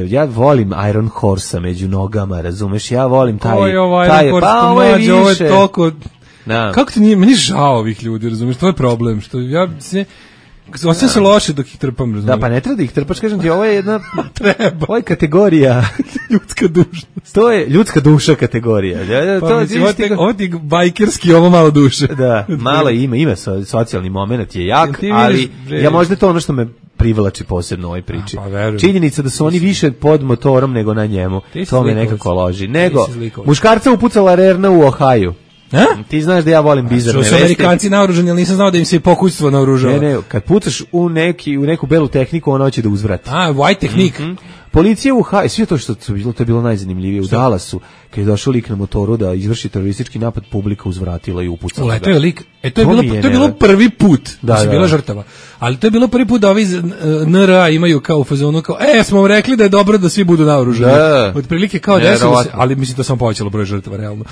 ja volim Iron Horse-a među nogama, razumeš, ja volim taj... Ovo je Iron Horse, ovo je toliko... Kako ti nije, meni žao ovih ljudi, razumiješ, to je problem, što ja se, osjećam se loše dok ih trpam, razumiješ. Da, pa ne treba da ih trpaš, kažem ti, ovo je jedna, ovo je kategorija, ljudska dušnost. To je ljudska duša kategorija. Ovo ti bajkerski, ovo malo duše. Da, malo ima socijalni moment je jak, ali ja možda to ono što me privlači posebno u ovoj priči. Činjenica da su oni više pod motorom nego na njemu, to me nekako loži. Nego, muškarca upucala Rerna u Ohaju. Ti znaš da ja volim bizarne vesti. Što su Amerikanci naoružani, ali nisam znao da im se pokućstvo naoružava. Ne, kad pucaš u neku belu tehniku, ona hoće da uzvrati. White tehnik. Policija u sve to što to je bilo najzanimljivije u Dallasu, kad je došao lik na motoru da izvrši teroristički napad, publika uzvratila i upucala. Uleteo je lik. To je bilo prvi put da se bila žrtava. Ali to je bilo prvi put da ovi NRA imaju kao u fazonu kao smo vam rekli da je dobro da svi budu naoružani. Otprilike kao desilo se, ali mislim to samo povećalo broj žrtava realno.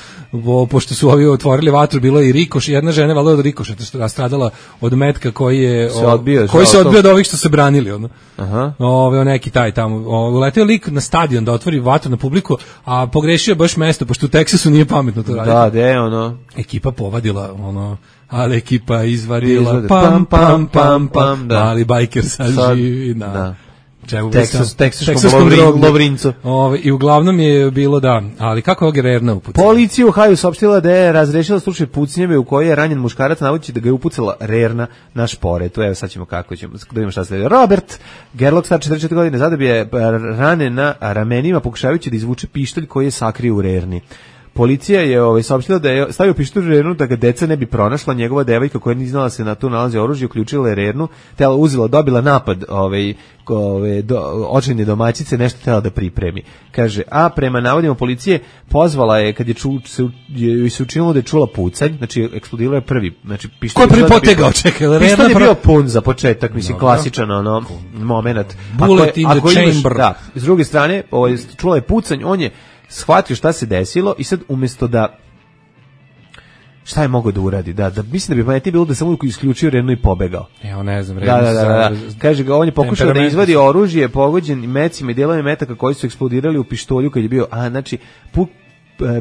Pošto su ovi otvorili vatru, bilo je i rikoš, jedna žena valjda od rikošeta što je stradala od metka koji se odbio od ovih što se branili ono. Aha. Neki taj tamo. Uleteo lik na stadion da otvori vatru na publiku, a pogrešio baš mesto pošto u Teksasu nije pametno to raditi. Ekipa povadila ali ekipa izvarila pam pam pam pam, mali bajker sad živi na Teksaškom Lovrincu. I uglavnom je bilo ali kako je Rerna upucala? Policija u Ohaju saopštila da je razrešila slučaj pucnjeve u kojoj je ranjen muškarac navodeći da ga je upucala Rerna na šporetu. Evo sad ćemo da vidimo šta se. Robert Gerlach, star 44 godine, zadobio je rane na ramenima pokušavajući da izvuče pištolj koji je sakrio u Rerni. Policija je saopštila da je stavio pištolj u Rernu da ga deca ne bi pronašla. Njegova devojka koja nije znala se na tu nalazi oružje, uključila je Rernu, dobila napad očajne domaćice, nešto htjela da pripremi. Kaže, a prema navodima policije pozvala je kad je se učinilo da je čula pucanj, znači eksplodirao je prvi, znači pištolj. Ko je prvi potegao, čekaj, pištolj je bio pun za početak, mislim klasičan moment. Bullet in the chamber. Da, s druge strane, čula je pucanj, on je shvatio šta se desilo i sad umjesto da šta je mogao da uradi? Da mislim da bi pametnije bilo da samo isključio Rernu i pobegao. Ne znam, da. Kaže ga, on je pokušao da izvadi oružje pogođen mecima i dijelovima metaka koji su eksplodirali u pištolju kad je bio, znači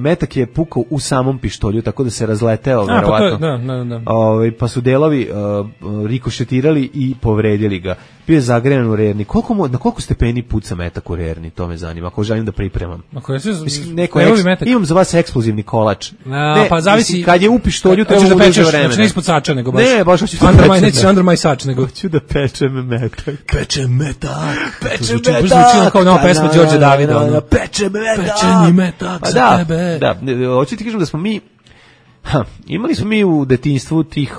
metak je pukao u samom pištolju, tako da se razleteo verovatno. Pa su delovi rikošetirali i povredili ga. Bio je zagrejan u Rerni. Na koliko stepeni puca metak u Rerni? To me zanima. Ako želim da pripremam. Imam za vas eksplozivni kolač. Pa zavisi. Kad je u pištolju, to će da pečeš, znači ne ispod sača, nego baš. Ne, baš hoću da pečem. Nećeš under my sač, nego hoću da pečem metak. Pečem metak. Zvuči kao nova pesma Đorđe Davida. Pečem metak. Pečeni metak za tebe. Da, hoću ti kažem da smo mi imali smo mi u detinjstvu tih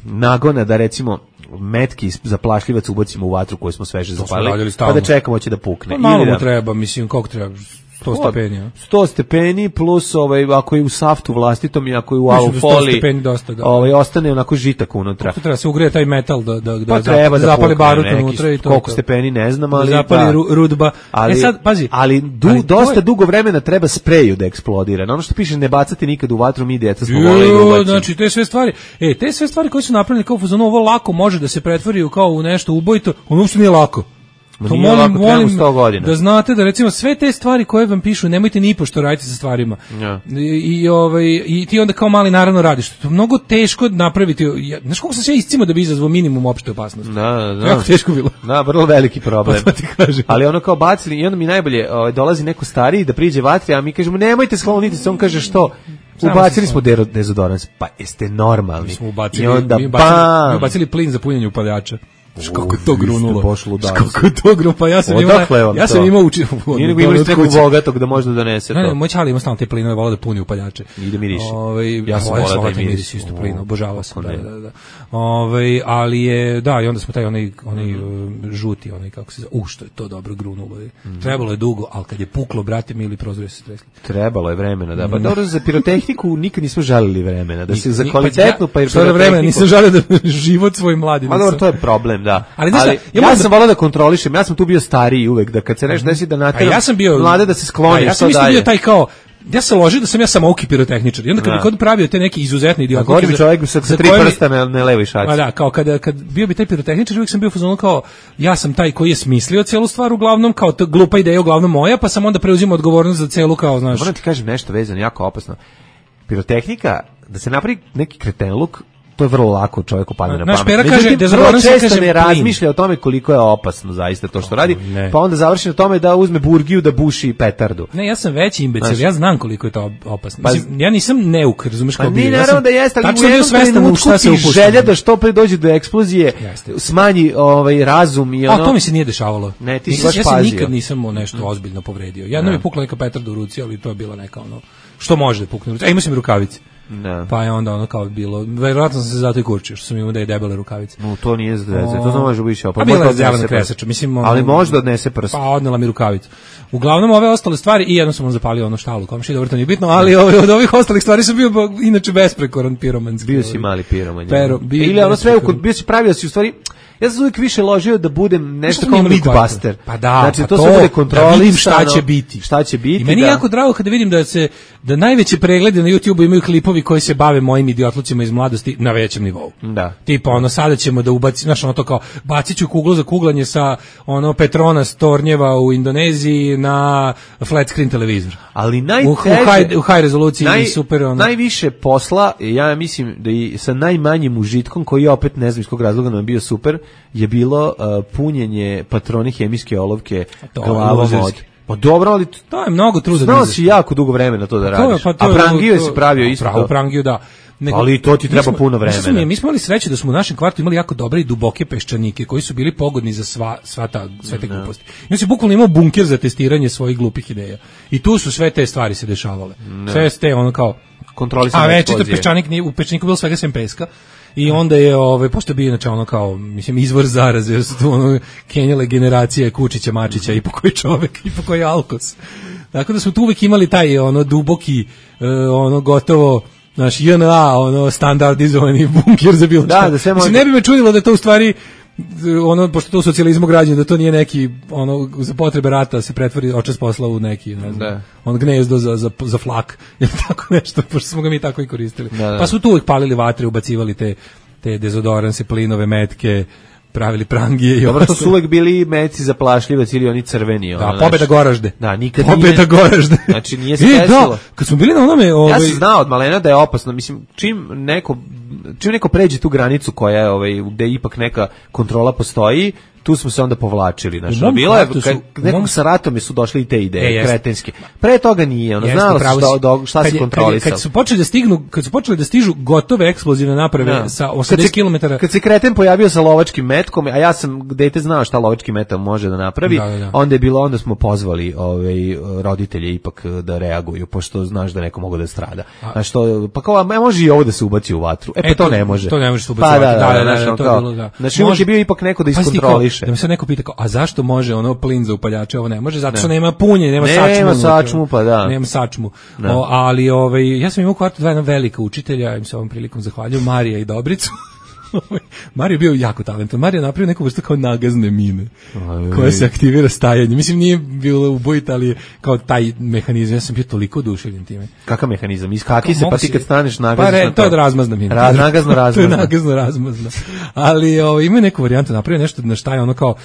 nagona da recimo metki za plašljivac ubacimo u vatru koju smo sveže zapalili, pa da čekamo će da pukne. Malo mu treba, mislim, koliko treba? 100 stepeni. 100 stepeni plus ako je u saftu vlastitom i ako je u alufoli, ostane onako žitak unutra. To treba se ugreje taj metal da zapali barut unutra i to. Koliko stepeni ne znam, ali zapali rudba. Sad pazi, ali dosta dugo vremena treba spreju da eksplodira. Ono što piše ne bacati nikad u vatru, mi djeca smo voleli da ubacimo. Znači te sve stvari koje su napravljene kao fazonu, ovo lako može da se pretvori kao u nešto ubojito, ono uopšte nije lako. To molim da znate da recimo sve te stvari koje vam pišu nemojte ni pošto raditi sa stvarima. I ti onda kao mali naravno radiš. To je mnogo teško napraviti. Znaš koliko sam sve iscimo da bi izazvao minimum opšte opasnosti. Da. Jako teško bilo. Da, vrlo veliki problem. Ali ono kao bacili i onda mi najbolje dolazi neko stariji da priđe vatri, a mi kažemo nemojte skloniti se, on kaže što? Ubacili smo dezodorans, pa jeste normalni. Mi smo ubacili plin za punjenje upaljača. Kako je to grunulo? Kako je to grunulo? Pa ja sam imao učinu. Nije nego imali nekog bogatog da možda donese to. Ne, moj čali ima stalno te plinove, volao da puni upaljače. I da miriši. Ja sam volao da miriši isto plina, obožavao sam. Da. Ali je, da, i onda smo taj onaj žuti, kako se zove, što je to dobro grunulo. Trebalo je dugo, ali kad je puklo, brate mi, ili prozori se stresli. Trebalo je vremena, da. Pa dobro, za pirotehniku nikad nismo žalili vremena. Da se za kvalitetnu pirotehniku... Nisam žalio da život svoj mladi. Ma dobro, to je problem. Da. Ali ja sam volao da kontrolišem, ja sam tu bio stariji uvek, da kad se nešto desi da nateram mlade da se skloni. Ja sam isto bio taj kao, ja sam ložio da sam ja samouki pirotehničar i onda kad bi pravio te neke izuzetne idiotike. Gori bi čovjek sa 3 prsta na levoj šaci. Pa da, kao kad bio bi taj pirotehničar, uvijek sam bio fazon kao, ja sam taj koji je smislio celu stvar uglavnom, kao to glupa ideja uglavnom moja, pa sam onda preuzimao odgovornost za celu kao, znaš. Moram ti kažem nešto vezano, jako opasno. Pirotehnika, da se napravi neki kretenluk, to je vrlo lako čovjeku padne na pamet. Međutim, vrlo često ne razmišlja o tome koliko je opasno zaista to što radi, pa onda završi na tome da uzme burgiju da buši petardu. Ne, ja sam veći imbecil, ja znam koliko je to opasno. Mislim, ja nisam neuk, razumeš kao bio. Pa naravno da jeste, ali u jednom trenutku ti želja da što pre dođe do eksplozije smanji razum i ono... A to mi se nije dešavalo. Ne, ti si baš pazio. Ja se nikad nisam nešto ozbiljno povredio. Jedno mi je pukla neka petarda u ruci, ali to je bila neka ono... Što može da pukne? Imao sam rukavice. pa je onda ono kao bilo, verovatno sam se zato i kurčio, što sam imao da je debele rukavice. No, to nije zdeze, to može biti a bila je zjavana kresača, mislim. Ali možda odnese prst. Pa odnela mi rukavicu. Uglavnom ove ostale stvari i jedno sam zapalio ono štalu komši, dobro to nije bitno, ali od ovih ostalih stvari sam bio inače besprekoran piromanski. Bio si mali piroman. Ili ono sve, bio si pravio si u stvari. Ja sam uvijek više ložio da budem nešto kao Mythbuster. Pa da, znači, pa to se bude kontrolisano. Da vidim šta će biti. Šta će biti, i meni je jako drago kada vidim da najveće preglede na YouTubeu imaju klipovi koji se bave mojim idiotlucima iz mladosti na većem nivou. Da. Tipa ono, sada ćemo da ubacimo, znaš ono to kao, bacit ću kuglu za kuglanje sa ono Petronas tornjeva u Indoneziji na flat screen televizor. Ali najteže, u high rezoluciji i super ono. Najviše posla, ja mislim da i sa najmanjim užitkom, koji opet ne znam iz kog razloga nam je bio super, je bilo punjenje patroni hemijske olovke glavom od... Pa dobro, ali to je mnogo truda. Znao si jako dugo vremena to da radiš. A prangiju si pravio isto. Pravo prangiju, da. Ali to ti treba puno vremena. Mi smo imali sreće da smo u našem kvartu imali jako dobre i duboke peščanike koji su bili pogodni za sve te gluposti. I on se bukvalno imao bunker za testiranje svojih glupih ideja. I tu su sve te stvari se dešavale. Sve ste ono kao kontrolisane. A večito peščanik u peščaniku bilo svega sem peska. I onda je pošto je bio inače ono kao mislim izvor zaraze, jer su tu ono kenjale generacije Kučića, Mačića i po koji čovek i po koji alkos. Tako da smo tu uvek imali taj ono duboki ono gotovo naš JNA ono standardizovani bunker za bilo šta. Da mislim, ne bi me čudilo da to u stvari ono, pošto to u socijalizmu građeno, da to nije neki ono za potrebe rata se pretvori očas posla u neki, ne znam, on gnezdo za flak ili tako nešto, pošto smo ga mi tako i koristili. Pa su tu uvijek palili vatre, ubacivali te dezodoranse, plinove, metke, pravili prangije i dobro, to su uvek bili meci za plašljivac ili oni crveni. Da, pobeda Goražde. Da, nikad pobeda Goražde. Znači nije se desilo. Da, kad smo bili na onome... Ja sam znao od malena da je opasno. Mislim, čim neko pređe tu granicu koja je, gde ipak neka kontrola postoji, tu smo se onda povlačili, znači bilo je nekog sa ratom su došli i te ideje kretenske. Pre toga nije, ono znalo se šta se kontrolisalo. Kad su počeli da stižu gotove eksplozivne naprave sa 80 km. Kad se kreten pojavio sa lovačkim metkom, a ja sam dete znao šta lovački metak može da napravi, onda smo pozvali roditelje ipak da reaguju, pošto znaš da neko mogu da strada. Znači to pa kao može i ovo da se ubaci u vatru. Pa to ne može. To ne može se ubaciti u vatru. Znači može bio ipak neko da iskontroliše. Da mi se neko pita kao, a zašto može ono plin za upaljače, ovo ne može, zato što nema punje, nema sačmu, pa da. Nema sačmu. Ali ja sam imao u kvartu dva jedna velika učitelja, im se ovom prilikom zahvaljujem, Marija i Dobricu. Mario je bio jako talentan. Mario je napravio neku vrstu kao nagazne mine koja se aktivira stajanjem. Mislim, nije bilo ubojita, ali kao taj mehanizam. Ja sam bio toliko oduševljen time. Kakav mehanizam? Iskaki se, pa ti kad staneš nagazaš na to. To je razmazna mina. Nagazno razmazna. To je nagazno razmazna. Ali ima neku varijantu, napravio nešto na šta je ono kao,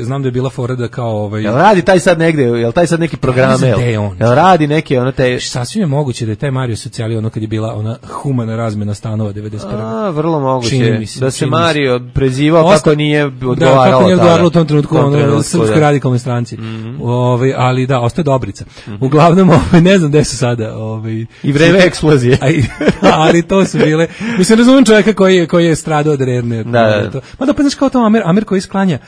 znam da je bila fora da kao Jel radi taj sad negde, jel taj sad neki program, jel radi neke ono te sasvim je moguće da je taj Mario socijali ono kad je bila ona humana razmena stanova 91. Vrlo moguće da se Mario prezivao kako nije odgovaralo. Da, kako nije odgovaralo u tom trenutku Srpskoj radikalnoj stranci. Ali da, ostaje Dobrica. Uglavnom, ne znam gde su sada i vreme eksplozije. Ali to su bile, mislim, razumem čovjeka koji je stradao od Rerne. Ma da pa znaš kao to Amer koji sklanja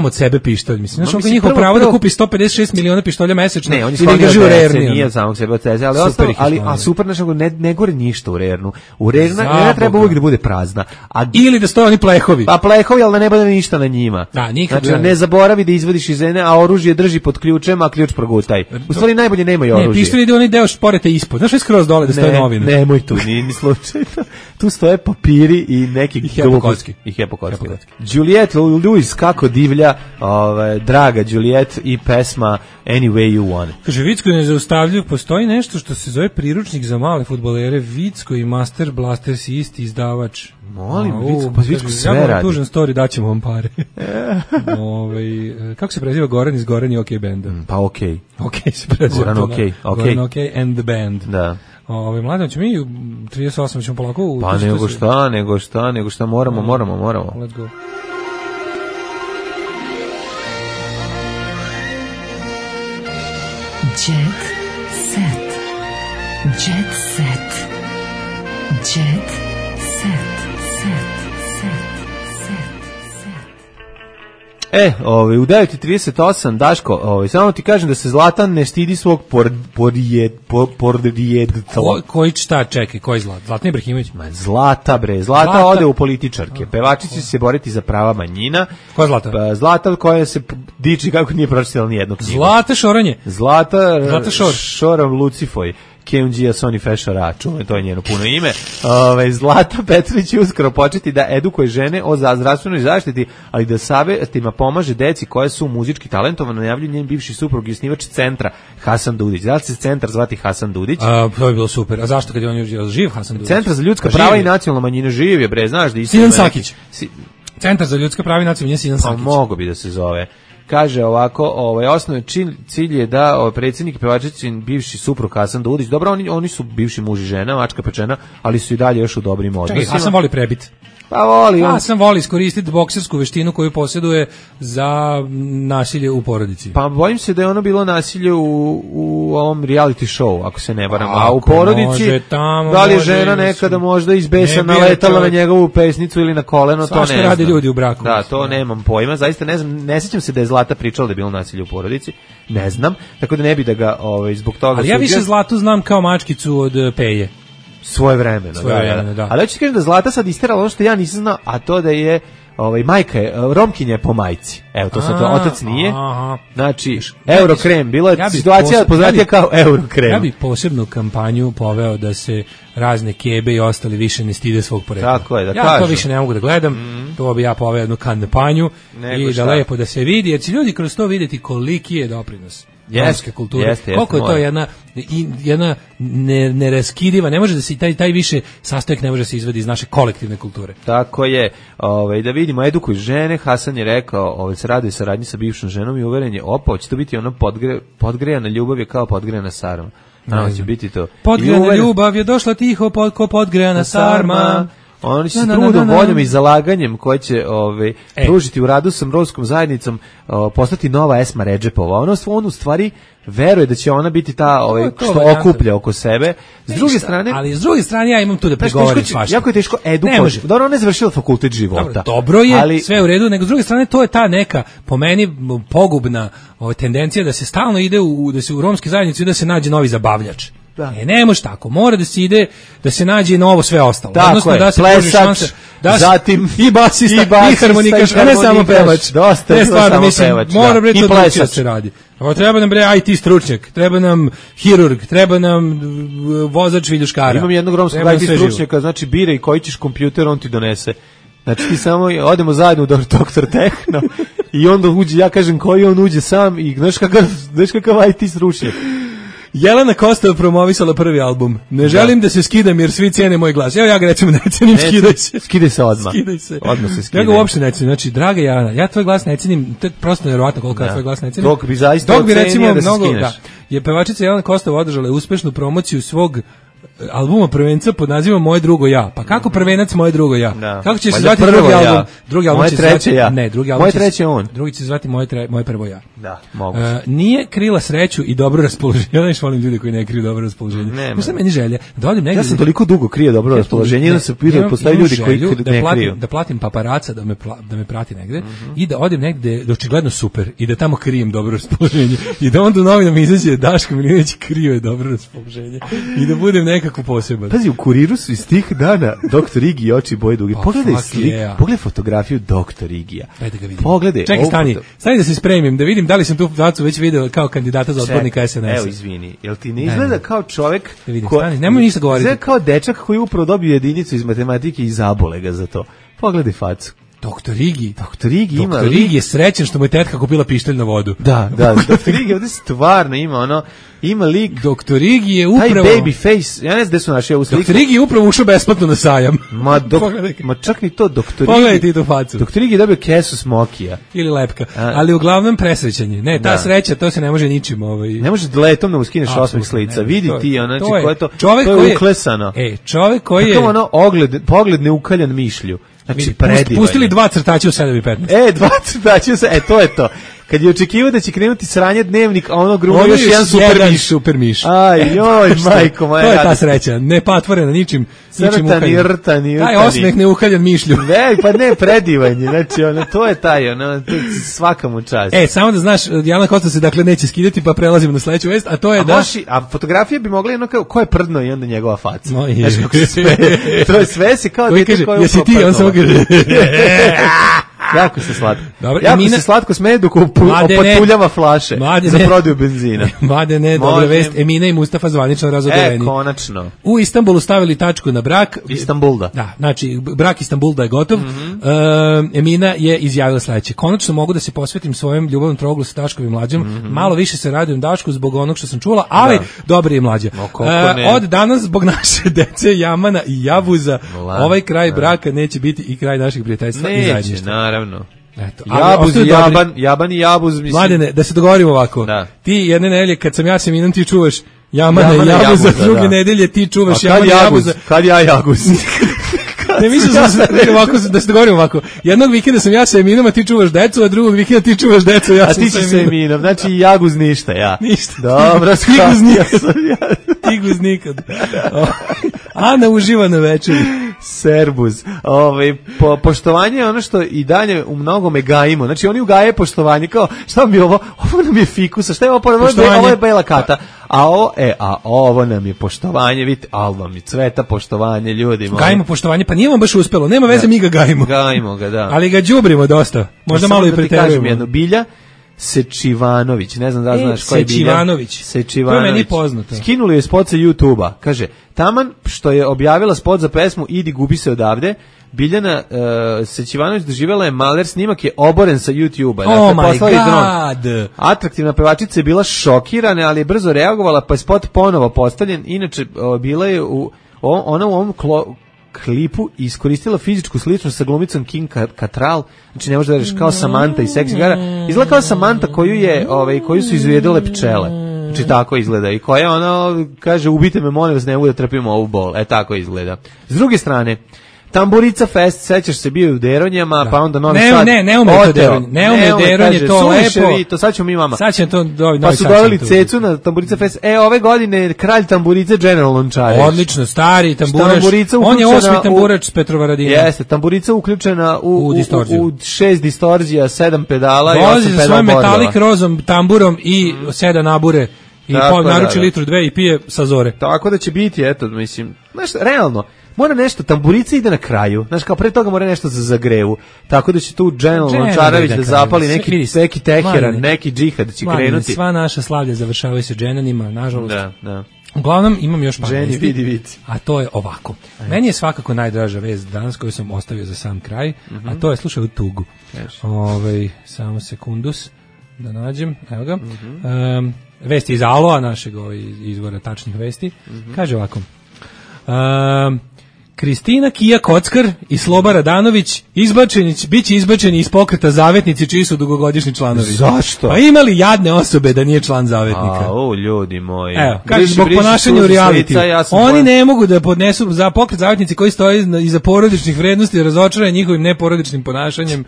od sebe pištolj, mislim. Znači, on njihovo pravo da kupi 156 miliona pištolja mesečno. Ne, on je sklonio od Rerne, nije od samog sebe od Ceze, ali super, znači, ne gore ništa u Rernu. U Rerna treba uvijek da bude prazna. Ili da stoje oni plehovi. Pa plehovi, ali da ne bude ništa na njima. Da, nikad. Znači, ne zaboravi da izvadiš iz ene, a oružje drži pod ključem, a ključ progutaj. U stvari najbolje nemaju oružje. Ne, pištolj ide onaj deo šporete ispod. Znaš, skroz dole da stoje novine. Nemoj tu, ni slučajno. Tu stoje papiri i neki gluposti. I hepokotski. Juliette Lewis kako divlja, draga Juliette i pesma Any Way You Want. Kaže, Vicko nezaustavljiv, postoji nešto što se zove priručnik za male fudbalere, Vicko i Master Blaster si isti izdavač. Molim, Vicko sve radi. Ja moram tužan story, daćemo vam pare. Kako se preziva Goran iz Goran i OK benda? Pa OK. OK se preziva. Goran OK. Goran OK and the band. Da. Mladen, ćemo mi 38 ćemo polako... Pa nego šta, moramo. Let's go. Jet set. Jet set. Jet set. U 9:38 Daško, samo ti kažem da se Zlatan ne stidi svog podrijetla. Koji šta, čekaj, koji Zlatan? Zlatan Ibrahimović? Zlata ode u političarke. Pevačice će se boriti za prava manjina. Ko je Zlata? Zlata koja se diči kako nije pročitala ni jednu knjigu. Zlata Šoranje. Zlata Šoram Lucifoj. Keunđija Soni Feša Račun, to je njeno puno ime. Zlata Petrović će uskoro početi da edukuje žene o zdravstvenoj zaštiti, ali da savjetima pomaže deci koje su muzički talentovane, najavljuje njen bivši suprug i osnivač centra Hasan Dudić. Da li se centar zvati Hasan Dudić? To je bilo super. A zašto kad je on živ Hasan Dudić? Centar za ljudska prava i nacionalna manjina živ je, bre, znaš da Sinan Sakić. Centar za ljudska prava i nacionalna manjina Sinan Sakić. Mogo bi da se zove. Kaže ovako, osnovni cilj je da predsjednik i pevačičin bivši suprug Hasan Dudić, dobro, oni su bivši muž i žena, mačka pečena, ali su i dalje još u dobrim odnosima. Čekaj, Hasan voli prebit. Pa voli. Hasan voli iskoristiti boksersku veštinu koju posjeduje za nasilje u porodici. Pa bojim se da je ono bilo nasilje u ovom reality show, ako se ne varam. A u porodici, da li je žena nekada možda izbesa naletala na njegovu pesnicu ili na koleno, to ne znam. Svašta rade ljudi u braku. Da, to nemam pojma, zaista ne znam, ne sjećam se da je Zlata pričala da je bilo nasilje u porodici, ne znam, tako da ne bi da ga zbog toga... Ali ja više Zlatu znam kao mačkicu od Peje. Svojevremeno, da. Ali hoću ti kažem da Zlata sad isterala ono što ja nisam znao, a to da je majka je Romkinja po majci. Evo, to sad otac nije. Znači, Eurokrem, bila je situacija poznatija kao Eurokrem. Ja bih posebnu kampanju poveo da se razne kebe i ostali više ne stide svog porekla. Tako je, da kažu. Ja to više ne mogu da gledam, to bi ja poveo jednu kampanju i da lepo da se vidi, jer će ljudi kroz to vidjeti koliki je doprinos romske kulture. Koliko je to jedna neraskidiva, ne može da se taj više sastojak ne može da se izvadi iz naše kolektivne kulture. Tako je. Da vidimo, edukuj žene, Hasan je rekao, se raduje saradnji sa bivšom ženom i uveren je, će to biti ono podgrejana ljubav je kao podgrejana sarma. Će biti to. Podgrejana ljubav je došla tiho ko podgrejana sarma. Oni će se trudom, voljom i zalaganjem koje će pružiti u radu sa romskom zajednicom postati nova Esma Redžepova. On u stvari veruje da će ona biti ta što okuplja oko sebe. S druge strane ja imam tu da pregovorim svašta. Jako je teško edukovati. Dobro, ona je završila fakultet života. Dobro je, ali sve u redu, nego s druge strane to je ta neka, po meni, pogubna tendencija da se stalno ide da se u romske zajednici da se nađe novi zabavljač. Ne može tako, mora da se ide, da se nađe novo sve ostalo. Tako odnosno, je, da se plesač, zatim i basista, i harmonikaš, a ne samo pevač. Dosta je samo pevač. Mora bre to da se radi. Treba nam bre IT stručnjak, treba nam hirurg, treba nam vozač viljuškara. Imam jednog romskog IT stručnjaka, znači biraj koji ćeš kompjuter, on ti donese. Znači ti samo odemo zajedno u Doktor Tehno i onda uđe, ja kažem koji on uđe sam i znaš kakav IT stručnjak. Jelena Kostova promovisala prvi album. Ne želim da se skidam jer svi cijene moj glas. Evo ja ga recimo ne cijenim, skidaj se. Skidaj se odmah. Odmah se skidaj. Ja ga uopšte ne cijenim. Znači, draga Jelena, ja tvoj glas ne cijenim, to je prosto nevjerovatno koliko ja tvoj glas ne cijenim. Dok bi recimo mnogo, je pevačica Jelena Kostova održala uspešnu promociju svog albuma prvenca pod nazivom Moje drugo ja. Pa kako prvenac Moje drugo ja? Da. Kako će se zvati drugi album? Drugi album će se zvati ja. Ne, drugi album. Moje treće on. Drugi će se zvati Moje prvo ja. Da, mogu. Nije krila sreću i dobro raspoloženje. Ja ne volim ljude koji ne kriju dobro raspoloženje. Šta meni želja? Da odim negdje. Ja sam toliko dugo krio dobro raspoloženje, da se pitao postoje ljudi koji ne kriju. Da platim paparaca da me prati negde i da odim negde da očigledno super i da tamo krijem dobro raspoloženje i da onda u novinama izađe Daško Milinović krio dobro raspoloženje i da budem nekako poseban. Pazi, u Kuriru su iz tih dana Doktor Igi i oči boje duge. Pogledaj fotografiju Doktor Igija. Ajde ga vidim. Pogledaj. Čekaj, stani da se spremim, da vidim da li sam tu facu već video kao kandidata za odbornika SNS-a. Evo, izvini. Jel ti ne izgleda kao čovjek nemoj ništa govoriti. Izgleda kao dečak koji upravo dobio jedinicu iz matematike i zabole ga za to. Pogledaj facu. Doktor Igi ima. Doktor Igi je srećan što mu je tetka kupila pištolj na vodu. Da. Doktor Igi ovdje stvarno ima lik. Doktor Igi je upravo taj baby face. Ja ne znam gde su naši ovu sliku. Doktor Igi je upravo ušao besplatno na sajam. Ma čak ni to Doktor Igi. Pogledaj ti tu facu. Doktor Igi je dobio kesu smokija ili lepka. Ali uglavnom presrećanje. Ne, ta sreća to se ne može ničim Ne može letom da uskineš osmeh s lica. Vidi ti, znači ko je to. To je uklesano. Čovjek koji je pogled neukaljan mišlju. Znači, pustili 2 crtača u 7:15. 2 crtača to je to. kad je očekivao da će krenuti sranje Dnevnik, a ono grubo još jedan super miš. Aj, joj, majko moja. To je ta sreća, ne patvorena ničim rtani. Taj osmeh neukaljan mišlju. Ne, pa ne, predivanje, znači, to je taj, svaka mu čast. Samo da znaš, Dijana Kosta se dakle neće skidati, pa prelazimo na sledeću vest, a to je a fotografije bi mogli ko je prdno i onda njegova faca. Znaš kako se sve, to je sve se kao dete koje je jesi ti, on samo kaže, jako se slatko. Dobro, jako se slatko smeje dok opatuljava flaše za prodaju benzina. Mladene, dobra vest, Emina i Mustafa zvanično razodoveni. Konačno. U Istanbulu stavili tačku na brak. Istanbulda. Da, znači, brak Istanbulda je gotov. Emina je izjavila sledeće. Konačno mogu da se posvetim svojem ljubavnom troglu sa Daškom i Mlađom. Malo više se radujem Dašku zbog onog što sam čula, ali dobro je Mlađa. Od danas, zbog naše dece Jamana i Jabuza, ovaj kraj braka neće biti i kraj naših prijateljstva i zajedništva. Naravno. Eto, Jaban i Jabuz, mislim. Mladene, da se dogovorimo ovako. Da. Ti jedne nedelje kad sam ja Seminom, ti čuvaš Jamana i Jabuza, druge nedelje ti čuvaš Jamana i Jabuza. Kad ja Jaguz? Ne mislim da se dogovorimo ovako. Jednog vikenda sam ja sa Eminom, a ti čuvaš decu, a drugog vikenda ti čuvaš decu, ja sam sa Eminom. A ti si sa Eminom, znači Jaguz ništa, ja. Ništa. Dobro, Tiguz nikad. Ana uživa na večeri. Serbuz. Poštovanje je ono što i dalje u mnogome gajimo. Znači oni ugaje poštovanje kao šta mi je ovo? Ovo nam je fikusa. Šta je ovo? Ovo je bela kata. A ovo nam je poštovanje. Vidite, alba mi cveta poštovanje, ljudi. Gajimo poštovanje, pa nije vam baš uspelo. Nema veze, mi ga gajimo. Gajimo ga, da. Ali ga đubrimo dosta. Možda malo i preterujemo. Bilja Sečivanović, ne znam da znaš ko je Bilja. Sečivanović. To je meni poznato. Skinuli je spot sa YouTube-a. Kaže, taman što je objavila spot za pesmu Idi gubi se odavde, Biljana Sečivanović doživjela je maler, snimak je oboren sa YouTube-a. Oh my god! Atraktivna pevačica je bila šokirana, ali je brzo reagovala, pa je spot ponovo postavljen. Inače, bila je ona u ovom klipu iskoristila fizičku sličnost sa glumicom Kim Cattrall, znači ne može da reći kao Samantha iz Sex Gara, izgleda kao Samantha koju su izujedile pčele, znači tako izgleda i koja ono kaže ubite me molim vas, ne mogu da trpimo ovu bol, tako izgleda. S druge strane, Tamburica Fest, sećaš se, bio u Deronjama, pa onda Novi Sad. Ne ume to Deronje, ne ume Deronje, to lepo. To sad ćemo mi vama. Sad će to pa su doveli Cecu na Tamburica Fest. Ove godine kralj tamburice General Lončareć. Odlično, stari tamburač. On je 8. tamburač s Petrovaradina. Jeste, tamburica uključena u 6 distorzija, 7 pedala i 8 pedala. Dolazi sa svojim metalik rozom, tamburom i 7 nabure. I naruči litru 2 i pije sa zore. Tako da će biti, eto, mislim, znaš, realno, mora nešto, tamburica ide na kraju, znaš, kao pre toga mora nešto za zagrevu, tako da će tu General Lončarević da zapali neki teheran, neki džihad će krenuti. Sva naša slavlja završavaju se dženanima, nažalost. Da. Uglavnom, imam još par vesti, a to je ovako. Meni je svakako najdraža vest danas koju sam ostavio za sam kraj, a to je, slušaj u tugu. Samo sekundus, da nađem, evo ga. Vesti iz Aloa, našeg izvora tačnih vesti. Kaže ovako. Kristina Kija Kockar i Sloba Radanović biće izbačeni iz pokreta Zavetnici, čiji su dugogodišnji članovi. Zašto? Pa imali jadne osobe da nije član Zavetnika. Ljudi moji. Evo, kaže, zbog ponašanja u reality. Oni ne mogu da podnesu za pokret Zavetnici koji stoji iza porodičnih vrednosti, razočarani njihovim neporodičnim ponašanjem.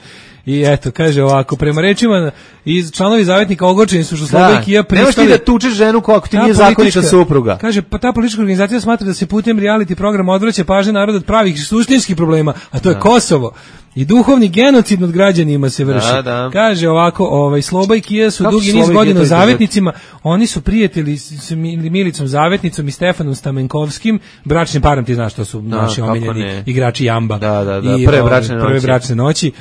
I eto, kaže ovako, prema rečima iz članovi Zavetnika ogorčeni su što Sloba i Kija pristali. Nemoš ti da tučeš ženu ako ti nije zakonita supruga. Kaže, pa ta politička organizacija smatra da se putem reality programa odvraća pažnja naroda od pravih suštinskih problema, a to je Kosovo. I duhovni genocid nad građanima se vrši. Kaže ovako, Sloba i Kija su dugi niz godina Zavetnicima, oni su prijatelji s Milicom Zavetnicom i Stefanom Stamenkovskim, bračnim parom, ti znaš, to su naši omiljeni igrači Jamba. I prve bračne noći.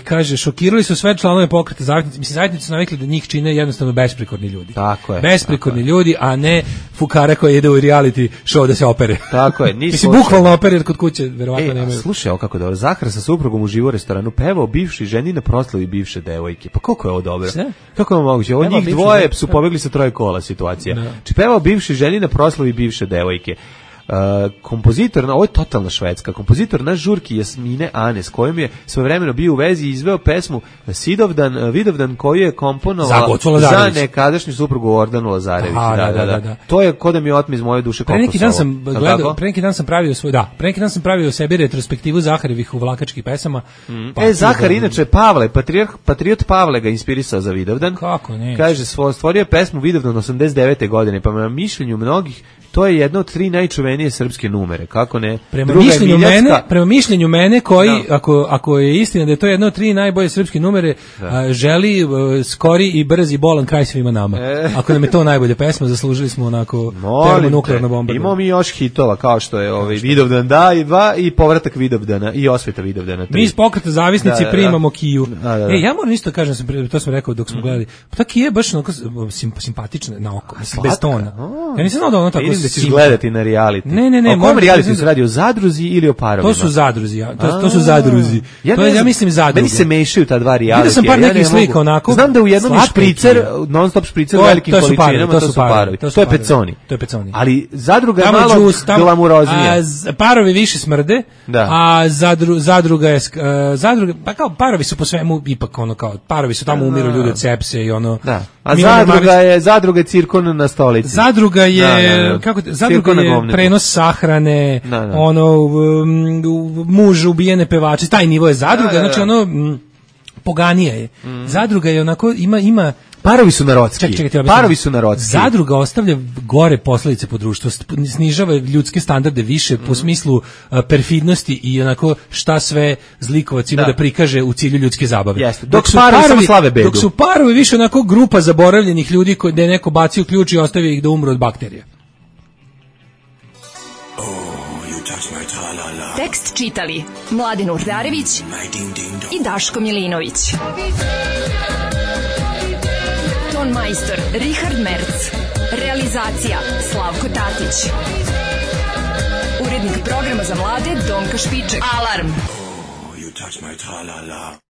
Kaže, šokirali su sve članove pokreta Zavetnici. Mislim, Zavetnici su navikli da njih čine jednostavno besprikorni ljudi. Tako je. Besprikorni ljudi, a ne fukara koji ide u reality show da se opere. Tako je. Mislim, bukvalno opere kod kuće, verovatno nemaju. Slušaj, ovo kako dobro. Zahar sa suprugom uživo u restoranu, pevao bivši ženi na proslavi bivše devojke. Pa koliko je ovo dobro? Kako je ovo moguće? Ovo njih dvoje su pobegli sa troje kola situacija. Či pevao bivši ženi na proslavi bivše devojke. kompozitor, ovo je totalna švedska, kompozitor na žurki Jasmine Ane, s kojom je svojevremeno bio u vezi i izveo pesmu Vidovdan koju je komponovala za nekadašnju suprugu Ordanu Lazarević. Da. To je ko da mi otme iz moje duše Pre neki dan sam pravio sebi retrospektivu Zaharevih uvlakačkih pesama. Zahar, inače Pavle, patriot Pavle ga inspirisao za Vidovdan. Kako ne? Kaže, stvorio je pesmu Vidovdan 89. godine, pa na mišljenju mnogih to je jedna od 3 najčuvenije srpske numere, kako ne? Prema mišljenju mene koji, ako je istina da je to jedna od 3 najbolje srpske numere, želi skori i brzi bolan kraj svima nama. Ako nam je to najbolja pesma, zaslužili smo onako termonuklearno bombardovanje. Imamo mi još hitova, kao što je Vidovdan da i 2 i povratak Vidovdana i osveta Vidovdana 3. Mi iz Pokreta zavisnici primamo Kiju. Ja moram isto kažem, to sam rekao dok smo gledali, pa ta Kija je baš onako simpatična na oko, bez tona. Ja nisam znao da ono tako da ćeš gledati na reality. Ne. O kom reality se radi, o zadruzi ili o parovima? To su zadruzi, to su zadruzi. Ja mislim zadruge. Meni se mešaju ta dva reality. Vidio sam par nekih slika onako. Znam da u jednom je špricer, non-stop špricer u velikim količinama, to su parovi. To je peconi. Ali zadruga je malo glamuroznija. Parovi više smrde, a zadruga je, pa kao parovi su po svemu ipak ono kao, parovi su tamo umiru ljudi od sepse i ono. A zadruga je cirkon na stolici. Zadruga je zadruga je prenos sahrane, ono muž ubijene pevače, taj nivo je zadruga, znači ono poganija je. Zadruga je onako ima parovi su narodski. Parovi su narodski. Zadruga ostavlja gore posledice po društvu, snižava ljudske standarde više po smislu perfidnosti i onako šta sve zlikovac ima da prikaže u cilju ljudske zabave. Dok su parovi više onako grupa zaboravljenih ljudi gde je neko bacio ključ i ostavio ih da umru od bakterija. Tekst čitali Mladen Urdarević i Daško Milinović. Ton majstor Richard Merc. Realizacija Slavko Tatić. Urednik programa za mlade Donka Špiček. Alarm!